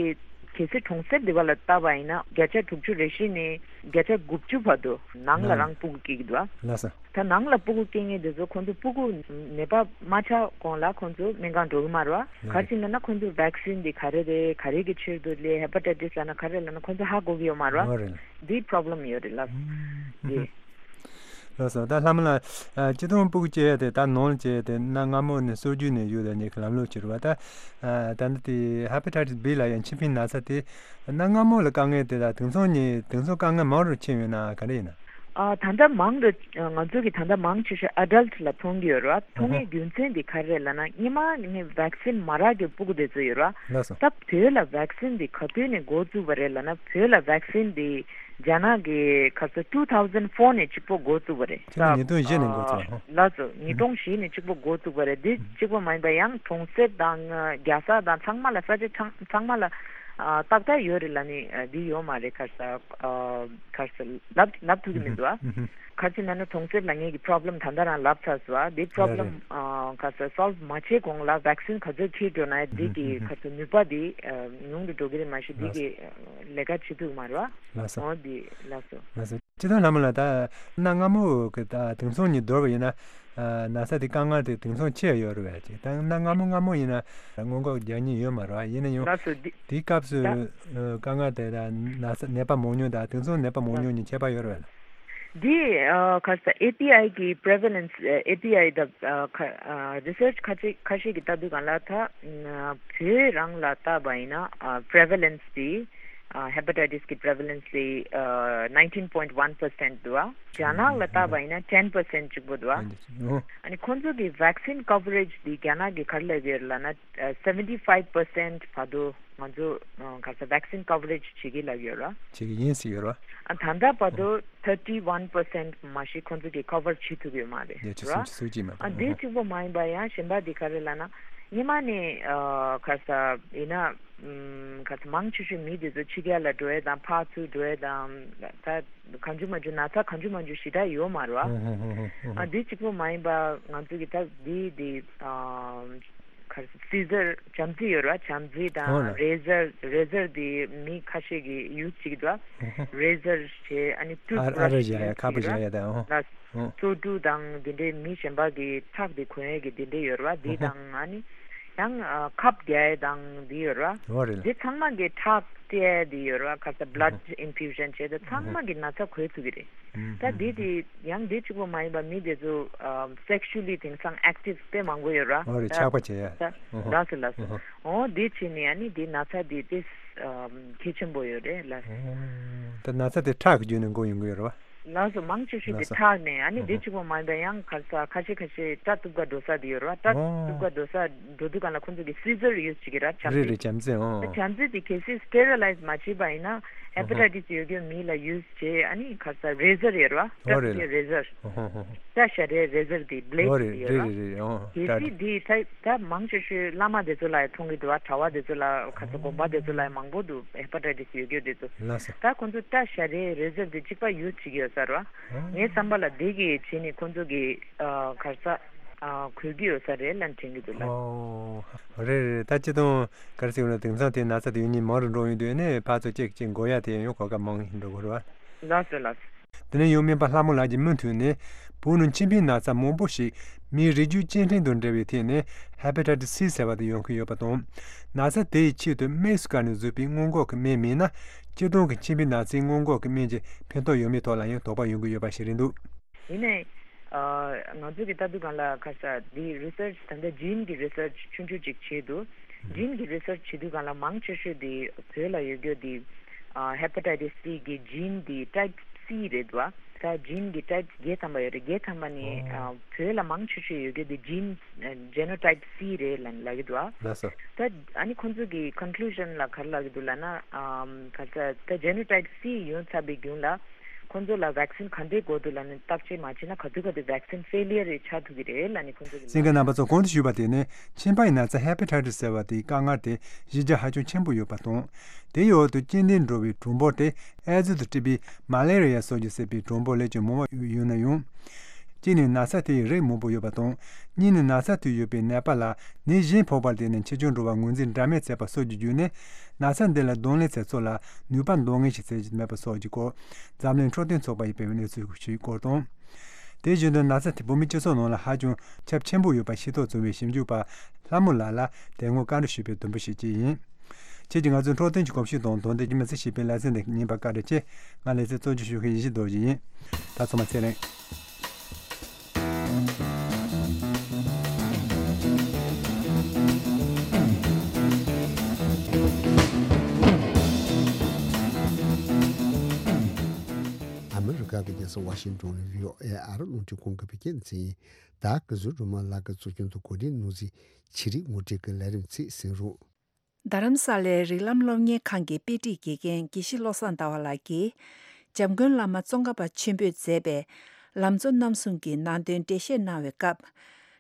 གལ་སྲིད་གྲོང་གསེབ་དེ་བ་ལ་ལྟ་བ་ཡིན་ན་བརྒྱ་ཆ་དྲུག་ཅུ་རེ་བཞི་ནས་བརྒྱ་ཆ་དགུ་བཅུ་བར་དུ་ནང་ལ་ནང་རང་སྤུ་གུ་སྐྱེ་གི་འདུག་བ། ལགས་སོ། ད་ནང་ལ་སྤུ་གུ་སྐྱེ་མཁན་དེ་ཚོ་ཁོང་ཚོ་སྤུ་གུ་ནད་པ་མ་ཆགས་གོང་ལ་ཁོང་ཚོ་སྨན་ཁང་འགྲོ་གི་མ་རེད་བ། ལགས་ག་རེ་ཟེར་ན་ན་ཁོང་ཚོ་ཝེག་སིན་དེ་ག་རེ་རེད། ག་རེ་གི་ཕྱིར་དུ་ལས་ཧེ་པ་ཊའི་ཊི་སི་ལབ་ན་ག་རེ་ལབ་ན་ཁོང་ཚོ་ཧ་གོ་གི་ཡོད་མ་རེད་བ། འོ་རེད། འདི་པོ་རོ་བྷི་ལེམ་ཡོད་རེད་ལགས། ཨུམ། འདི། ལགས་སོ། ད་ལྷ་མོ་ལགས་ཨ་སྤྱིར་བཏང་སྤུ་གུ་སྐྱེ་ཡ་དེ་ད་ནང་ལ་སྐྱེ་ཡ་དེ་གནའ་སྔ་མོ་ནས་སྲོལ་རྒྱུན་ནས་ཡོད་དེ་ཉེ་གི་ལམ་ལུགས་ཅིག་རེད་བ། ད་ཨ་ད་ནི་དེ་ཧེ་པ་ཊའི་ཊི་སི་བྷི་ལབ་ཡ་མཆིན་པའི་ན་ཚ་དེ་གནའ་སྔ་མོ་ལ་དཀའ་ངལ་དེ་དང་དེང་སང་ཉིད་དེང་སང་དཀའ་ངལ་མང་རུ་ཕྱིན་ཡོད་ན་ག་འདྲ་ཡིན་ན། ཨ། ད་ལྟ་མང་དུ་ང་ཚོ་གི་ད་ལྟ་མང་ཆེ་ཤོས་ཨ་ཌལ་ཊི་ལ་མཐོང་གི་ཡོད་རེད་བ། མཐོང་ཡའི་རྒྱུ་མཚན་དེ་ག་རེ་རེད་ལབ་ན། སྔོན་མ་ནས་བེག་སིན་མ་རག་གི་ཕྲུ་གུ་དེ་ཚོ་ཡོད་རེད་བ། ལགས་སོ། ད་བོད་ལ་བེག་སིན་དེ་ག་དུས་ནས་འགོ་བཙུགས་པ་རེད་ལབ་ན། བོད་ལ་བེག་སིན་དེ་རྒྱ་ནག་གི་ག་ཚོད་two thousand four ནས་གཅིག་པོ་འགོ་བཙུགས་པ་རེད། ཕྱི་ལོ་ཉིས་སྟོང་བཞི་ནས་འགོ་བཙུགས། ཨ། ལགས་སོ། ཉིས་སྟོང་བཞི་ནས་གཅིག་པོ་འགོ་བཙུགས་པ་རེད། འདི་གཅིག་པོ་མ་ཡིན་པ་ཡང་གྲོང་གསེབ་དང་རྒྱལ་ས་དང་ཚང་མ་ལ་ས་ཆ་ཚང་ཚང་མ་ལ་ཨ་ཏག་ཏག་ཡོད་རེད་ལབ་ནི་འདི་ཡོད་མ་རེད། ག་རེ་ཟེར་ག་རེ་ཟེར་ལབ་ལབ་ཐུབ་ཀྱི་མི་འདུག་ཨ། ག་རེ་ཟེར་ན་ནི་གྲོང་གསེབ་ལ་ངེད་ཀྱི་པོ་རོབ་ལེམ་ད་ལྟ་རང་ལབ་ཚར་སོང་ཨ། འདི་པོ་རོབ་ལེམ་ག་རེ་ཟེར་སོལབ་མ་བྱས་གོང་ལ་བེག་སིན་ག་ཚོད་འཁྱེར་འགྲོ་ན་འདི་གི་ག་རེ་ཟེར་ནུས་པ་འདི་ཉུང་དུ་འགྲོ་གི་རེད། མ་གཞི་འདི་གི་ལས་ཀ་བྱེད་ཐུབ་ཀྱི་མ་རེད་བ། ལགས་སོ། འོ་འདི་ལགས་སོ། ལགས་སོ། སྤྱིར་བཏང་ལྷ་མོ་ལགས། ད་གནའ་སྔ་མོ་གི་ད་དེང་སང་གཉིས་བསྡུར་བ་ཡིན་ན། ཨ། ན་ཚ་དེ་དཀའ་ངལ་དེ་དེང་སང་ཆེ་ཡོད་རེད་པས། ཅིག་ད་གནའ་སྔ་མོ་སྔ་མོ་ཡིན་ན་སྔོན་འགོག་རྒྱག་མཁན་ཡོད་མ་རེད་པ། ཡིན་ན་ཡང་ལགས་སོ། འདི་དེའི་སྐབས་སུ་ད་དཀའ་ངལ་དེ་དང་ན་ཚ་ནད་པ་མང་ཉུང་དང་དེང་སང་ནད་པ་མང་ཉུང་གཉིས་ཁྱད་པར་ཡོད་རེད་པས། འདི་ཨ་ག་རེ་ཟེར་ཨེ་པི་ཨའི་གི་པི་རི་ཝེ་ལེན་སི་ཨེ་པི་ཨའི་ད་ཨ་ག་ཨ་རི་སར་ཆི་ཁ་ཤས་ཁ་ཤས་ཀྱིས་ལྟ་དུས་སྒང་ལ་ད་བོད་རང་ལ་བལྟས་པ་ཡིན་ན་ཨ་པི་རི་ཝེ་ལེན་སི་དེ་ཨ་ཧེ་པ་ཊའི་ཊི་སི་གི་པི་རི་ཝེ་ལེན་སི་དེ་ཨ་nineteen point one percent འདུག་བ། རྒྱ་ནག་ལ་བལྟས་པ་ཡིན་ན་ten percent གཅིག་པོ་འདུག་བ། ཨ་ནི་ཁོང་ཚོ་གི་བེག་སིན་ཀ་ཝ་རེཇ་དེ་རྒྱ་ནག་གིས་ག་རེ་ལབ་ཡོད་ལབ་ན་ཨ་seventy five percent བར་དུ་ང་ཚོ་ཨ་ག་རེ་ཟེར་བེག་སིན་ཀ་ཝ་རེཇ་བྱེད་ཀྱི་ལབ་ཡོད་ར། བྱེད་ཀྱི་ཡིན་ཟེར་ཡོད་ར། ཨ་ད་ལྟ་བར་དུ་thirty one percent མ་གཞི་ཁོང་ཚོ་གིས་ཀ་ཝར་བྱེད་ཐུབ་ཡོད་མ་རེད་ཉེ་ཆར་ར། སུམ་ཅུ་སོ་གཅིག་མ་ཨ་གཏོགས། འདི་གཅིག་པོ་མ་ཡིན་པ་ཡང་གཞན་པ་འདི་ག་རེ་ལབ་ན་སྔོན་མ་ནས་ཨ་ག་རེ་ཟེར་ཡིན་ན་ཨམ་ག་རེ་ཟེར་མང་ཆེ་ཤོས་མི་དེ་ཚོ་ཕྱི་རྒྱལ་ལ་འགྲོ་ཡས་དང་ཕར་ཚུར་འགྲོ་ཡས་དང་ད་གང་བྱུང་མང་བྱུང་ན་ཚ་གང་བྱུང་མང་བྱུང་ཞེ་དྲག་ཡོད་མ་རེད་བ། ཨ་འདི་གཅིག་པོ་མ་ཡིན་པ་ང་ཚོ་གི་ད་འདི་འདི་ཨ་ག་རེ་ཟེར་སི་ཟར་བྱམས་བརྩེ་ཡོད་ར། བྱམས་བརྩེ་དང་ཨོ་ལ། རེ་ཟར་རེ་ཟར་དེ་མི་ཁ་ཤས་ཀྱིས་ཡུ་སི་བྱེད་ཀྱི་འདུག་ཨ། རེ་ཟར་བྱས་ཨ་ནི་ཊུ་ཐི་ཨ་ཨ་ར་བཞག་ཡ་ཁ་པར་བཞག་ཡ་དང་ཨོ། ལ་ཨོ། བཙོག་གྲུ་དང་དེ་འདྲའི་མི་གཞན་པ་གི་ཁྲག་དེ་གོན་ཡས་ཀྱི་དེ་འདྲ་ཡོད་ར། དེ་དང་ཨ་ནི་ཡང་ཨ་ཁབ་རྒྱག་ཡས་དང་དེ་ཡོད་ར། ཨོ་རེད་ལ། དེ་ཚང་མ་གི་ཁྲག་སྤྲད་ཡས་དེ་ཡོད་ར། ག་རེ་ཟེར་བྷ་ལཌ་ཨིན་ཕིའུ་ཤན་བྱས་ཏེ་ཚང་མ་གི་ན་ཚ་འགོས་ཐུབ་ཀྱི་རེད། ད་འདི་དེ་ཡང་འདི་གཅིག་པོ་མ་ཡིན་པ་མི་དེ་ཚོ་ཨ་སེག་ཤུ་ལི་དེང་སང་ཨེག་ཊིབ་དཔེ་མང་པོ་ཡོད་ར། ཨོ་རེད། ད་ཆགས་པ་བྱེད་ཡ། ད་ལགས་སོ་ལགས་སོ། ཨོ་འདི་བྱས་ནས་ཨ་ནི་འདི་ན་ཚ་འདི་དཔེ་ཨ་གལ་ཆེན་པོ་ཡོད་རེད་ལ། ད་ན་ཚ་དེ་ཁྲག་གི་བརྒྱུད་ནས་འགོ་ཡོང་གི་ཡོད་རེད་བ། ལགས་སོ། མང་ཆེ་ཤོས་དེ་ལགས་སོ། ཁྲག་ནས་ཨ་ནི་ཨོ་འདི་གཅིག་པོ་མ་ཡིན་པ་ཡང་ག་རེ་ཟེར་ཁ་ཤས་ཁ་ཤས་སྐྲ་གཏུབ་ག་འགྲོ་ས་དེ་ཡོད་རེད་བ། སྐྲ་ཨོ་གཏུབ་ག་འགྲོ་ས་འགྲོ་དུས་སྒང་ལ་ཁོང་ཚོ་གི་སི་ཟར་ཡུ་སི་བྱེད་ཀྱི་ར། བྱམས་རེད་བརྩེ། རེད། བྱམས་བརྩེ་ཨོ། བྱམས་བརྩེ་དེ་གལ་སྲིད་སི་ཊེ་རི་ལའི་ཛི་མ་བྱས་པ་ཡིན་ན་ཧེ་པ་ཊའི་ཊི་སི་ཡོད་མཁན་མི་ལ་ཡུ་སི་བྱས་ཨ་ནི་ག་རེ་ཟེར་རེ་ཟར་ཡོད་རེད་བ། ཨོ་རེད། སྐྲ་རེ་ཟར། ཨོ་ཧོ་ཧོ་ཧོ། སྐྲ་བཞར་ཡས་རེ་ཟར་དེ་བྷི་ལེ་ཌི་ཨོ་རེད་དེ་ཡོད་རེད་ར། རེད་རེད་ཨོ། གལ་སྲིད་དེ་ད་ད་མང་ཆེ་ཤོས་བླ་མ་དེ་ཚོ་ལ་ཡང་མཐོང་གི་འདུག་བ། གྲྭ་བ་དེ་ཚོ་ལ་ག་ཚོད་དགོན་པ་དེ་ཚོ་ལ་ཡང་མང་པོ་འདུག་ཧེ་པ་ཊའི་ཊི་སི་ཡོད་རྒྱུ་དེ་ཚོ། ལགས་སོ། ད་ཁོང་ཚོ་སྐྲ་བཞར་ཡས་རེ་ཟར་དེ་གཅིག་པ་ཡུ་སི་བྱེད་ཀྱི་ཡོད་ས་རེད་བ། ངའི་བསམ་པ་ལ་དེ་གི་བྱས་ནས་ཁོང་ཚོ་གི་ཨ་ག་རེ་ཟེར་ཨ་གོ་གི་ཡོད་ས་རེད་ལབ་དྲན་གྱི་འདུག་ལགས། ཨོ། རེད་རེད། ད་སྤྱིར་བཏང་ག་རེ་ཟེར་དགོས་རེད། དེང་སང་དེ་ན་ཚ་དེ་ཡོད་མཁན་མང་རུ་འགྲོ་ཡོང་དུས་ནས་ཕར་ཚུར་གཅིག་གཅིག་འགོས་ཡ་དེ་ཡང་གོ་སྐབས་མང་རུ་འགྲོ་གི་རེད་བ། ལགས་སོ་ལགས་སོ། དེ་ནས་ཡང་སྨན་པ་ལྷ་མོ་ལགས་ཀྱིས་མུ་མཐུད་ནས་བོད་ནང་མཆིན་པའི་ན་ཚ་མང་པོ་ཞིག་མིའི་རིགས་རྒྱུད་སྐྱེ་ཕྲེང་དང་འབྲེལ་བའི་ཐད་ནས་ཧེ་པ་ཊའི་ཊི་སི་སི་ཟེར་བ་དེ་ཡོང་གི་ཡོད་པ་དང་། ན་ཚ་དེ་ཡི་ཆེད་དུ་དམིགས་སུ་བཀར་ནས་བཟོས་པའི་སྔོན་འགོག་གི་སྨན་མེད་ན། སྤྱིར་བཏང་གི་མཆིན་པའི་ན་ཚའི་སྔོན་འགོག་གི་སྨན་གྱི་ཕན་ཐོགས་ཡོད་མེད་ཐོག་ལ་ཡང་དོགས་པ་ཡོང་གི་ཡོད་པ་ཞིག་རེད་འདུག་ཡིན་ནའི་ཨ་ང་ཚོ་གི་ལྟ་དུས་སྒང་ལ་ག་རེ་ཟེར་འདི་རི་སར་ཆི་ད་ལྟ་ཇིན་གི་རི་སར་ཆི་ཆུང་ཆུང་ཅིག་བྱས་འདུག་ཇིན་གི་རི་སར་ཆི་བྱེད་དུས་སྒང་ལ་མང་ཆེ་ཤོས་འདི་བོད་ལ་ཡོད་རྒྱུ་འདི་ཨ་ཧེ་པ་ཊའི་ཊི་སི་སི་གི་ཇིན་འདི་ཊའིབ་སི་རེད་བ། ད་ཇིན་གི་ཊའིབ་བརྒྱད་ཐམ་པ་ཡོད་རེད། བརྒྱད་ཐམ་པ་ནས་ཨ་བོད་ལ་མང་ཆེ་ཤོས་ཡོད་རྒྱུ་འདི་ཇིན་ཇེ་ནོ་ཊའིབ་སི་རེད་ལབ་ལབ་ཀྱི་འདུག་བ། ལགས་སོ། ད་ཨ་ནི་ཁོང་ཚོ་གི་ཀོན་ཀླུ་ཤན་ལ་ག་རེ་ལབ་ཀྱི་འདུག་ལབ་ན་ཨམ་ག་རེ་ཟེར་ད་ཇེ་ནོ་ཊའིབ་སི་ཡོང་ཚར་བའི་རྒྱུན་ལ། ཁོང་ཚོ་ལ་བེག་སིན་ག་འདྲའི་དགོས་འདུག་ལབ་ནས་བརྟག་དཔྱད་མ་བྱས་ན་ག་དུས་ག་དུས་བེག་སིན་ཕེ་ལི་ཡར་རེ་ཆགས་ཐུབ་ཀྱི་རེད་ལབ་ནས་ཁོང་ཚོ་གིས་གསན་མཁན་རྣམ་པ་ཚོ་གོང་དུ་ཞུས་པ་དེ་ནི་མཆིན་པ་ཡི་ན་ཚ་ཧེ་པ་ཊའི་ཊི་སི་ཟེར་བ་དེའི་དཀའ་ངལ་དེ་གཞི་རྒྱ་ཧ་ཅང་ཆེན་པོ་ཡོད་པ་དང་། དེའི་འོག་ཏུ་སྐྱེ་ལྡན་འགྲོ་བའི་གྲངས་འབོར་དེ་ཨེ་ཛི་དང་འབྲེལ་བའི་མ་ལེ་རི་ཡ་སོགས་ཀྱིས་བསད་པའི་གྲངས་འབོར་ལས་ཀྱང་མང་བ་ཡོད་ན་ཡང་། གཅིག་ནི་ན་ཚ་དེ་ཡི་རིགས་མང་པོ་ཡོད་པ་དང་། གཉིས་ནི་ན་ཚ་དེ་ཡོད་པའི་ནད་པ་ལ་ནད་གཞན་ཕོག་པར་བརྟེན་ནས་ཆེ་ཆུང་འགྲོ་བ་ངོས་འཛིན་འདྲ་མིན་བྱས་པ་སོགས་ཀྱི་བརྒྱུད་ནས་ན་ཚ་འདི་ལ་གདོང་ལེན་བྱེད་ཕྱོགས་ལ་ནུས་པ་འདོན་ངེས་ཤིག་བྱེད་ཀྱི་མེད་པ་སོགས་ཀྱི་སྐོར་འཛམ་གླིང་འཕྲོད་བསྟེན་ཚོགས་པ་ཡིས་སྤེལ་བའི་གནས་ཚུལ་ཞིག་སྐོར་དང་། དེ་བཞིན་དུ་ན་ཚ་དེ་བོད་མིའི་སྤྱི་ཚོགས་ནང་ལ་ཧ་ཅང་ཁྱབ་ཆེན་པོ་ཡོད་པ་ཤེས་རྟོགས་བྱུང་བའི་ཞིབ་འཇུག་པ་ལྷ་མོ་ལགས་ལ་དེ་སྔོན་བཀའ་འདྲི་ཞུས་པའི་དུམ་བུ་ཞིག་བཅས་ཡིན། ཁྱེད་ཀྱིས་ང་ཚོའི་འཕྲོད་བསྟེན་གྱི་གོམས་གཤིས་དང་དོ་ལྡན་གྱི་མི་ཚེ་ཞེས་པའི་ལེ་ཚན་འདི་ཉན་པར་བཀའ་དྲིན་ཆེ། ང་ལེ་ཚན་གཙོ་སྐྱོང་ཞུ་མཁན་ཡེ་ཤེས་རྡོ་རྗེ་ཡིན། ད་ཚང་མ་ཚེ་རིང་། ཨ་མི་རི་ཀ་ རྒྱལ་ས་ཝ་ཤིང་ཏོན་ནས་བྷི་ཨོ་ཨེ་ཨ་རི་རླུང་འཕྲིན་ཁང་གི་བོད་སྐད་སྡེ་ཚན་ཡིན། ད་གཟོད་སྒྲོལ་མ་ལགས་ཀྱི་གཙོ་སྐྱོང་དུ་གོ་སྒྲིག་ནོར་འཛིན་ཆེ་རིག་ངོ་སྤྲོད་ཀྱི་ལས་རིམ་ཚིག་གསན་རོགས། རྡ་རམ་ས་ལའི་རིགས་ལམ་སློབ་གཉེར་ཁང་གི་དཔེ་ཁྲིད་དགེ་རྒན་དགེ་བཤེས་བློ་བཟང་ཟླ་བ་ལགས་ཀྱིས། འཇམ་མགོན་བླ་མ་ཙོང་ཁ་པ་ཆེན་པོས་མཛད་པའི་ལམ་གཙོ་རྣམ་གསུམ་གྱི་ནང་དོན་འགྲེལ་བཤད་གནང་བའི་སྐབས།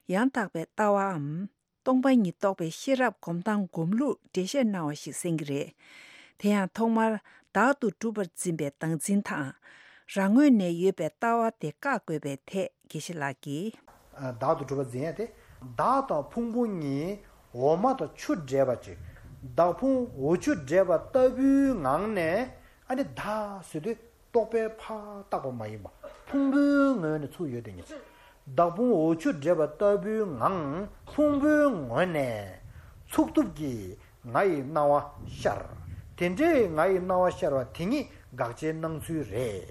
ཡང་དག་པའི་ལྟ་བའམ། སྟོང་པ་ཉིད་རྟོགས་པའི་ཤེས་རབ་སྒོམ་སྟངས་སྒོམ་ལུགས་འགྲེལ་བཤད་གནང་བ་ཞིག་གསན་གྱི་རེད། དེ་ཡང་ཐོག་མར་བདག་ཏུ་གྲུབ་པར་འཛིན་པའི་བདག་འཛིན་དང་། རང་ངོས་ནས་ཡོད་པའི་ལྟ་བ་དེ་བཀག་དགོས་པའི་ཐད་དགེ་བཤེས་ལགས་ཀྱིས། བདག་ཏུ་གྲུབ་པར་འཛིན་ཡ་དེ། བདག་དང་ཕུང་པོ་གཉིས་འོ་མ་དང་ཆུ་འདྲེས་པ་ཅིག་བདག་ཕུང་འོ་ཆུ་འདྲེས་པ་ལྟ་བུའི་ངང་ནས་ཨ་ནི་བདག་ཟེར་དུས། རྟོག་པས་ཕར་བཏགས་པ་མ་ཡིན་པ། ཕུང་པོའི་ངོས་ནས་ཚུར་ཡོད་དེ་ཉིད། བདག་ཕུང་འོ་ཆུ་འདྲེས་པ་ལྟ་བུའི་ངང་ཕུང་པོའི་ངོས་ནས་ཚུགས་ཐུབ་ཀྱི་ང་ཡི་སྣང་བ་ཤར། དེ་འདྲའི་ང་ཡི་སྣང་བ་ཤར་བ་དེ་ཉིད་དགག་བྱའི་སྣང་ཚུལ་རེད།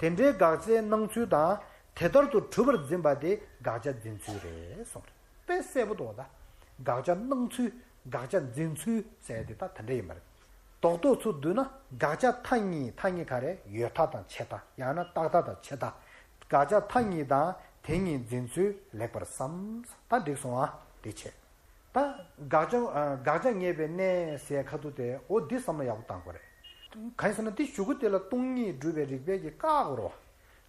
དེ་འདྲའི་དགག་བྱའི་སྣང་ཚུལ་དང་དེ་ལྟར་དུ་གྲུབ་པར་འཛིན་པ་དེ་དགག་བྱ་འཛིན་ཚུལ་རེད་གསུངས་རེད། དཔེ་གསལ་པོ་འདུག་ད། དགག་བྱ་སྣང་ཚུལ། དགག་བྱ་འཛིན་ཚུལ་ཟེར་དེ་ད་དེ་འདྲ་ཡིན་པ་རེད། རྡོག་རྡོག་ཚུར་བསྡུས་ན་དགག་བྱ་མཐའ་གཉིས། མཐའ་གཉིས་ག་རེ། ཡོད་མཐའ་དང་ཆད་མཐའ། ཡང་ན་རྟག་མཐའ་དང་ཆད་མཐའ། དགག་བྱ་མཐའ་གཉིས་དང་དེ་གཉིས་འཛིན་ཚུལ་ལེགས་པར་བསམ། ད་འགྲིག་སོང་ཨ། དེ་བྱས། ད་དགག་བྱ་ཨ། དགག་བྱ་ངེས་པའི་གནས་ཟེར་ཁ་ཐུག་དེ་འོ་འདི་བསམ་བློ་ཡག་པོ་བཏང་དགོས་རེད། གང་ཡིན་ཟེར་ན་འདི་གཞུག་གུ་དེ་ལ་སྟོང་ཉིད་སྒྲུབ་པའི་རིགས་པས་ཀྱི་བཀག་དགོས་རེད་བ། བྱས་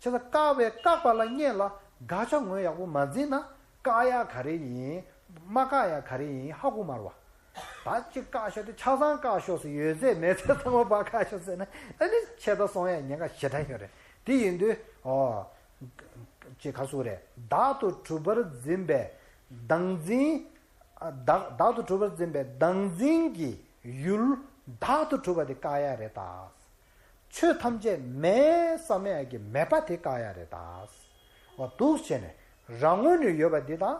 ཙང་བཀག་པའི་བཀག་པ་ལ་སྔོན་ལ་དགག་བྱ་ངོས་ཡག་པོ་མ་འཛིན་ན་བཀག་ཡག་ག་རེ་ཡིན། མ་བཀག་ཡག་ག་རེ་ཡིན་ཧ་གོ་མ་རེད་བ། ད་གཅིག་བཀག་ཤོག་དེ་ཆ་ཚང་བཀག་ཤོག་ཟེར། ཡོད་ཚད་མེད་ཚད་ཚང་མ་ཕར་བཀག་ཤོག་ཟེར་ན་ཨ་ནི་ཆད་མཐའ་སོང་ཡག་ཉེན་ཁ་ཞེ་དྲག་ཡོད་རེད། དེ་ཡིན་དུས་ཨོ། ཅེས་ག་ཟེར་རེད། བདག་ཏུ་གྲུབ་པར་འཛིན་པའི་བདག་འཛིན། བདག་བདག་ཏུ་གྲུབ་པར་འཛིན་པའི་བདག་འཛིན་གྱི་ཡུལ་བདག་ཏུ་གྲུབ་པ་དེ་བཀག་ཡག་རེད་ད། ཆོས་ཐམས་ཅད་མེད་བསམ་ཡག་གི་མེད་པ་དེ་བཀག་ཡག་རེད་ད། འོ་འདུག་བྱས་ནས་རང་ངོས་ནས་ཡོད་པ་འདི་དང་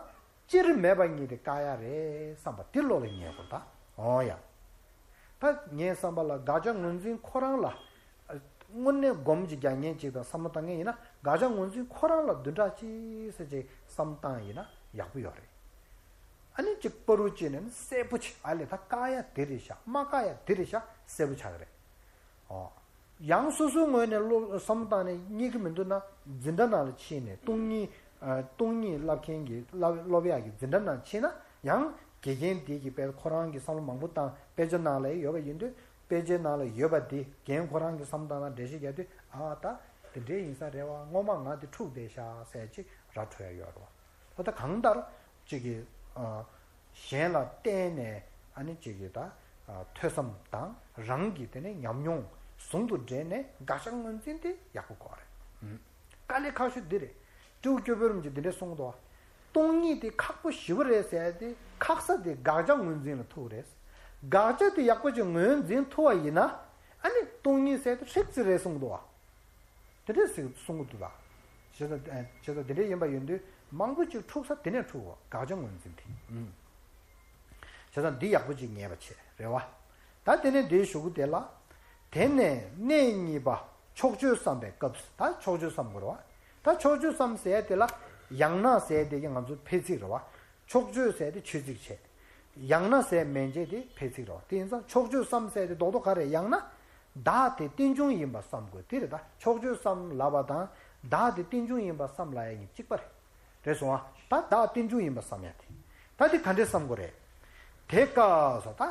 སྤྱིར་མེད་པ་གཉིས་དེ་བཀག་ཡག་རེད་བསམ་པ་འདི་བློ་ལ་ངེས་དགོས་ད། འོ་ཡ། ད་ངའི་བསམ་པ་ལ་དགག་བྱ་ངོས་འཛིན་ཁོ་རང་ལ་དངོས་གནས་སྒོམ་གྱི་རྒྱག་མཁན་ཅིག་དང་བསམ་བློ་བཏང་མཁན་ཡིན་ན་དགག་བྱ་ངོས་འཛིན་ཁོ་རང་ལ་བདུན་ཕྲག་གཅིག་ཙམ་ཅིག་བསམ་བཏང་ཡིན་ན་ཡག་པོ་ཡོད་རེད། ཨ་ནི་གཅིག་པ་རུ་གཅིག་ནས་ནི་གསལ་པོ་ཆེ་ཨ་ལས་ད་བཀག་ཡག་དེ་རེད་ཤག་མ་བཀག་ཡག་དེ་རེད་ཤག་གསལ་པོ་ཆགས་ཀྱི་རེད། ཨོ། ཡང་སོ་སོའི་ངོས་ནས་བློ་བསམ་བཏང་ནས་རྙེད་ཀྱི་མི་འདུག་ན་འཛིན་གྲྭ་ནང་ལ་ཕྱིན་ནས་སྟོང་ཉིད་ཨ། སྟོང་ཉིད་བསླབ་མཁན་གྱི་བསླབ་སློབ་ཡག་གི་འཛིན་གྲྭ་ནང་ཕྱིན་ན་ཡང་དགེ་རྒན་དེ་གིས་དཔེ་ཁོ་རང་གི་བསམ་བློ་མང་པོ་བཏང་དཔེ་ཆ་ནང་ལ་ཡོད་པ་ཡིན་དུས་དཔེ་ཆའི་ནང་ལ་ཡོད་པ་དེ་རྒན་ཁོ་རང་གི་བསམ་བཏང་ན་འགྲེལ་བཤད་རྒྱག་དུས་ཨ་ད་དེ་འདྲའི་ཡིན་ས་རེད་བ། སྔོན་མ་ང་དེ་འཁྲུག་བསྡད་ཤག་ཟེར་ཅིག་ར་འཕྲོད་ཡ་ཡོད་རེད་བ། ད་ལྟ་གང་ལྟར་ཅིག་གིས་ཨ། གཞན་ལ་བརྟེན་ནས་ཨ་ནི་ཅིག་གིས་ད་ཨ། ཐོས་བསམ་དང་རང་གི་དེ་ནས་ཉམས་མྱོང་ཟུང་དུ་འབྲེལ་ནས་དགག་བྱ་ངོས་འཛིན་དེ་ཡག་པོ་དགོས་རེད། ཨུམ། དཀའ་ལས་ཁག་ཤོས་འདི་རེད། སྤྲེའུ་སྐྱོ་བོའི་རིམ་གྱིས་འདི་འདྲས་གསུངས་འདུག་སྟོང་ཉིད་དེ་ཁག་པོ་ཞེ་པོ་རེད་ཟེར་ཏེ་ཁག་ས་དེ་དགག་བྱ་ངོས་འཛིན་ལ་ཐུག་རེད། དགག་བྱ་དེ་ཡག་པོ་ཅིག་ངོས་འཛིན་ཐུབ་པ་ཡིན་ན་ཨ་ནི་སྟོང་ཉིད་ཟེར་དེ་ཧྲིག་ཙི་རེད་གསུངས་འདུག་བ། དེ་འདྲས་ཟེར་གསུང་གི་འདུག་ད། བྱས་ཙང་བྱས་ཙང་དེ་འདྲས་ཡིན་པ་ཡིན་དུས་མང་པོ་ཅིག་འཁྲུག་ས་དེ་ནས་འཁྲུག་དགག་བྱ་ངོས་འཛིན་དེ། ཨུམ། བྱས་ཙང་འདི་ཡག་པོ་ཅིག་ངེས་པ་བྱས་རེད་བ། ད་དེ་ནས་འདིའི་གཞུག་གུ་དེ་ལ། དེ་ནས་གནས་གཉིས་པ་ཕྱོགས་ཆོས་བསམ་པའི་སྐབས་སུ། ད་ཕྱོགས་ཆོས་བསམ་དགོས་རེད་བ། ད་ཕྱོགས་ཆོས་བསམ་ཟེར་དེ་ལ་ཡང་ན་ཟེར་དེ་གི་ང་ཚོ་ཕལ་ཚིག་རེད་བ། ཕྱོགས་ཆོས་ཟེར་དེ་ཆོས་ཚིག་བྱས། ཡང་ན་ཟེར་མན་ཆད་དེ་ཕལ་ཚིག་རེད་བ། དེ་ཡིན་ཙང་ཕྱོགས་ཆོས་བསམ་ཟེར་དེ་རྡོག་རྡོག་ག་རེ་ཡང་ན། བདག་དེ་རྟེན་འབྱུང་ཡིན་པ་བསམ་དགོས་དེ་རེད་ད། ཕྱོགས་ཆོས་བསམ་ལབ་པ་དང་བདག་དེ་རྟེན་འབྱུང་ཡིན་པ་བསམ་ལབ་ཡ་གཉིས་གཅིག་པ་རེད། རེད་སོང་ཨ། ད་བདག་རྟེན་འབྱུང་ཡིན་པ་བསམ་ཡ་དེ། ད་དེ་ག་འདྲས་བསམ་དགོས་རེད། དེ་སྐབས་སུ་ད་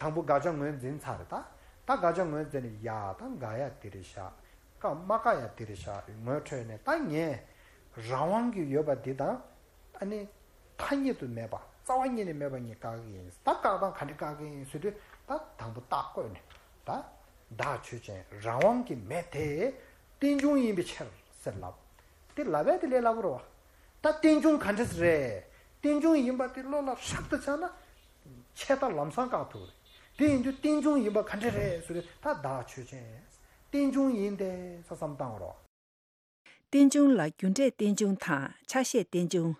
དང་པོ་དགག་བྱ་ངོས་འཛིན་ཚར་རེད་ད། ད་དགག་བྱ་ངོས་འཛིན་ནས་ཡ་ད་དགག་ཡ་དེ་རེད་ཤག་བཀག་མ་བཀག་ཡ་དེ་རེད་ཤག་ངོས་འཕྲོད་ནས་ད་ངས་རང་དབང་གི་ཡོད་པ་འདི་དང་། ཨ་ནི། ཐ་སྙད་དུ་མེད་པ་རྩ་བ་ཉིད་ནས་མེད་པ་ཉིད་བཀག་གི་ཡིན། ད་བཀག་སྟངས་ག་འདྲ་བཀག་གི་ཡིན་ཟེར་དུས་ད་དང་པོ་རྟགས་བཀོད་ནས་ད་བདག་ཆོས་ཅན་རང་དབང་གི་མེད་དེ་རྟེན་འབྱུང་ཡིན་པའི་ཕྱིར་ཟེར་ལབ། དེ་ལབ་པས་དེ་ལས་སླ་པོ་རེད་བ། ད་རྟེན་འབྱུང་ག་འདྲ་རེད། རྟེན་འབྱུང་ཡིན་པ་དེ་བློ་ལ་ཧྲག་ཏུ་ཆགས་ན་ཆད་མཐའ་ལམ་སང་བཀག་ཐུབ་རེད། དེ་ཡིན་དུས་རྟེན་འབྱུང་ཡིན་པ་ག་འདྲ་རེད་ཟེར་དུས་ད་བདག་ཆོས་ཅན། རྟེན་འབྱུང་ཡིན་ཏེ་ས་བསམ་བཏང་བ་རེད་བ། རྟེན་འབྱུང་ལ་རྒྱུ་འབྲས་རྟེན་འབྱུང་དང་ཆ་ཤས་རྟེན་འབྱུང་།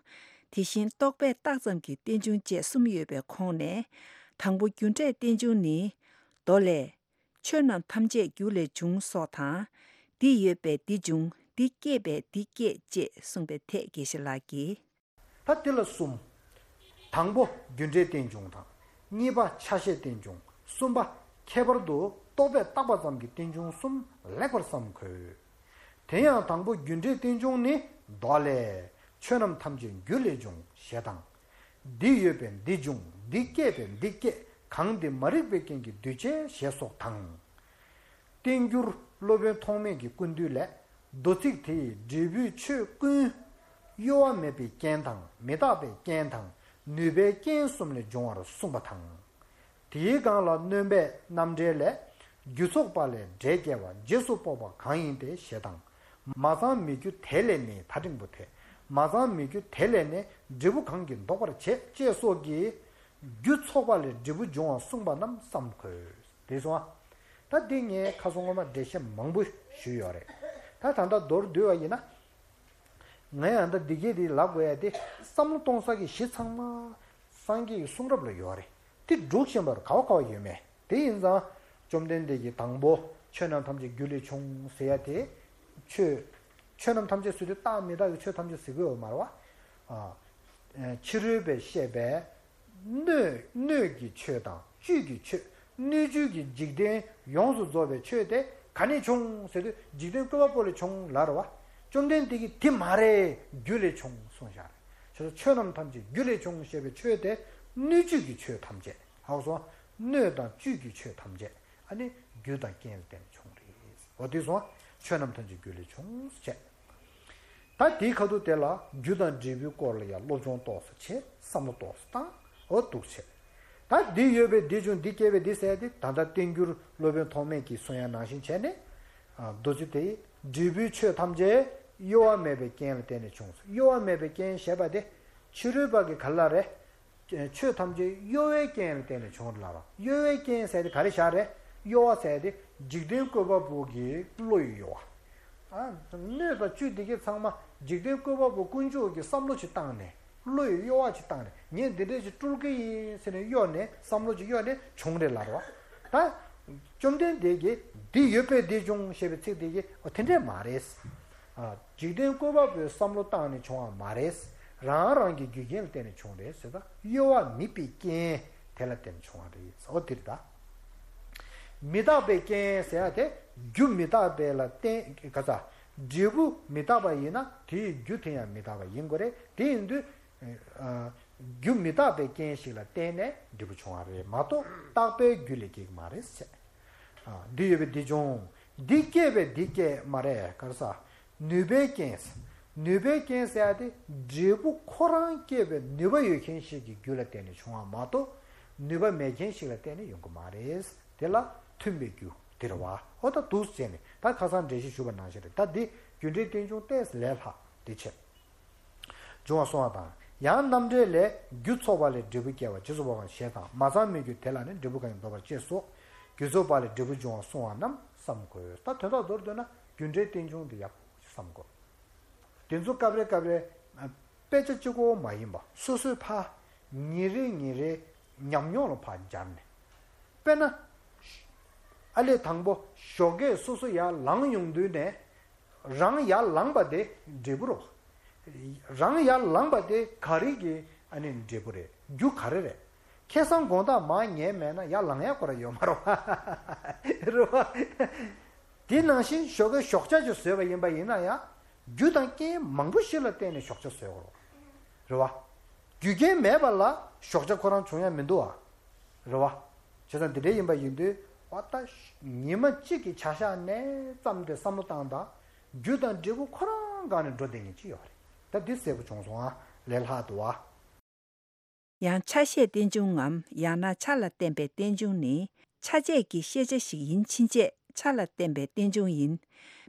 དེ་བཞིན་རྟོག་པས་བཏགས་ཙམ་གྱི་རྟེན་འབྱུང་བཅས་གསུམ་ཡོད་པའི་ཁོངས་ནས། དང་པོ་རྒྱུ་འབྲས་རྟེན་འབྱུང་ནི། མདོ་ལས། ཆོས་རྣམས་ཐམས་ཅད་རྒྱུ་ལས་བྱུང་སོགས་དང་། འདི་ཡོད་པས་འདི་འབྱུང་། འདི་སྐྱེས་པས་འདི་སྐྱེད་ཅེས་གསུངས་པའི་ཐད་དགེ་བཤེས་ལགས་ཀྱིས། ད་དེ་ལ་གསུམ། དང་པོ་རྒྱུ་འབྲས་རྟེན་འབྱུང་དང་། གཉིས་པ་ཆ་ཤས་རྟེན་འབྱུང་། གསུམ་པ་ཁྱད་པར་དུ་རྟོག་པས་བཏགས་པ་ཙམ་གྱི་རྟེན་འབྱུང་གསུམ་ལེགས་པར་བསམ་དགོས། དེ་ཡང་དང་པོ་རྒྱུ་འབྲས་རྟེན་འབྱུང་ནི། མདོ་ལས། ཆོས་རྣམས་ཐམས་ཅད་རྒྱུ་ལས་བྱུང་ཞེས་དང་། འདི་ཡོད་པས་འདི་འབྱུང་། འདི་སྐྱེས་པས་འདི་སྐྱེ། གང་འདི་མ་རིག་པའི་རྐྱེན་གྱིས་འདུས་བྱས་ཞེས་སོགས་དང་། བསྟན་འགྱུར་སློབ་དཔོན་ཐོགས་མེད་ཀྱི་ཀུན་བཏུས་ལས། མདོ་ཚིག་དེ་ཡི་འབྲས་བུའི་ཆོས་ཀུན། གཡོ་བ་མེད་པའི་རྐྱེན་དང་མི་རྟག་པའི་རྐྱེན་དང་ནུས་པའི་རྐྱེན་གསུམ་ལས་འབྱུང་བར་གསུངས་པ་དང་། དེའི་སྒང་ལ་སྣོན་པའི་རྣམ་འགྲེལ་ལས། རྒྱུ་ཚོགས་པ་ལས་འབྲས་སྐྱེ་བ་རྗེས་སུ་དཔོག་པ་གང་ཡིན་ཏེ་ཞེས་དང་། མ་ཚང་མེད་རྒྱུ་དེ་ལས་ནི། ད་འགྲེང་བུ་དེ། མ་ཚང་མེད་རྒྱུ་དེ་ལས་ནི་འབྲས་བུ་གང་གིས་འདོགས་པར་བྱེད་ཅེས་སོགས་ཀྱིས། རྒྱུ་ཚོགས་པ་ལས་འབྲས་བུ་འབྱུང་བ་གསུངས་པ་རྣམས་བསམ་དགོས། དེ་སོང་ཨ། ད་འདི་ངས་ཁ་སང་སྔོན་མ་འགྲེལ་བཤད་མང་པོ་ཞུས་ཡོད་རེད། ད་ད་ལྟ་མདོར་བསྡུས་པ་ཡིན་ན། ང་ཡང་ད་འདི་གས་དེ་ལབ་དགོས་ཡ་དེ་བསམ་བློ་གཏོང་ས་གི་གཞི་ཚང་མ་སངས་རྒྱས་ཀྱི་གསུང་རབ་ལ་ཡོད་རེད། དེ་སྒྲུག་བཞིན་པར་ག་བ་ག་བ་ཡོད་མེད་དེ་ཡིན་ཙང་། བཅོམ་ལྡན་འདས་ཀྱིས་དང་པོ་ཆོས་རྣམས་ཐམས་ཅད་རྒྱུ་ལས་བྱུང་ཟེར་ཡ་དེ། ཆོས། ཆོས་རྣམས་ཐམས་ཅད་ཟེར་དུས་རྟག་མི་རྟག་གི་ཆོས་ཐམས་ཅད་ཟེར་གི་ཡོད་མ་རེད་བ། ཨ། ཕྱི་རོལ་པས་བཤད་པའི། སྣོད། སྣོད་ཀྱི་ཆོས་དང་བཅུད་ཀྱི་ཆོས། སྣོད་བཅུད་ཀྱི་འཇིག་རྟེན་ཡོངས་སུ་རྫོགས་པའི་ཆོས་དེ་ག་ནས་བྱུང་ཟེར་དུས་འཇིག་རྟེན་བཀོད་པ་པོ་ལས་བྱུང་ལབ་རེད་བ། བཅོམ་ལྡན་འདས་ཀྱིས་དེ་མ་རེད། རྒྱུ་ལས་བྱུང་གསུངས་བཞག་རེད། བྱས་ཙང་ཆོས་རྣམས་ཐམས་ཅད་རྒྱུ་ལས་བྱུང་ཞེས་པའི་ཆོས་དེ་སྣོད་བཅུད་ཀྱི་ཆོས་ཐམས་ཅད། ཧ་གོ་སོང་། སྣོད་དང་བཅུད་ཀྱི་ཆོས་ཐམས་ཅད་ཨ་ནི་རྒྱུ་དང་རྐྱེན་ལ་བརྟེན་ནས་བྱུང་རེད། འོ་དེ་སོང་། ཆོས་རྣམས་ཐམས་ཅད་རྒྱུ་ལས་བྱུང་ཟེར་བྱས། ད་དེའི་ཁ་ཐུག་དེ་ལ་རྒྱུ་དང་འབྲས་བུའི་སྐོར་ལ་ཡང་སློབ་སྦྱོང་ཏོག་ཙམ་བྱས། བསམ་བློ་ཏོག་ཙམ་བཏང་། འོ་འདུག་བྱས། ད་འདི་ཡོད་པས་འདི་བྱུང་། འདི་སྐྱེས་པས་འདི་ཟེར་ཏེ། ད་ལྟ་བསྟན་འགྱུར་སློབ་དཔོན་ཐོགས་མེད་ཀྱིས་གསུང་ཡ་ནང་བཞིན་བྱས་ནས། ཨ། མདོ་ཚིག་དེ་ཡི་འབྲས་བུའི་ཆོས་ཐམས་ཅད་གཡོ་བ་མེད་པའི་རྐྱེན་ལ་བརྟེན་ནས་བྱུང་། གཡོ་བ་མེད་པའི་རྐྱེན་ཞེས་པ་དེ་ཕྱི་རོལ་པ་གི་ག་ལ་རེད། ཆོས་ཐམས་ཅད་གཡོ་བའི་རྐྱེན་ལ་བརྟེན་ནས་བྱུང་ལབ་ར། གཡོ་བའི་རྐྱེན་ཟེར་དེ་ག་རེ་བཞག་རེད། གཡོ་བ་ཟེར་དེ་འཇིག་རྟེན་བཀོད་པ་པོ་གི་བློ་ཡི་གཡོ་བ། ཨ། སྣོད་དང་བཅུད་འདི་གས་ཚང་མ་འཇིག་རྟེན་བཀོད་པ་པོ་དཀོན་མཆོག་གི་བསམ་བློ་ཅིག་བཏང་ནས། བློ་ཡི་གཡོ་བ་ཅིག་བཏང་ནས། ངས་འདི་འདྲས་ཅིག་སྤྲུལ་གི་ཡིན་ཟེར་ནས་གཡོ་ནས། བསམ་བློ་ཅིག་གཡོ་ནས་བྱུང་རེད་ལབ་ར། ད་བཅོམ་ལྡན་འདས་ཀྱིས་འདི་ཡོད་པས་འདི་བྱུང་ཞེས་པའི་ཚིག་འདི་གས། འོ་དེ་འདྲས་མ་རེད། ཨ། འཇིག་རྟེན་བཀོད་པ་པོའི་བསམ་བློ་བཏང་ནས་བྱུང་བ་མ་རེད། རང་རང་གི་རྒྱུ་རྐྱེན་ལ་བརྟེན་ནས་བྱུང་རེད་ཟེར། ད་གཡོ་བ་མེད་པའི་རྐྱེན་དེ་ལ་བརྟེན་ནས་བྱུང་བ་རེད། འོ་དེ་རེད་ད། མི་རྟག་པའི་རྐྱེན་ཟེར་ཡ་དེ་རྒྱུ་མི་རྟག་པའི་ལ་བརྟེན། ག་ས། འབྲས་བུ་མི་རྟག་པ་ཡིན་ན་དེའི་རྒྱུ་དེ་ཡང་མི་རྟག་པ་ཡིན་དགོས་རེད། དེ་ཡིན་དུས། ཨ། རྒྱུ་མི་རྟག་པའི་རྐྱེན་ཞིག་ལ་བརྟེན་ནས་འབྲས་བུ་བྱུང་བ་རེད་མ་གཏོགས་རྟག་པའི་རྒྱུ་ལས་སྐྱེ་གི་མ་རེད་ཟེར། ཨ། འདི་ཡོད་པས་འདི་བྱུང་། འདི་སྐྱེས་པས་འདི་སྐྱེ་མ་རེད། ག་རེ་ཟ། ནུས་པའི་རྐྱེན། ནུས་པའི་རྐྱེན་ཟེར་ཡ་དེ་འབྲས་བུ་ཁོ་རང་སྐྱེས་པའི་ནུས་པ་ཡོད་མཁན་ཞིག་གི་རྒྱུ་ལ་བརྟེན་ནས་བྱུང་བ་མ་གཏོགས་ནུས་པ་མེད་མཁན་ཞིག་ལ་བརྟེན་ནས་ཡོང་གི་མ་རེད། དེ་ལ་མཐུན་པའི་རྒྱུ་དེ་རེད་བ། འོ་ད་འདུག་སེ་བྱས་ནས་ད་ཁ་སང་འགྲེལ་བཤད་ཞུས་པ་ནང་བཞིན་རེད། ད་འདི་རྒྱུ་འབྲས་རྟེན་འབྱུང་ཏོག་ཙམ་ལས་སླ་དེ་བྱས། འབྱུང་བ་གསུང་བ་དང་། ཡང་རྣམ་འགྲེལ་ལས། རྒྱུ་ཚོགས་པ་ལས་འབྲས་བུ་སྐྱེ་བ་རྗེས་སུ་དཔོག་པ་ཞེས་དང་། མ་ཚང་མེད་རྒྱུ་དེ་ལ་ནི། འབྲས་བུ་གང་ཡིན་འདོགས་པར་བྱེད་སོགས། རྒྱུ་ཚོགས་པ་ལས་འབྲས་བུ་འབྱུང་བ་གསུང་བ་རྣམས་བསམ་དགོས། ད་དོན་དག་མདོར་བསྡུས་ན་རྒྱུ་འབྲས་རྟེན་འབྱུང་དེ་ཡག་པོ་བསམ་དགོས། དེ་ཚོ་སྐབས་རེ་སྐབས་རེ་དཔེ་ཆ་གཅིག་པོ་མ་ཡིན་པ་སོ་སོའི་ཕར་ཉིན་རེ་ཉིན་རེ་ཉམས་མྱོང་ལ་ཕར་སྦྱར་ནས། དཔེར་ན། ཨ་ལས་དང་པོ་ཞོགས་ཀས་སོ་སོ་ཡར་ལངས་ཡོང་དུས་ནས། རང་ཡར་ལངས་པ་དེ་འབྲས་བུ་རེད་བ། རང་ཡར་ལངས་པ་དེ་ག་རེ་གི་ཨ་ནི་འབྲས་བུ་རེད། རྒྱུ་ག་རེ་རེད། ཁ་སང་དགོང་དག་མར་ཉལ་མེད་ན་ཡར་ལངས་ཡག་ཁོ་རང་ཡོད་མ་རེད་བ། རེད་བ། དེ་ནང་བཞིན་ཞོགས་ཀས་ཞོགས་ཇ་ཅིག་བཟོས་པ་ཡིན་པ་ཡིན་ན་ཡང་རྒྱུ་དང་རྐྱེན་མང་པོ་ཞིག་ལ་བརྟེན་ནས་ཞོགས་ཇ་བཟོས་དགོས་རེད་བ། རྒྱུ་རྐྱེན་མེད་པ་ལ་ཞོགས་ཇ་ཁོ་རང་བྱུང་ཡ་མི་འདུག་བ། རེད་བ། བྱས་ཙང་འདི་འདྲ་ཡིན་པ་ཡིན་དུས། འོ་ད་ཉི་མ་གཅིག་གི་བྱ་གཞག་ནས་བརྩམས་ཏེ་བསམ་བློ་བཏང་དང་། རྒྱུ་དང་འབྲས་བུ་ཁོ་རང་སྒང་ནས་འགྲོ་བསྡད་མཁན་ཅིག་ཡོད་རེད། ད་འདི་གསལ་པོ་བྱུང་སོང་ཨ། ལས་སླ་འདུག་ཨ། ཡང་ཆ་ཤས་རྟེན་འབྱུང་ངམ། ཡང་ན་ཆ་ལ་བརྟེན་པའི་རྟེན་འབྱུང་ནི། ཆ་བྱད་ཀྱི་ཤེས་བྱ་ཞིག་ཡིན་ཕྱིན་ཆད་ཆ་ལ་བརྟེན་པའི་རྟེན་འབྱུང་ཡིན།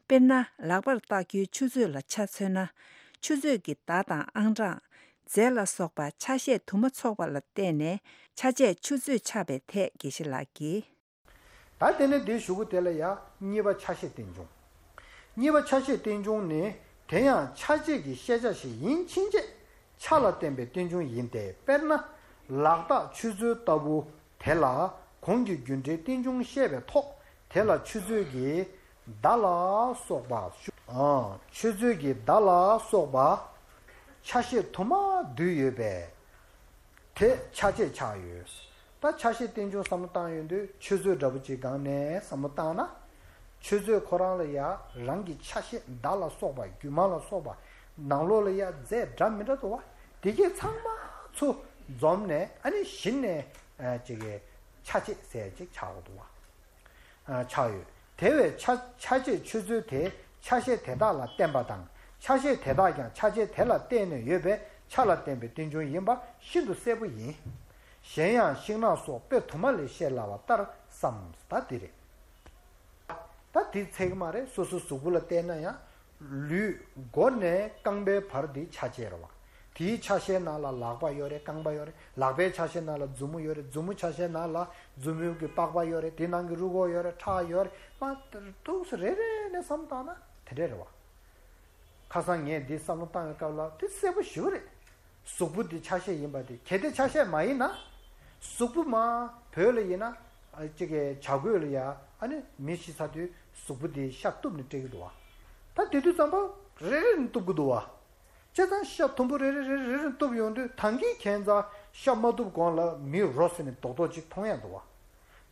དཔེར་ན་ལག་པར་བཏགས་རྒྱུའི་ཆུ་ཚོད་ལ་ཆ་མཚོན་ན། ཆུ་ཚོད་ཀྱི་ཟླ་དང་ཨང་གྲངས། རྫས་ལ་སོགས་པ་ཆ་ཤས་དུ་མ་ཚོགས་པ་ལ་བརྟེན་ནས་ཆ་བྱད་ཆུ་ཚོད་ཆགས་པའི་ཐད་དགེ་བཤེས་ལགས་ཀྱིས། ད་དེ་ནས་དེའི་གཞུག་གུ་དེ་ལ་ཡང་གཉིས་པ་ཆ་ཤས་རྟེན་འབྱུང་། གཉིས་པ་ཆ་ཤས་རྟེན་འབྱུང་ནི། དེ་ཡང་ཆ་བྱད་ཀྱི་ཤེས་བྱ་ཞིག་ཡིན་ཕྱིན་ཆད་ཆ་ལ་བརྟེན་པའི་རྟེན་འབྱུང་ཡིན་ཏེ། དཔེར་ན་ལག་རྟགས་ཆུ་ཚོད་ལྟ་བུ་དེ་ལ་གོང་གི་རྒྱུ་འབྲས་རྟེན་འབྱུང་བཤད་པའི་ཐོག་དེ་ལ་ཆུ་ཚོད་ཀྱི་ཟླ་ལ་སོགས་པ། ཨ། ཆུ་ཚོད་ཀྱི་ཟླ་ལ་སོགས་པ་ཆ་ཤས་དུ་མ་འདུས་ཡོད་པས། དེ་ཆ་བྱད་ཆགས་ཡོད། ད་ཆ་ཤས་རྟེན་འབྱུང་བསམ་བློ་བཏང་ཡོང་དུས་ཆུ་ཚོད་འདྲ་པོ་ཅིག་སྒང་ནས་བསམ་བློ་བཏང་ན། ཆུ་ཚོད་ཁོ་རང་ལ་ཡ་རང་གི་ཆ་ཤས། མདའ་ལ་སོགས་པ། རྒྱུ་མ་ལ་སོགས་པ། ནང་ལོགས་ལ་ཡ་རྫས་འདྲ་མི་འདྲ་འདུག་བ། དེ་གས་ཚང་མ་ཚུར་འཛོམས་ནས། ཨ་ནི་གཞི་ནས་ཨ་ཅིག་གི་ཆ་ཤས་ཟེར་ཅིག་ཆགས་འདུག་བ། ཨ་ཆགས་ཡོད། དེ་བས་ཆ་ཆ་ཤས་ཆུ་ཚོད་དེ་ཆ་ཤས་དེ་དག་ལ་བརྟེན་པ་དང་། ཆ་ཤས་དེ་དག་ཀྱང་ཆ་ཤས་དེ་ལ་བརྟེན་ནས་ཡོད་པས་ཆ་ལ་བརྟེན་པའི་རྟེན་འབྱུང་ཡིན་པ་ཤིན་ཏུ་གསལ་པོ་ཡིན། གཞན་ཡང་ཤིང་ནགས་སོགས་དཔེ་དུ་མ་ལས་བཤད་སླ་བ་ལྟར་བསམ། ད་འདི་རེད། ད་འདི་ཚད་ཀྱི་མ་རེད། སོ་སོའི་གཟུགས་པོ་ལ་བལྟས་ན་ཡང་། ལུས་མགོ་ནས་རྐང་པའི་བར་འདི་ཆ་ཤས་རེད་བ། དེའི་ཆ་ཤས་ནང་ལ་ལག་པ་ཡོད་རེད། རྐང་པ་ཡོད་རེད། ལག་པའི་ཆ་ཤས་ནང་ལ་མཛུབ་མོ་ཡོད་རེད། མཛུབ་མོ་ཆ་ཤས་ནང་ལ་མཛུབ་མོའི་གི་པགས་པ་ཡོད་རེད། དེ་ནང་གི་རུས་ཁོག་ཡོད་རེད། ཁྲག་ཡོད་རེད། མ་ཏུག་སེ་རེ་རེ་ནས་བསམ་བཏང་ན་དེ་འདྲས་རེད་བ། ཁ་སང་ངས་འདི་བསམ་བློ་བཏང་བའི་སྐབས་ལ་དེ་གསལ་པོ་ཞེ་པོ་རེད། གཟུགས་པོ་འདི་ཆ་ཤས་ཡིན་པ་དེ། གལ་ཏེ་ཆ་ཤས་མ་ཡིན་ན། གཟུགས་པོ་མ་བོད་ལ་ཡིན་ན། ཨ་ཅིག་གི་བྱ་རྒོད་ལ་ཡ། ཨ་ནི་མི་ཤི་ཚར་དུས་གཟུགས་པོ་འདི་ཤ་གཏུབ་ནས་སྤྲད་ཀྱི་འདུག་བ། ད་དེ་དུས་ཙམ་པ་རེ་རེ་ནས་གཏུབ་ཀྱི་འདུག་བ། བྱས་ཙང་ཤ་དུམ་བུ་རེ་རེ་རེ་རེ་རེ་གཏུབ་ཡོང་དུས། ད་གིན་ཁྱད་མཚར་ཤ་མ་གཏུབ་གོང་ལ་མི་རོ་ཟེར་ནས་རྡོག་རྡོག་ཅིག་མཐོང་ཡ་འདུག་བ།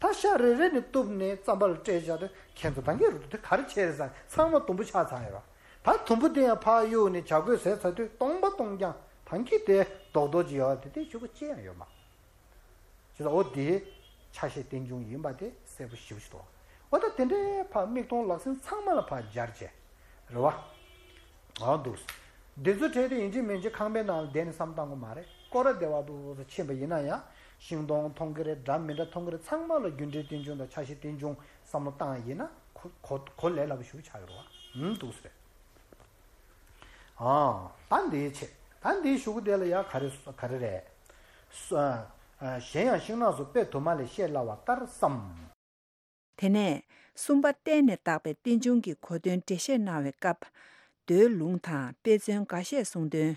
ད་ཤ་རེ་རེ་ནས་གཏུབ་ནས་རྩམ་པ་ལ་སྤྲད་བཞག་དུས། ཁྱེད་ཚོ་ད་གིན་རུ་དེ་ག་རེ་བྱས་རེད་ཟེར། ཚང་མ་དུམ་བུ་ཆགས་ཚར་ཡོད་ར། ད་དུམ་བུ་དེ་ཡང་ཕར་གཡུགས་ནས་བྱ་རྒོད་ཟས་ཚར་དུས་སྟོང་པ་སྟོང་རྐྱང་ད་གིན་དེ་རྡོག་རྡོག་ཅིག་ཡོད་པ་དེ། དེ་ཤོག་གུ་ཅི་ཡང་ཡོད་མ་རེད། བྱས་ཙང་འོ་དེ་ཆ་ཤས་རྟེན་འབྱུང་ཡིན་པ་དེ་གསལ་པོ་ཞེ་པོ་ཞིག་འདུག། འོ་ད་དེ་འདྲའི་ཕར་མིག་མཐོང་ལག་ཟིན་ཚང་མ་ལ་ཕར་སྦྱར་བྱས་རེད་བ། འོ་འདུག། འདི་ཚོ་བྲལ་ཏེ་ཡིན་གཅིག་མིན་གཅིག་ཁང་པའི་ནང་ལ་བསྡད་ནས་བསམ་བཏང་དགོས་མ་རེད། སྐོར་ར་བདེ་བ་འདུག་ཟེར་ཕྱིན་པ་ཡིན་ན་ཡང་། ཤིང་སྡོང་མཐོང་གི་རེད། འདྲ་མི་འདྲ་མཐོང་གི་རེད། ཚང་མ་ལ་རྒྱུ་འབྲས་རྟེན་འབྱུང་དང་ཆ་ཤས་རྟེན་འབྱུང་བསམ་བློ་བཏང་ཡིན་ན། གོ་གོ་གོ་ལས་སླ་པོ་ཞེ་པོ་ཆགས་ཡོད་རེད་བ། འདུག་ཟེར། ཨ་ད་འདིའི་ཆེད། ད་འདིའི་གཞུག་གུ་དེ་ལ་ཡང་ག་རེ་ག་རེ་རེད། སོ་ཨ་གཞན་ཡང་ཤིང་ནགས་སུ་དཔེ་དུ་མ་ལས་བཤད་སླ་བ་ལྟར་བསམ། དེ་ནས་གསུམ་པ་བརྟེན་ནས་བཏགས་པའི་རྟེན་འབྱུང་གི་གོ་དོན་འགྲེལ་བཤད་གནང་བའི་སྐབས། མདོའི་ལུང་དང་དཔེ་མཚོན་འགའ་ཤས་གསུངས་དོན།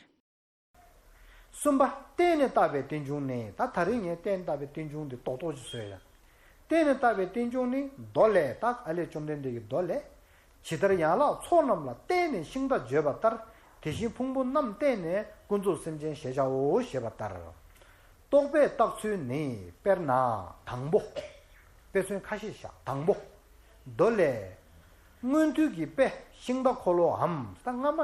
གསུམ་པ་བརྟེན་ནས་བཏགས་པའི་རྟེན་འབྱུང་ནི། ད་ད་རིང་ངས་བརྟེན་བཏགས་པའི་རྟེན་འབྱུང་འདི་རྡོག་རྡོག་ཅིག་བཟོས་ཡ། བརྟེན་ནས་བཏགས་པའི་རྟེན་འབྱུང་ནི། མདོ་ལས། ད་ཨ་ལས་བཅོམ་ལྡན་འདས་ཀྱི་མདོ་ལས། ཇི་ལྟར་ཡན་ལག་ཚོགས་རྣམས་ལ་བརྟེན་ནས་ཤིང་རྟ་བརྗོད་པ་ལྟར། དེ་བཞིན་ཕུང་པོ་རྣམས་བརྟེན་ནས་ཀུན་རྫོབ་སེམས་ཅན་ཞེས་བྱའོ་ཞེས་པ་ལྟར། རྟོག་པས་བཏགས་ཚུལ་ནི། དཔེར་ན་དང་པོ། དཔེ་མཚོན་ཁ་ཤས་བཞག། དང་པོ། མདོ་ལས། སྔོན་དུས་ཀྱི་དཔེ་ཤིང་རྟ་འཁོར་ལོའམ། ད་སྔ་མ་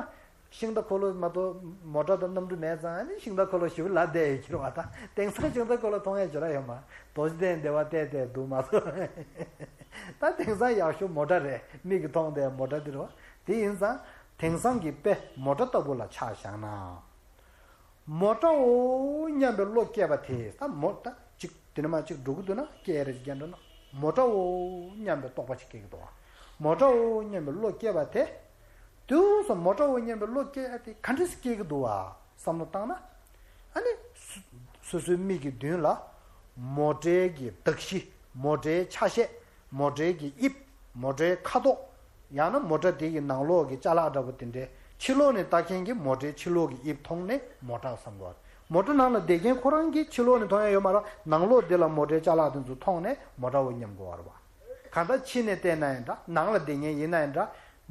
ཤིང་རྟ་འཁོར་ལོ་མ་གཏོགས་མོ་ཊ་དང་གནམ་གྲུ་མེད་ཙང་། ཨ་ནི་ཤིང་རྟ་འཁོར་ལོ་ཞེ་པོ་ལབ་བསྡད་ཡོད་ཀྱི་རེད་བ། ད་དེང་སང་ཤིང་རྟ་འཁོར་ལོ་མཐོང་ཡ་ཅིག་ར་ཡོད་མ། རྡོ་རྗེ་གདན་སྡེ་བ་བལྟས་བལྟས་འདུག་མ་གཏོགས། ད་དེང་སང་ཡག་ཤོས་མོ་ཊ་རེད། མིག་གིས་མཐོང་བསྡད་མོ་ཊ་འདི་རེད་བ། དེ་ཡིན་ཙང་དེང་སང་གི་དཔེ་མོ་ཊ་ལྟ་བུ་ལ་ཆ་བཞག་ན། མོ་ཊའོ་སྙམ་པའི་བློ་སྐྱེས་པ་དེ། ད་མོ་ད་ཅིག་དེ་ནས་མར་ཅིག་འགྲོ་གི་འདུག་ན། སྐྱེས་རེ་ཅིག་རྒྱབ་འགྲོ་ན། མོ་ཊའོ་སྙམ་པའི་རྟོག་པ་ཅིག་སྐྱེ་གི་འདུག་བ། མོ་ཊའོ་སྙམ་པའི་བློ་སྐྱེས་པ་དེ། དུས་སུ་མོ་ཊའོ་སྙམ་པའི་བློ་སྐྱེས་ཏེ་ག་འདྲ་སེ་སྐྱེ་གི་འདུག་བ་བསམ་བློ་བཏང་ན། ཨ་ནི་སོ་སོ་སོའི་མིག་གི་མདུན་ལ་མོ་ཊའི་གི་གདགས་གཞི། མོ་ཊའི་ཆ་ཤས། མོ་ཊའི་གི་དབྱིབས། མོ་ཊའི་ཁ་དོག། ཡང་ན་མོ་ཊ་དེ་གི་ནང་ལོགས་ཀྱི་ཅ་ལག་འདྲ་པོ་དེ་འདྲའི་ཕྱི་ལོགས་ནས་ལྟ་མཁན་གྱི་མོ་ཊའི་ཕྱི་ལོགས་ཀྱི་དབྱིབས་མཐོང་ནས་མོ་ཊ་བསམ་དགོས་པ་རེད། མོ་ཊ་ནང་ལ་བསྡད་མཁན་ཁོ་རང་གིས་ཕྱི་ལོགས་ནས་མཐོང་ཡ་ཡོད་མ་རེད། ནང་ལོགས་འདི་ལ་མོ་ཊའི་ཅ་ལག་དེ་ཚོ་མཐོང་ནས་མོ་ཊའོ་སྙམ་དགོས་པ་རེད་བ། གང་ལྟར་ཕྱི་ནས་བལྟས་ན་ཡང་འདྲ། ནང་ལ་བསྡད་མཁན་ཡིན་ན་ཡང་འདྲ།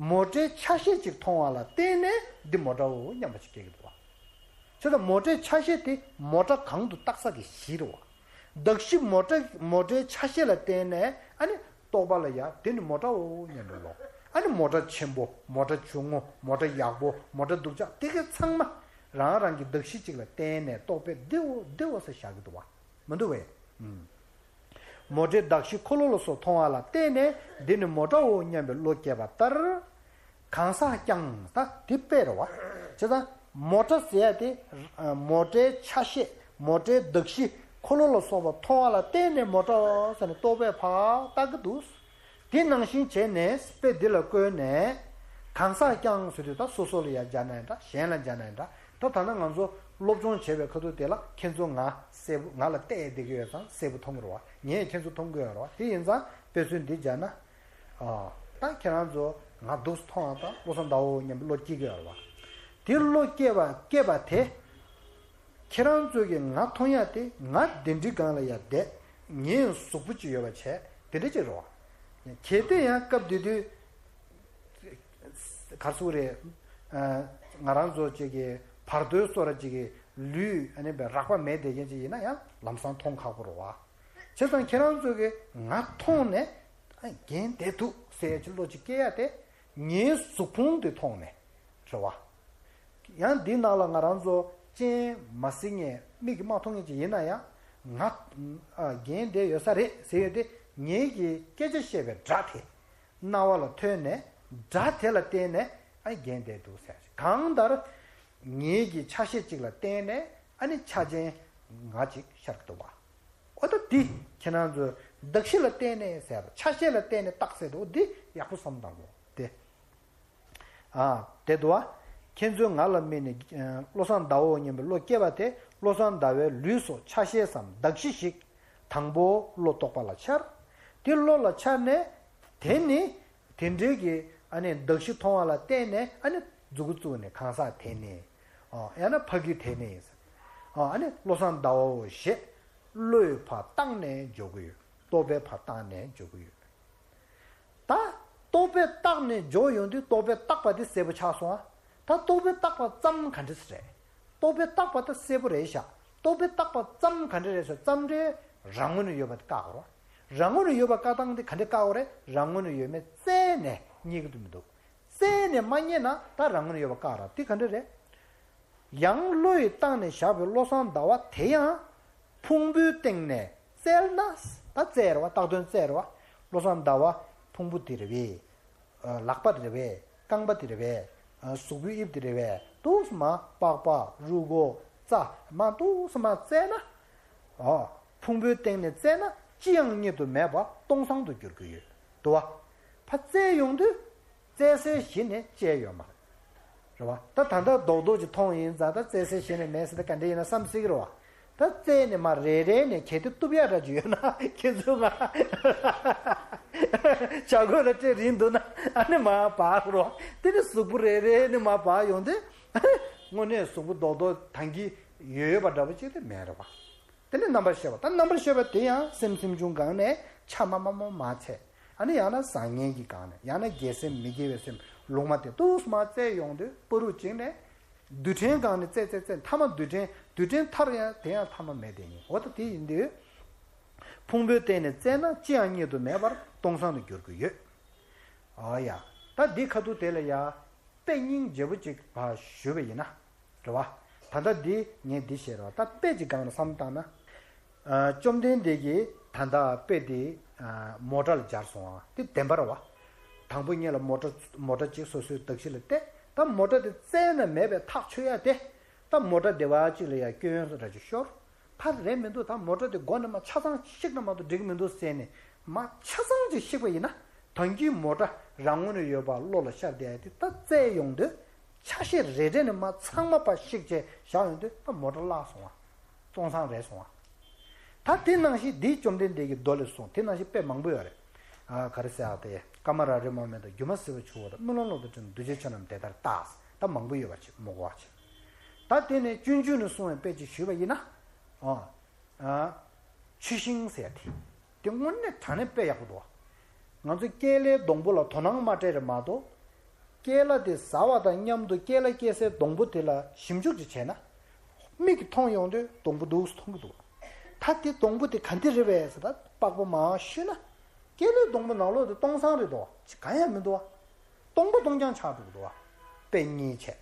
མོ་ཊའི་ཆ་ཤས་ཅིག་མཐོང་བ་ལ་བརྟེན་ནས་འདི་མོ་ཊའོ་སྙམ་པ་ཅིག་སྐྱེ་གི་འདུག་བ། བྱས་ཙང་མོ་ཊའི་ཆ་ཤས་དེ་མོ་ཊ་གང་དུ་བཏགས་ས་གི་གཞི་རེད་བ། གདགས་གཞི་མོ་ཊ་མོ་ཊའི་ཆ་ཤས་ལ་བརྟེན་ནས། ཨ་ནི་རྟོག་པ་ལ་ཡ་དེ་ནི་མོ་ཊའོ་སྙམ་པའི་བློ། ཨ་ནི་མོ་ཊ་ཆེན་པོ། མོ་ཊ་ཆུང་ངུ། མོ་ཊ་ཡག་པོ། མོ་ཊ་སྡུག་ཅག། དེ་ག་ཚང་མ་རང་རང་གི་གདགས་གཞི་གཅིག་ལ་བརྟེན་ནས་རྟོག་པས་འདིའོ་འདིའོ་ཟེར་བཞག་གི་འདུག་བ། མི་འདུག་བས། ཨུམ། མོ་ཊའི་གདགས་གཞི་འཁོར་ལོ་ལ་སོགས་མཐོང་བ་ལ་བརྟེན་ནས་འདི་ནི་མོ་ཊའོ་སྙམ་པའི་བློ་སྐྱེས་པ་ལྟར། གང་ཟག་ཀྱང་། ད་དེ་དཔེ་རེད་བ། བྱས་ཙང་མོ་ཊ་ཟེར་ཡ་དེ། མོ་ཊའི་ཆ་ཤས། མོ་ཊའི་གདགས་གཞི། འཁོར་ལོ་ལ་སོགས་པ་མཐོང་བ་ལ་བརྟེན་ནས་མོ་ཊ་ཟེར་ནས་རྟོག་པས་ཕར་བཏགས་ཀྱི་འདུག། དེ་ནང་བཞིན་བྱས་ནས་དཔེ་འདི་ལ་བཀོད་ནས། གང་ཟག་ཀྱང་ཟེར་དུས་ད་སོ་སོ་ལ་ཡང་སྦྱར་ན་ཡང་འདྲ། གཞན་ལ་སྦྱར་ན་ཡང་འདྲ། ད་ད་ལྟ་ང་ཚོ་སློབ་སྦྱོང་བྱེད་པའི་ཁ་ཐུག་དེ་ལ་ཁྱེད་ཚོ་ང་གསལ་པོ། ང་ལ་བལྟས་བསྡད་ཀྱི་ཡོད་ཙང་གསལ་པོ་མཐོང་གི་རེད་བ། ངས་ཁྱེད་ཚོ་མཐོང་གི་ཡོད་རེད་བ། དེ་ཡིན་ཙང་དཔེ་མཚོན་འདི་སྦྱར་ན། ཨ། ད་ཁྱེད་རང་ཚོ་ང་སྡུག་སུ་མཐོང་བ་དང་བློ་བཟང་ཟླ་བོ་སྙམ་པའི་བློ་སྐྱེ་གི་ཡོད་རེད་བ། དེ་བློ་སྐྱེ་བ་སྐྱེས་པ་དེ། ཁྱེད་རང་ཚོ་གིས་ང་མཐོང་ཡ་དེ། ང་གདན་ཁྲི་སྒང་ལ་ཡར་བསྡད། ངའི་གཟུགས་པོ་ཅིག་ཡོད་པ་བྱས། དེ་འདྲ་ཅིག་རེད་བ། གལ་ཏེ་ཡང་སྐབས་དེ་དུས་ག་རེ་ཟེར་དགོས་རེད། ཨ། ང་རང་ཚོ་ཅིག་གི་བར་དོའི་བཟོ་འདྲ་ཅིག་གི་ལུས། ཨ་ནི་རགས་པ་མེད་བསྡད་མཁན་ཅིག་ཡིན་ན་ཡང་ལམ་སང་མཐོང་ཁག་པོ་རེད་བ། བྱས་ཙང་ཁྱེད་རང་ཚོ་གིས་ང་མཐོང་ནས། ཨ། རྒན་བསྡད་འདུག་ ཟེར་གྱི་བློ་ཅིག་སྐྱེ་ཡ་དེ། ངའི་གཟུགས་ཕུང་དེ་མཐོང་ནས་རེད་བ། ཡང་འདི་ནང་ལ་ང་རང་ཚོ་སྤྱན་མ་གཟིགས་མཁན་མིག་གིས་མ་མཐོང་མཁན་ཅིག་ཡིན་ན་ཡང་། ང་ཨ་རྒན་བསྡད་ཡོད་ས་རེད་ཟེར་ཡོད་དེ། ངེད་ཀྱིས་སྐད་ཆ་བཤད་པའི་སྒྲ་དེ་རྣ་བ་ལ་ཐོས་ནས། སྒྲ་དེ་ལ་བརྟེན་ནས་ཨ་རྒན་བསྡད་འདུག་ཟེར། གང་ལྟར་ངེད་ཀྱི་ཆ་ཤས་གཅིག་ལ་བརྟེན་ནས་ཨ་ནི་ཆ་ཅན་ང་གཅིག་ཤར་གྱི་འདུག་བ། འོ་ད་འདི་ཁྱེད་རང་ཚོས་གདགས་གཞི་ལ་བརྟེན་ནས་ཟེར་བ། ཆ་ཤས་ལ་བརྟེན་ནས་བཏགས་ཟེར་འདུག་འདི་ཡག་པོ་བསམ་བཏང་དགོས་དེ། ཨ་དེ་འདུག་བ། ཁྱེད་ཚོས་ང་ལ་དམིགས་ནས་ཨ་བློ་བཟང་ཟླ་བོ་སྙམ་པའི་བློ་སྐྱེས་པ་དེ། བློ་བཟང་ཟླ་བའི་ལུས་སོགས་ཆ་ཤས་སམ་གདགས་གཞི་ཞིག་དང་པོ་བློ་རྟོག་པ་ལ་འཆར། དེ་བློ་ལ་འཆར་ནས། དེ་ནི་དེ་འདྲའི་གི་ཨ་ནི་གདགས་གཞི་མཐོང་བ་ལ་བརྟེན་ནས་ཨ་ནི་མཛུ་གུ་བཙུགས་ནས་གང་ཟག་དེ་ནི། ཨ་ཡང་ན་ཕ་གི་དེ་ནི། ཨ་ཨ་ནི་བློ་བཟང་ཟླ་བོ་ཞེས་བློས་ཕར་བཏགས་ནས་འཇོག་གི་ཡོད། རྟོག་པས་ཕར་བཏགས་ནས་འཇོག་གི་ཡོད། ད་རྟོག་པས་བཏགས་ནས་འཇོག་ཡོང་དུས་རྟོག་པས་བཏགས་པ་དེ་གསལ་པོ་ཆགས་སོང་ཨ། ད་རྟོག་པས་བཏགས་པ་ཙམ་ག་འདྲ་ཞིག་རེད། རྟོག་པས་བཏགས་པ་ད་གསལ་པོ་རེད་ཤག་རྟོག་པས་བཏགས་པ་ཙམ་ག་འདྲ་རེད་ཟེར། ཙམ་འདྲའི་རང་ངོས་ནས་ཡོད་པ་དེ་བཀག་དགོས་རེད། རང་ངོས་ནས་ཡོད་པ་བཀག་སྟངས་དེ་ག་འདྲ་བཀག་དགོས་རེད། རང་ངོས་ནས་ཡོད་མེད་བཙལ་ནས་རྙེད་ཀྱི་འདུག་མི་འདུག་བཙལ་ནས་མ་རྙེད་ན་ད་རང་ངོས་ནས་ཡོད་པ་བཀག་ར། དེ་ག་འདྲ་རེད། ཡང་བློ་ཡིས་བཏགས་ནས་བཞག་པའི་བློ་བཟང་ཟླ་བ་དེ་ཡང་ཕུང་པོའི་སྟེང་ནས་བཙལ་ན། ད་བཙལ་རེད་བ། བཏགས་དོན་བཙལ་རེད་བ། བློ་བཟང་ཟླ་བ་ཕུང་པོ་དེ་རེད་པས། ལག་པ་དེ་རེད་པས། རྐང་པ་དེ་རེད་པས། གཟུགས་པོའི་དབྱིབས་དེ་རེད་པས། འདུག་སེ་མར་པགས་པ་རུས་ཁོག་རྩ་མར་འདུག་སེ་མར་བཙལ་ན། ཨོ། ཕུང་པོའི་སྟེང་ནས་བཙལ་ན་ཅི་ཡང་རྙེད་དུ་མེད་པ་སྟོང་སང་དུ་འགྱུར་གྱི་ཡོད་དོ། ཕར་བཙལ་ཡོང་དུས། བཙལ་སའི་གཞི་ནི་བཅད་ཡོད་མ་རེད། རེད་བ། ད་ད་ལྟ་རྡོག་རྡོག་ཅིག་མཐོང་ཡིན་ཙང་། ད་བཙལ་སའི་གཞི་ནི་མེད་ཟེར། ད་ག་འདྲ་ཡིན་ན་བསམ་སྲིད་ཀྱི་རེད་བ། ད་བཙལ་ནས་མར་རེ་རེ་ནས་གལ་ཏེ་གཏུབ་ཡག་འདྲ་ཅིག་ཡོད་ན། ཁྱེད་ཚོ་ང་བྱ་རྒོད་ལ་སྤྲད་རན་འདུག་ན། ཨ་ནི་མར་འབག་རོགས། དེ་ནི་གཟུགས་པོ་རེ་རེ་ནས་མར་འབག་ཡོང་དུས། དངོས་གནས་གཟུགས་པོ་རྡོག་རྡོག་ཐང་གི་ཡོད་པ་འདྲ་པོ་ཅིག་དེ་མེད་རེད་བ། དེ་ནས་རྣམ་པར་ཤེས་པ། ད་རྣམ་པར་ཤེས་པ་དེ་ཡང་སེམས་སེམས་བྱུང་སྒང་ནས་ཆ་མ་མ་མ་མ་ཆད། ཨ་ནི་ཡང་ན་བཟང་ངན་གྱི་སྒང་ནས། ཡང་ན་དགེ་སེམས་མི་དགེ་བའི་སེམས་ལུང་མ་དེ་འདུག་སེ་མར་བཙལ་ཡོང་དུས། བར་དུ་གཅིག་ནས་རྡུལ་ཕྲན་སྒང་ནས་བཙལ་བཙལ་བཙལ། མཐའ་མ་རྡུལ་ཕྲན། རྡུལ་ཕྲན་མཐར་ཡང་དེ་ཡང་ཐ་མ་མེད་དེ་ཉིད། འོ་ད་དེ་ཡིན་དུས། ཕུང་པོའི་སྟེང་ནས་བཙལ་ན་ཅི་ཡང་རྙེད་དུ་མེད་པར་སྟོང་སང་དུ་འགྱུར་གྱི་ཡོད། ཨ་ཡ། ད་འདི་ཁ་ཐུག་དེ་ལ་ཡ། དཔེ་སྙིང་རྗེ་པོ་ཅིག་ཕར་ཞུས་པ་ཡིན་ན། རེད་བ། ད་ལྟ་འདི་ངས་འདི་བཤད་རོགས། ད་དཔེ་ཅིག་སྒང་ནས་བསམ་བཏང་ན། ཨ་བཅོམ་ལྡན་འདས་ཀྱིས་ད་ལྟ་དཔེ་འདི་ཨ་མོ་ཊ་ལ་སྦྱར་སོང་བ་དེ་བདེན་པ་རེད་བ། དང་པོ་ཉིད་ལ་མོ་ཊ་མོ་ཊ་ཅིག་སོ་སོའི་གདགས་གཞི་ལ་གཏད། ད་མོ་ཊ་དེ་བཙལ་ན་མེད་པའི་ཐག་ཆོད་ཡ་དེ། ད་མོ་ཊ་སྡེ་བ་གཅིག་ལ་ཡ་སྐྱོན་ཡོན་འདྲ་ཅིག་ཤོར། ཕར་རེད་མི་འདུག་ད་མོ་ཊ་དེ་མགོ་ནས་མར་ཆ་ཚང་བཤིག་ན་མ་གཏོགས་འགྲིག་གི་མི་འདུག་ཟེར་ནས་མར་ཆ་ཚང་ཅིག་བཤིག་པ་ཡིན་ན། ད་གིན་མོ་ཊ་རང་ངོས་ནས་ཡོད་པ་བློ་ལ་ཤར་བསྡད་ཡ་དེ་ད་བཙལ་ཡོང་དུས། ཆ་ཤས་རེ་རེ་ནས་མར་ཚང་མ་ཕར་བཤིག་བྱས་བཞག་ཡོང་དུས། ད་མོ་ཊ་བརླག་སོང་བ། སྟོང་སང་རེད་སོང་བ། ད་དེ་ནང་བཞིན་འདི་བཅོམ་ལྡན་འདས་ཀྱི་མདོ་ལས་གསུངས། དེ་ནང་བཞིན་དཔེ་མང་པོ་ཡོད་རེད། ཨ་ག་རེ་ཟེར་ཨ་དེ། ཀ་མ་ར་རི་མོ་མེ་དང་། སྒྱུ་མ་སེར་པོ་ཆུ་བོ་དང་། རྨི་ལམ་གླང་དང་འདྲ་ན། འདུ་བྱེད་ཆོས་རྣམས་དེ་ལྟར་བརྟགས། ད་མང་པོ་ཡོད་པ་ཅིག་མི་གོ་བ་ཅིག་ད་དེ་ནས་སྤྱོད་འཇུག་ནས་གསུངས་པའི་དཔེ་ཅིག་ཞུས་པ་ཡིན་ན། ཨ། ཨ། ཆུ་ཤིང་ཟེར་དེ། དེ་དངོས་གནས་དྲང་གནས་དཔེ་ཡག་པོ་འདུག་ང་ཚོ་ཀེ་ལའི་སྡོང་པོ་ལ་དོ་སྣང་མ་སྤྲད་རེད་མ་གཏོགས། ཀེ་ལ་དེ་ཟ་བ་དང་མཉམ་དུ་ཀེ་ལ་སྐྱེ་སའི་སྡོང་པོ་དེ་ལ་ཞིབ་འཇུག་ཅིག་བྱས་ན། མིག་གིས་མཐོང་ཡོང་དུས་སྡོང་པོ་འདུག་སེ་མཐོང་གི་འདུག་ད་དེ་སྡོང་པོ་དེ་ག་འདི་རེད་པས་ཟེར། ད་པགས་པ་མར་བཤུས་ན། ཀེ་ལའི་སྡོང་པོ་ནང་ལོགས་དེ་སྟོང་སང་རེད་འདུག་ཅི་གང་ཡང་མི་འདུག་བ། སྟོང་པ་སྟོང་རྐྱང་ཆགས་འགྲོ་གི་འདུག་བ། དཔེ་རྙིང་བྱས།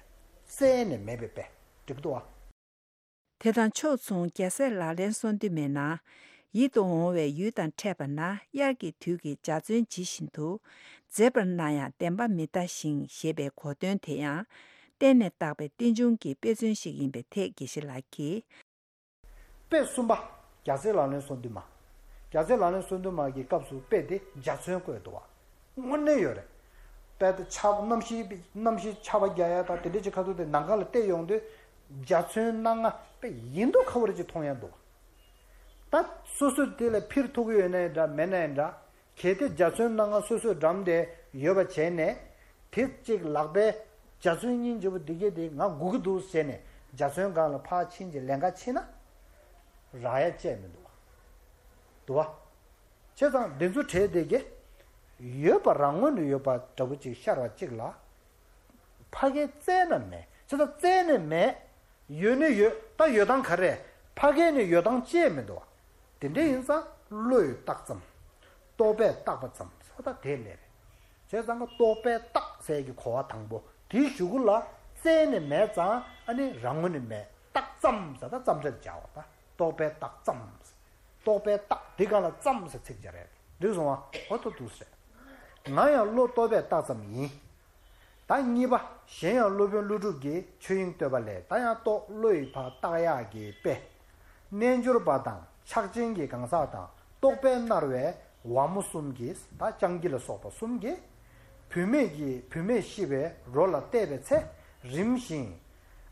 བཙལ་ནས་མེད་པའི་དཔེ། འགྲིག་གི་འདུག་བ། དེ་དང་ཕྱོགས་མཚུངས་རྒྱལ་སྲས་ལག་ལེན་གསུམ་དུ་མའི་ནང་། ཡིད་དུ་འོང་བའི་ཡུལ་དང་འཕྲད་པ་ན། དབྱར་གྱི་དུས་ཀྱི་འཇའ་ཚོན་ཇི་བཞིན་དུ། མཛེས་པར་སྣང་ཡང་བདེན་པ་མི་གདའ་ཞིང་། ཞེས་པའི་གོ་དོན་དེ་ཡང་། བརྟེན་ནས་བཏགས་པའི་རྟེན་འབྱུང་གི་དཔེ་མཚོན་ཞིག་ཡིན་པའི་ཐད་དགེ་བཤེས་ལགས་ཀྱིས། དཔེ་གསུམ་པ། རྒྱལ་སྲས་ལག་ལེན་གསུམ་དུ་མ། རྒྱལ་སྲས་ལག་ལེན་གསུམ་དུ་མ་གི་སྐབས་སུ་དཔེ་དེ་འཇའ་ཚོན་བཀོད་འདུག་བ། དངོས་གནས་ཡོད་རེད། དཔེ་དེ་ཆར་པ་གནམ་གཤིས་གནམ་གཤིས་ཆར་པ་རྒྱག་ཡ་དང་དེ་འདྲ་ཅིག་ཁ་ཐུག་དེ་ནམ་མཁའ་ལ་བལྟས་ཡོང་དུས། འཇའ་ཚོན་སྣ་ལྔ་དཔེ་ཡིན་མདོག་ཁ་པོ་རེ་ཅིག་མཐོང་ཡ་འདུག་ད་སོ་སོས་དེ་ལ་འཕུར་ཐུབ་ཀྱི་ཡོད་ན་ཡིན་འདྲ། མེད་ན་ཡིན་འདྲ། གལ་ཏེ་འཇའ་ཚོན་སྣ་ལྔ་སོ་སོས་འགྲམ་དེ་ཡོད་པ་བྱས་ནས། དེ་གཅིག་ལག་པའི་འཇའ་ཚོན་སྙིང་རྗེ་པོ་འདི་གས་དེ་ང་སྒུག་གི་འདུག་ཟེར་ནས་འཇའ་ཚོན་སྒང་ལ་ཕར་ཕྱིན་གྱི་ལན་ཁ་ཕྱིན་ན། རག་ཡ་ཅིག་མི་འདུག་བ། འདུག་བ། བྱས་ཙང་འདི་ཚོ་གྲས་དེ་གས་ཡོད་པ་རང་ངོས་ནས་ཡོད་པ་འདྲ་པོ་ཅིག་ཤར་བ་གཅིག་ལ། ཕ་གིར་བཙལ་ན་མེད། བྱས་ཙང་བཙལ་ནས་མེད། ཡོད་ནི་ཡོད། ད་ཡོད་སྟངས་ག་རེ། ཕ་གི་ནས་ཡོད་སྟངས་ཅིག་མི་འདུག་བ། དེ་འདྲ་ཡིན་ཙང་བློས་བཏགས་ཙམ། རྟོག་པས་བཏགས་པ་ཙམ་ཟེར་བ་ད་དེ་ལས་རེད། དེ་ཙང་ཀ་རྟོག་པས་བཏགས་ཟེར་གྱི་གོ་བ་དང་པོ་དེའི་གཞུག་གུ་ལ་བཙལ་ནས་མེད་ཙང་ཨ་ནི་རང་ངོས་ནས་མེད། བཏགས་ཙམ་ཟེར་ད་ཙམ་སྒྲ་སྦྱར་བ་ད། རྟོག་པས་བཏགས་ཙམ། རྟོག་པས་བཏགས་འདི་ག་ལ་ཙམ་ཟེར་ཚིག་སྦྱར་རེད། འགྲིག་སོང་བ། འོ་ཐོ་འདུག་ཟེར། ང་ཡང་བློ་རྟོག་པས་བཏགས་ཙམ་ཡིན། ད་གཉིས་པ། གཞན་ཡང་སློབ་དཔོན་ཀླུ་སྒྲུབ་ཀྱིས་ཆོས་དབྱིངས་བསྟོད་པ་ལས། ད་ཡང་རྟོག་བློ་ཡི་ཕར་བཏགས་ཡག་གི་དཔེ། རྣལ་འབྱོར་པ་དང་ཕྱག་ཆེན་གྱི་གང་ཟག་དང་རྟོག་པས་མནར་བའི་ཝ་མོ་གསུམ་གྱིས། ད་སྤྱང་ཀི་ལ་སོགས་པ་གསུམ་གྱིས་བུད་མེད་ཀྱི་བུད་མེད་ཤི་བའི་རོ་ལ་བལྟས་པའི་ཚེ་རིམ་བཞིན།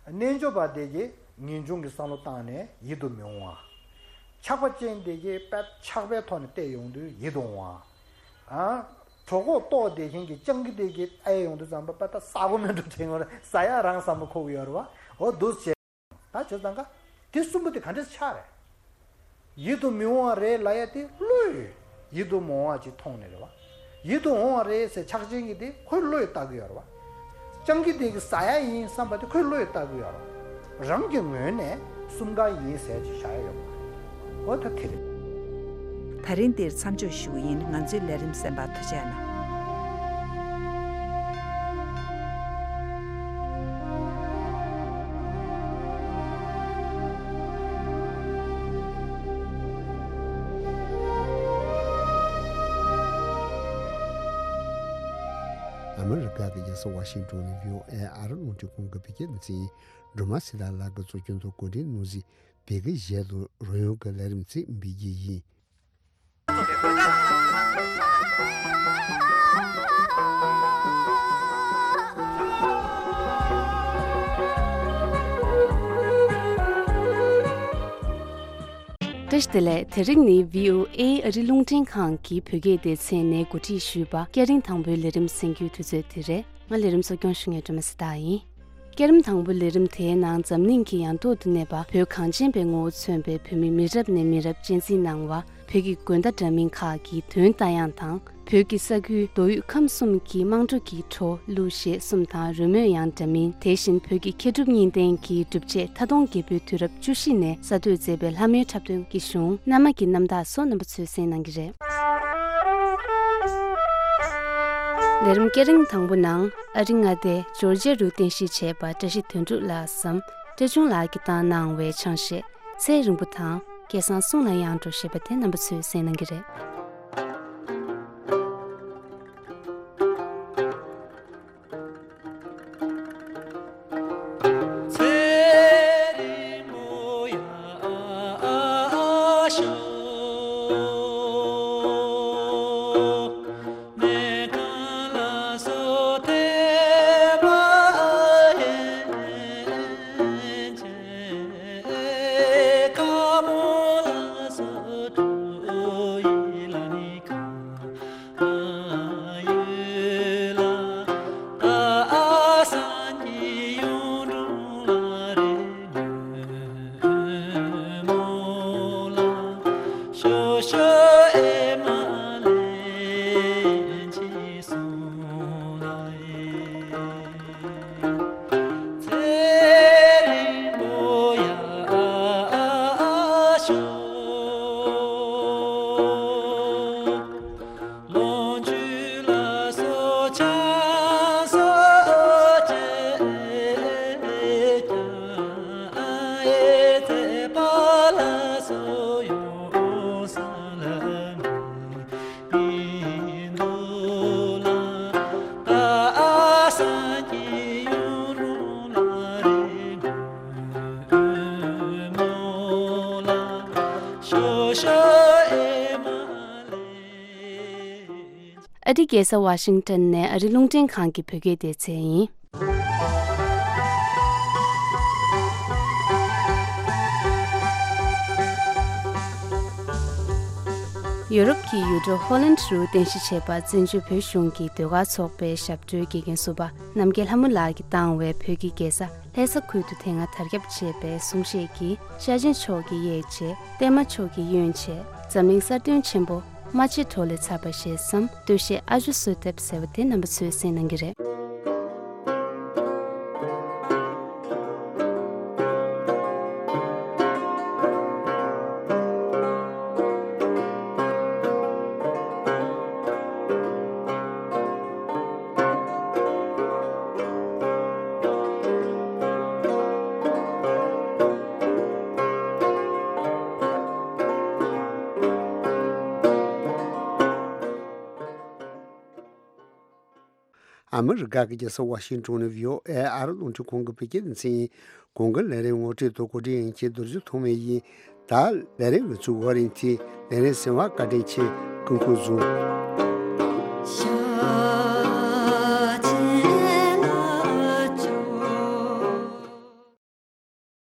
རྣལ་འབྱོར་པ་དེ་གིས་ངེས་འབྱུང་གི་བསམ་བློ་བཏང་ནས་ཡིད་དུ་མི་འོང་བ། ཆགས་པ་ཅན་དེ་གིས་དཔེ་ཆགས་པའི་ཐོག་ནས་བལྟས་ཡོང་དུས་ཡིད་དུ་འོང་བ། ཨ། གྲོད་ཁོག་ལྟོགས་བསྡད་མཁན་གྱི་སྤྱང་ཀི་དེ་གིས་ཨེ་ཡོང་དུས་ཙམ་པ་པ་ད་ཟ་གོ་མེད་འགྲོ་དྲན་ཡོང་རེད། ཟ་ཡག་རང་ཟ་མ་ཁོག་གི་ཡོད་རེད་བ། འོ་འདུག་བྱས། ད་བྱས་ཙང་ཀ་དེ་གསུམ་པོ་དེ་ག་འདྲས་ཆགས་རེད། ཡིད་དུ་མི་འོང་བ་རེད་ལབ་ཡ་དེ་བློས་ཡིད་དུ་མི་འོང་བ་ཅིག་མཐོང་ནས་རེད་བ། ཡིད་དུ་འོང་བ་རེད་ཟེར་ཆགས་ཅན་གྱི་དེ་ཁོའི་བློས་བཏགས་ཀྱི་ཡོད་རེད་བ། སྤྱང་ཀི་དེ་གི་ཟ་ཡ་ཡིན་བསམ་པ་དེ་ཁོའི་བློས་བཏགས་ཀྱི་ཡོད་རེད་བ། རང་གི་ངོས་ནས་གསུམ་ཀ་ཡིན་ཟེར་ཅིག་བཞག་ཡ་ཡོད་མ་རེད། འོ་ད་དེ་རེད། ད་རིང་འདིར་མཚམས་འཇོག་ཞུ་གི་ཡིན། ང་ཚོའི་ལས་རིམ་གསན་པར་ཐུགས་རྗེ་གནང་། ཨ་མི་རི་ཀ་གི་རྒྱལ་ས་ཝ་ཤིང་ཏོན་ནས་བྷི་ཨོ་ཨེ་ཨ་རི་རླུང་འཕྲིན་ཁང་གི་བོད་སྐད་སྡེ་ཚན་ཡིན། སྒྲོལ་མ་ཚེ་བདག་ལགས་ཀྱི་གཙོ་སྐྱོང་དུ་གོ་སྒྲིག་གནང་ཟིན་བོད་སྐད་ཞལ་དུ་རོལ་དབྱངས་ཀྱི་ལས་རིམ་ཚིག་འབུལ་གྱི་ཡིན། བཀྲ་ཤིས་བདེ་ལེགས། དེ་རིང་ནི་བྷི་ཨོ་ཨེ་ཨ་རི་རླུང་འཕྲིན་ཁང་གི་བོད་སྐད་སྡེ་ཚན་ནས་གོ་སྒྲིག་ཞུས་པ་སྐྱ་རེངས་དང་པོའི་ལས་རིམ་གསན་རྒྱུའི་དུས་ཚོད་དེ་རེད། ང་ལས་རིམ་གཙོ་སྐྱོང་ཞུ་མཁན་སྒྲོལ་མ་ཚེ་བདག་ཡིན། སྐྱ་རེངས་དང་པོའི་ལས་རིམ་དེའི་ནང་འཛམ་གླིང་གི་ཡང་ཐོག་ཏུ་གནས་པ་བོད་གངས་ཅན་པའི་ངོ་བོ་མཚོན་པའི་བོད་མི་མི་རབས་ནས་མི་རབས་གཅེས་འཛིན་གནང་བ། བོད་ཀྱི་དགོན་བརྡ་འདྲ་མིན་ཁག་གི་འདོན་རྟ་དབྱངས་དང་། བོད་ཀྱི་ས་ཁུལ་མདོ་དབུས་ཁམས་གསུམ་གྱི་དམངས་ཁྲོད་ཀྱི་བྲོ་གླུ་གཞས་གསུམ་དང་རོལ་མོའི་དབྱངས་འདྲ་མིན། དེ་བཞིན་བོད་ཀྱི་མཁས་གྲུབ་གཉིས་ལྡན་གྱི་སྒྲུབ་ཆས་མཐའ་སྟོང་རྒྱལ་པོའི་དུས་རབས་བཅུ་བཞི་ནས་གསར་གཏོད་མཛད་པའི་ལྷ་མོའི་འཁྲབ་སྟོན་གྱི་གཞུང་། གནའ་མ་གི་རྣམ་ཐར་སོགས་རྣམ་པ་ཚོས་གསན་གནང་གི་རེད། ལས་རིམ་སྐྱ་རེངས་དང་པོ་ནང་ཨ་རི་མངའ་སྡེ་ཇོར་ཇི་ཡ་རུ་རྟེན་གཞི་བྱས་པ་བཀྲ་ཤིས་དོན་གྲུབ་ལགས་སམ་བཀྲ་ཆུང་ལགས་ཀྱིས་བཏང་གནང་བའི་ཆང་གཞས་ཚེ་རིང་པོ་དང་སྐལ་བཟང་གསུང་ལ་དབྱངས་སྒྲོགས་ཞེས་པ་དེ་རྣམ་པ་ཚོས་གསན་གནང་གི་རེད། ཨ་རིའི་རྒྱལ་ས་ཝ་ཤིང་ཏོན་ནས་ཨ་རིའི་རླུང་འཕྲིན་ཁང་གི་བོད་སྐད་སྡེ་ཚན་ཡིན། ཡོ་རོབ་ཀྱི་ཡུལ་གྲུ་ཧོ་ལན་རུ་རྟེན་གཞི་བྱས་པ་བཙན་བྱོལ་བོད་གཞུང་གི་ཟློས་གར་ཚོགས་པའི་ཞབས་བྲོའི་དགེ་རྒན་ཟུར་པ་རྣམ་རྒྱལ་ལྷ་མོ་ལགས་ཀྱིས་བཏང་བའི་བོད་ཀྱི་རྒྱལ་ས་ལྷ་ས་ཁུལ་དུ་དེ་སྔ་དར་ཁྱབ་ཆེ་བའི་གསུང་བཤད་ཀྱིས་ཤར་ཆེན་ཕྱོགས་ཀྱི་གཡས་བྱེད། བརྟན་མ་ཕྱོགས་ཀྱི་གཡོན་བྱེད། འཛམ་གླིང་གསར་བཏོན་ཆེན་པོ་རྨ་ཆེན་གྲོགས་ལས་ཚར་བ་ཞེས་སམ་སྟོད་གཞས་ཨ་ཇོ་གསོལ་འདེབས་ཟེར་བ་དེ་རྣམ་པ་ཚོས་གསན་གནང་གི་རེད། ཨ་མི་རི་ཀ་གི་རྒྱལ་ས་ཝ་ཤིང་ཏོན་ནས་བྷི་ཨོ་ཨེ་ཨ་རི་རླུང་འཕྲིན་ཁང་གི་བོད་སྐད་སྡེ་ཚན་ཡིན། གོང་གི་ལས་རིམ་ངོ་སྤྲོད་དང་གོ་སྒྲིག་ཡིན་གྱི་རྡོ་རྗེ་ཐོགས་མེད་ཡིན། ད་ལས་རིམ་གྱི་ཚུགས་ཝ་རིན་ཐི་ལས་རིམ་ཟིན་པ་བཀའ་དྲིན་ཆེ། སྐུ་ཁམས་བཟང་།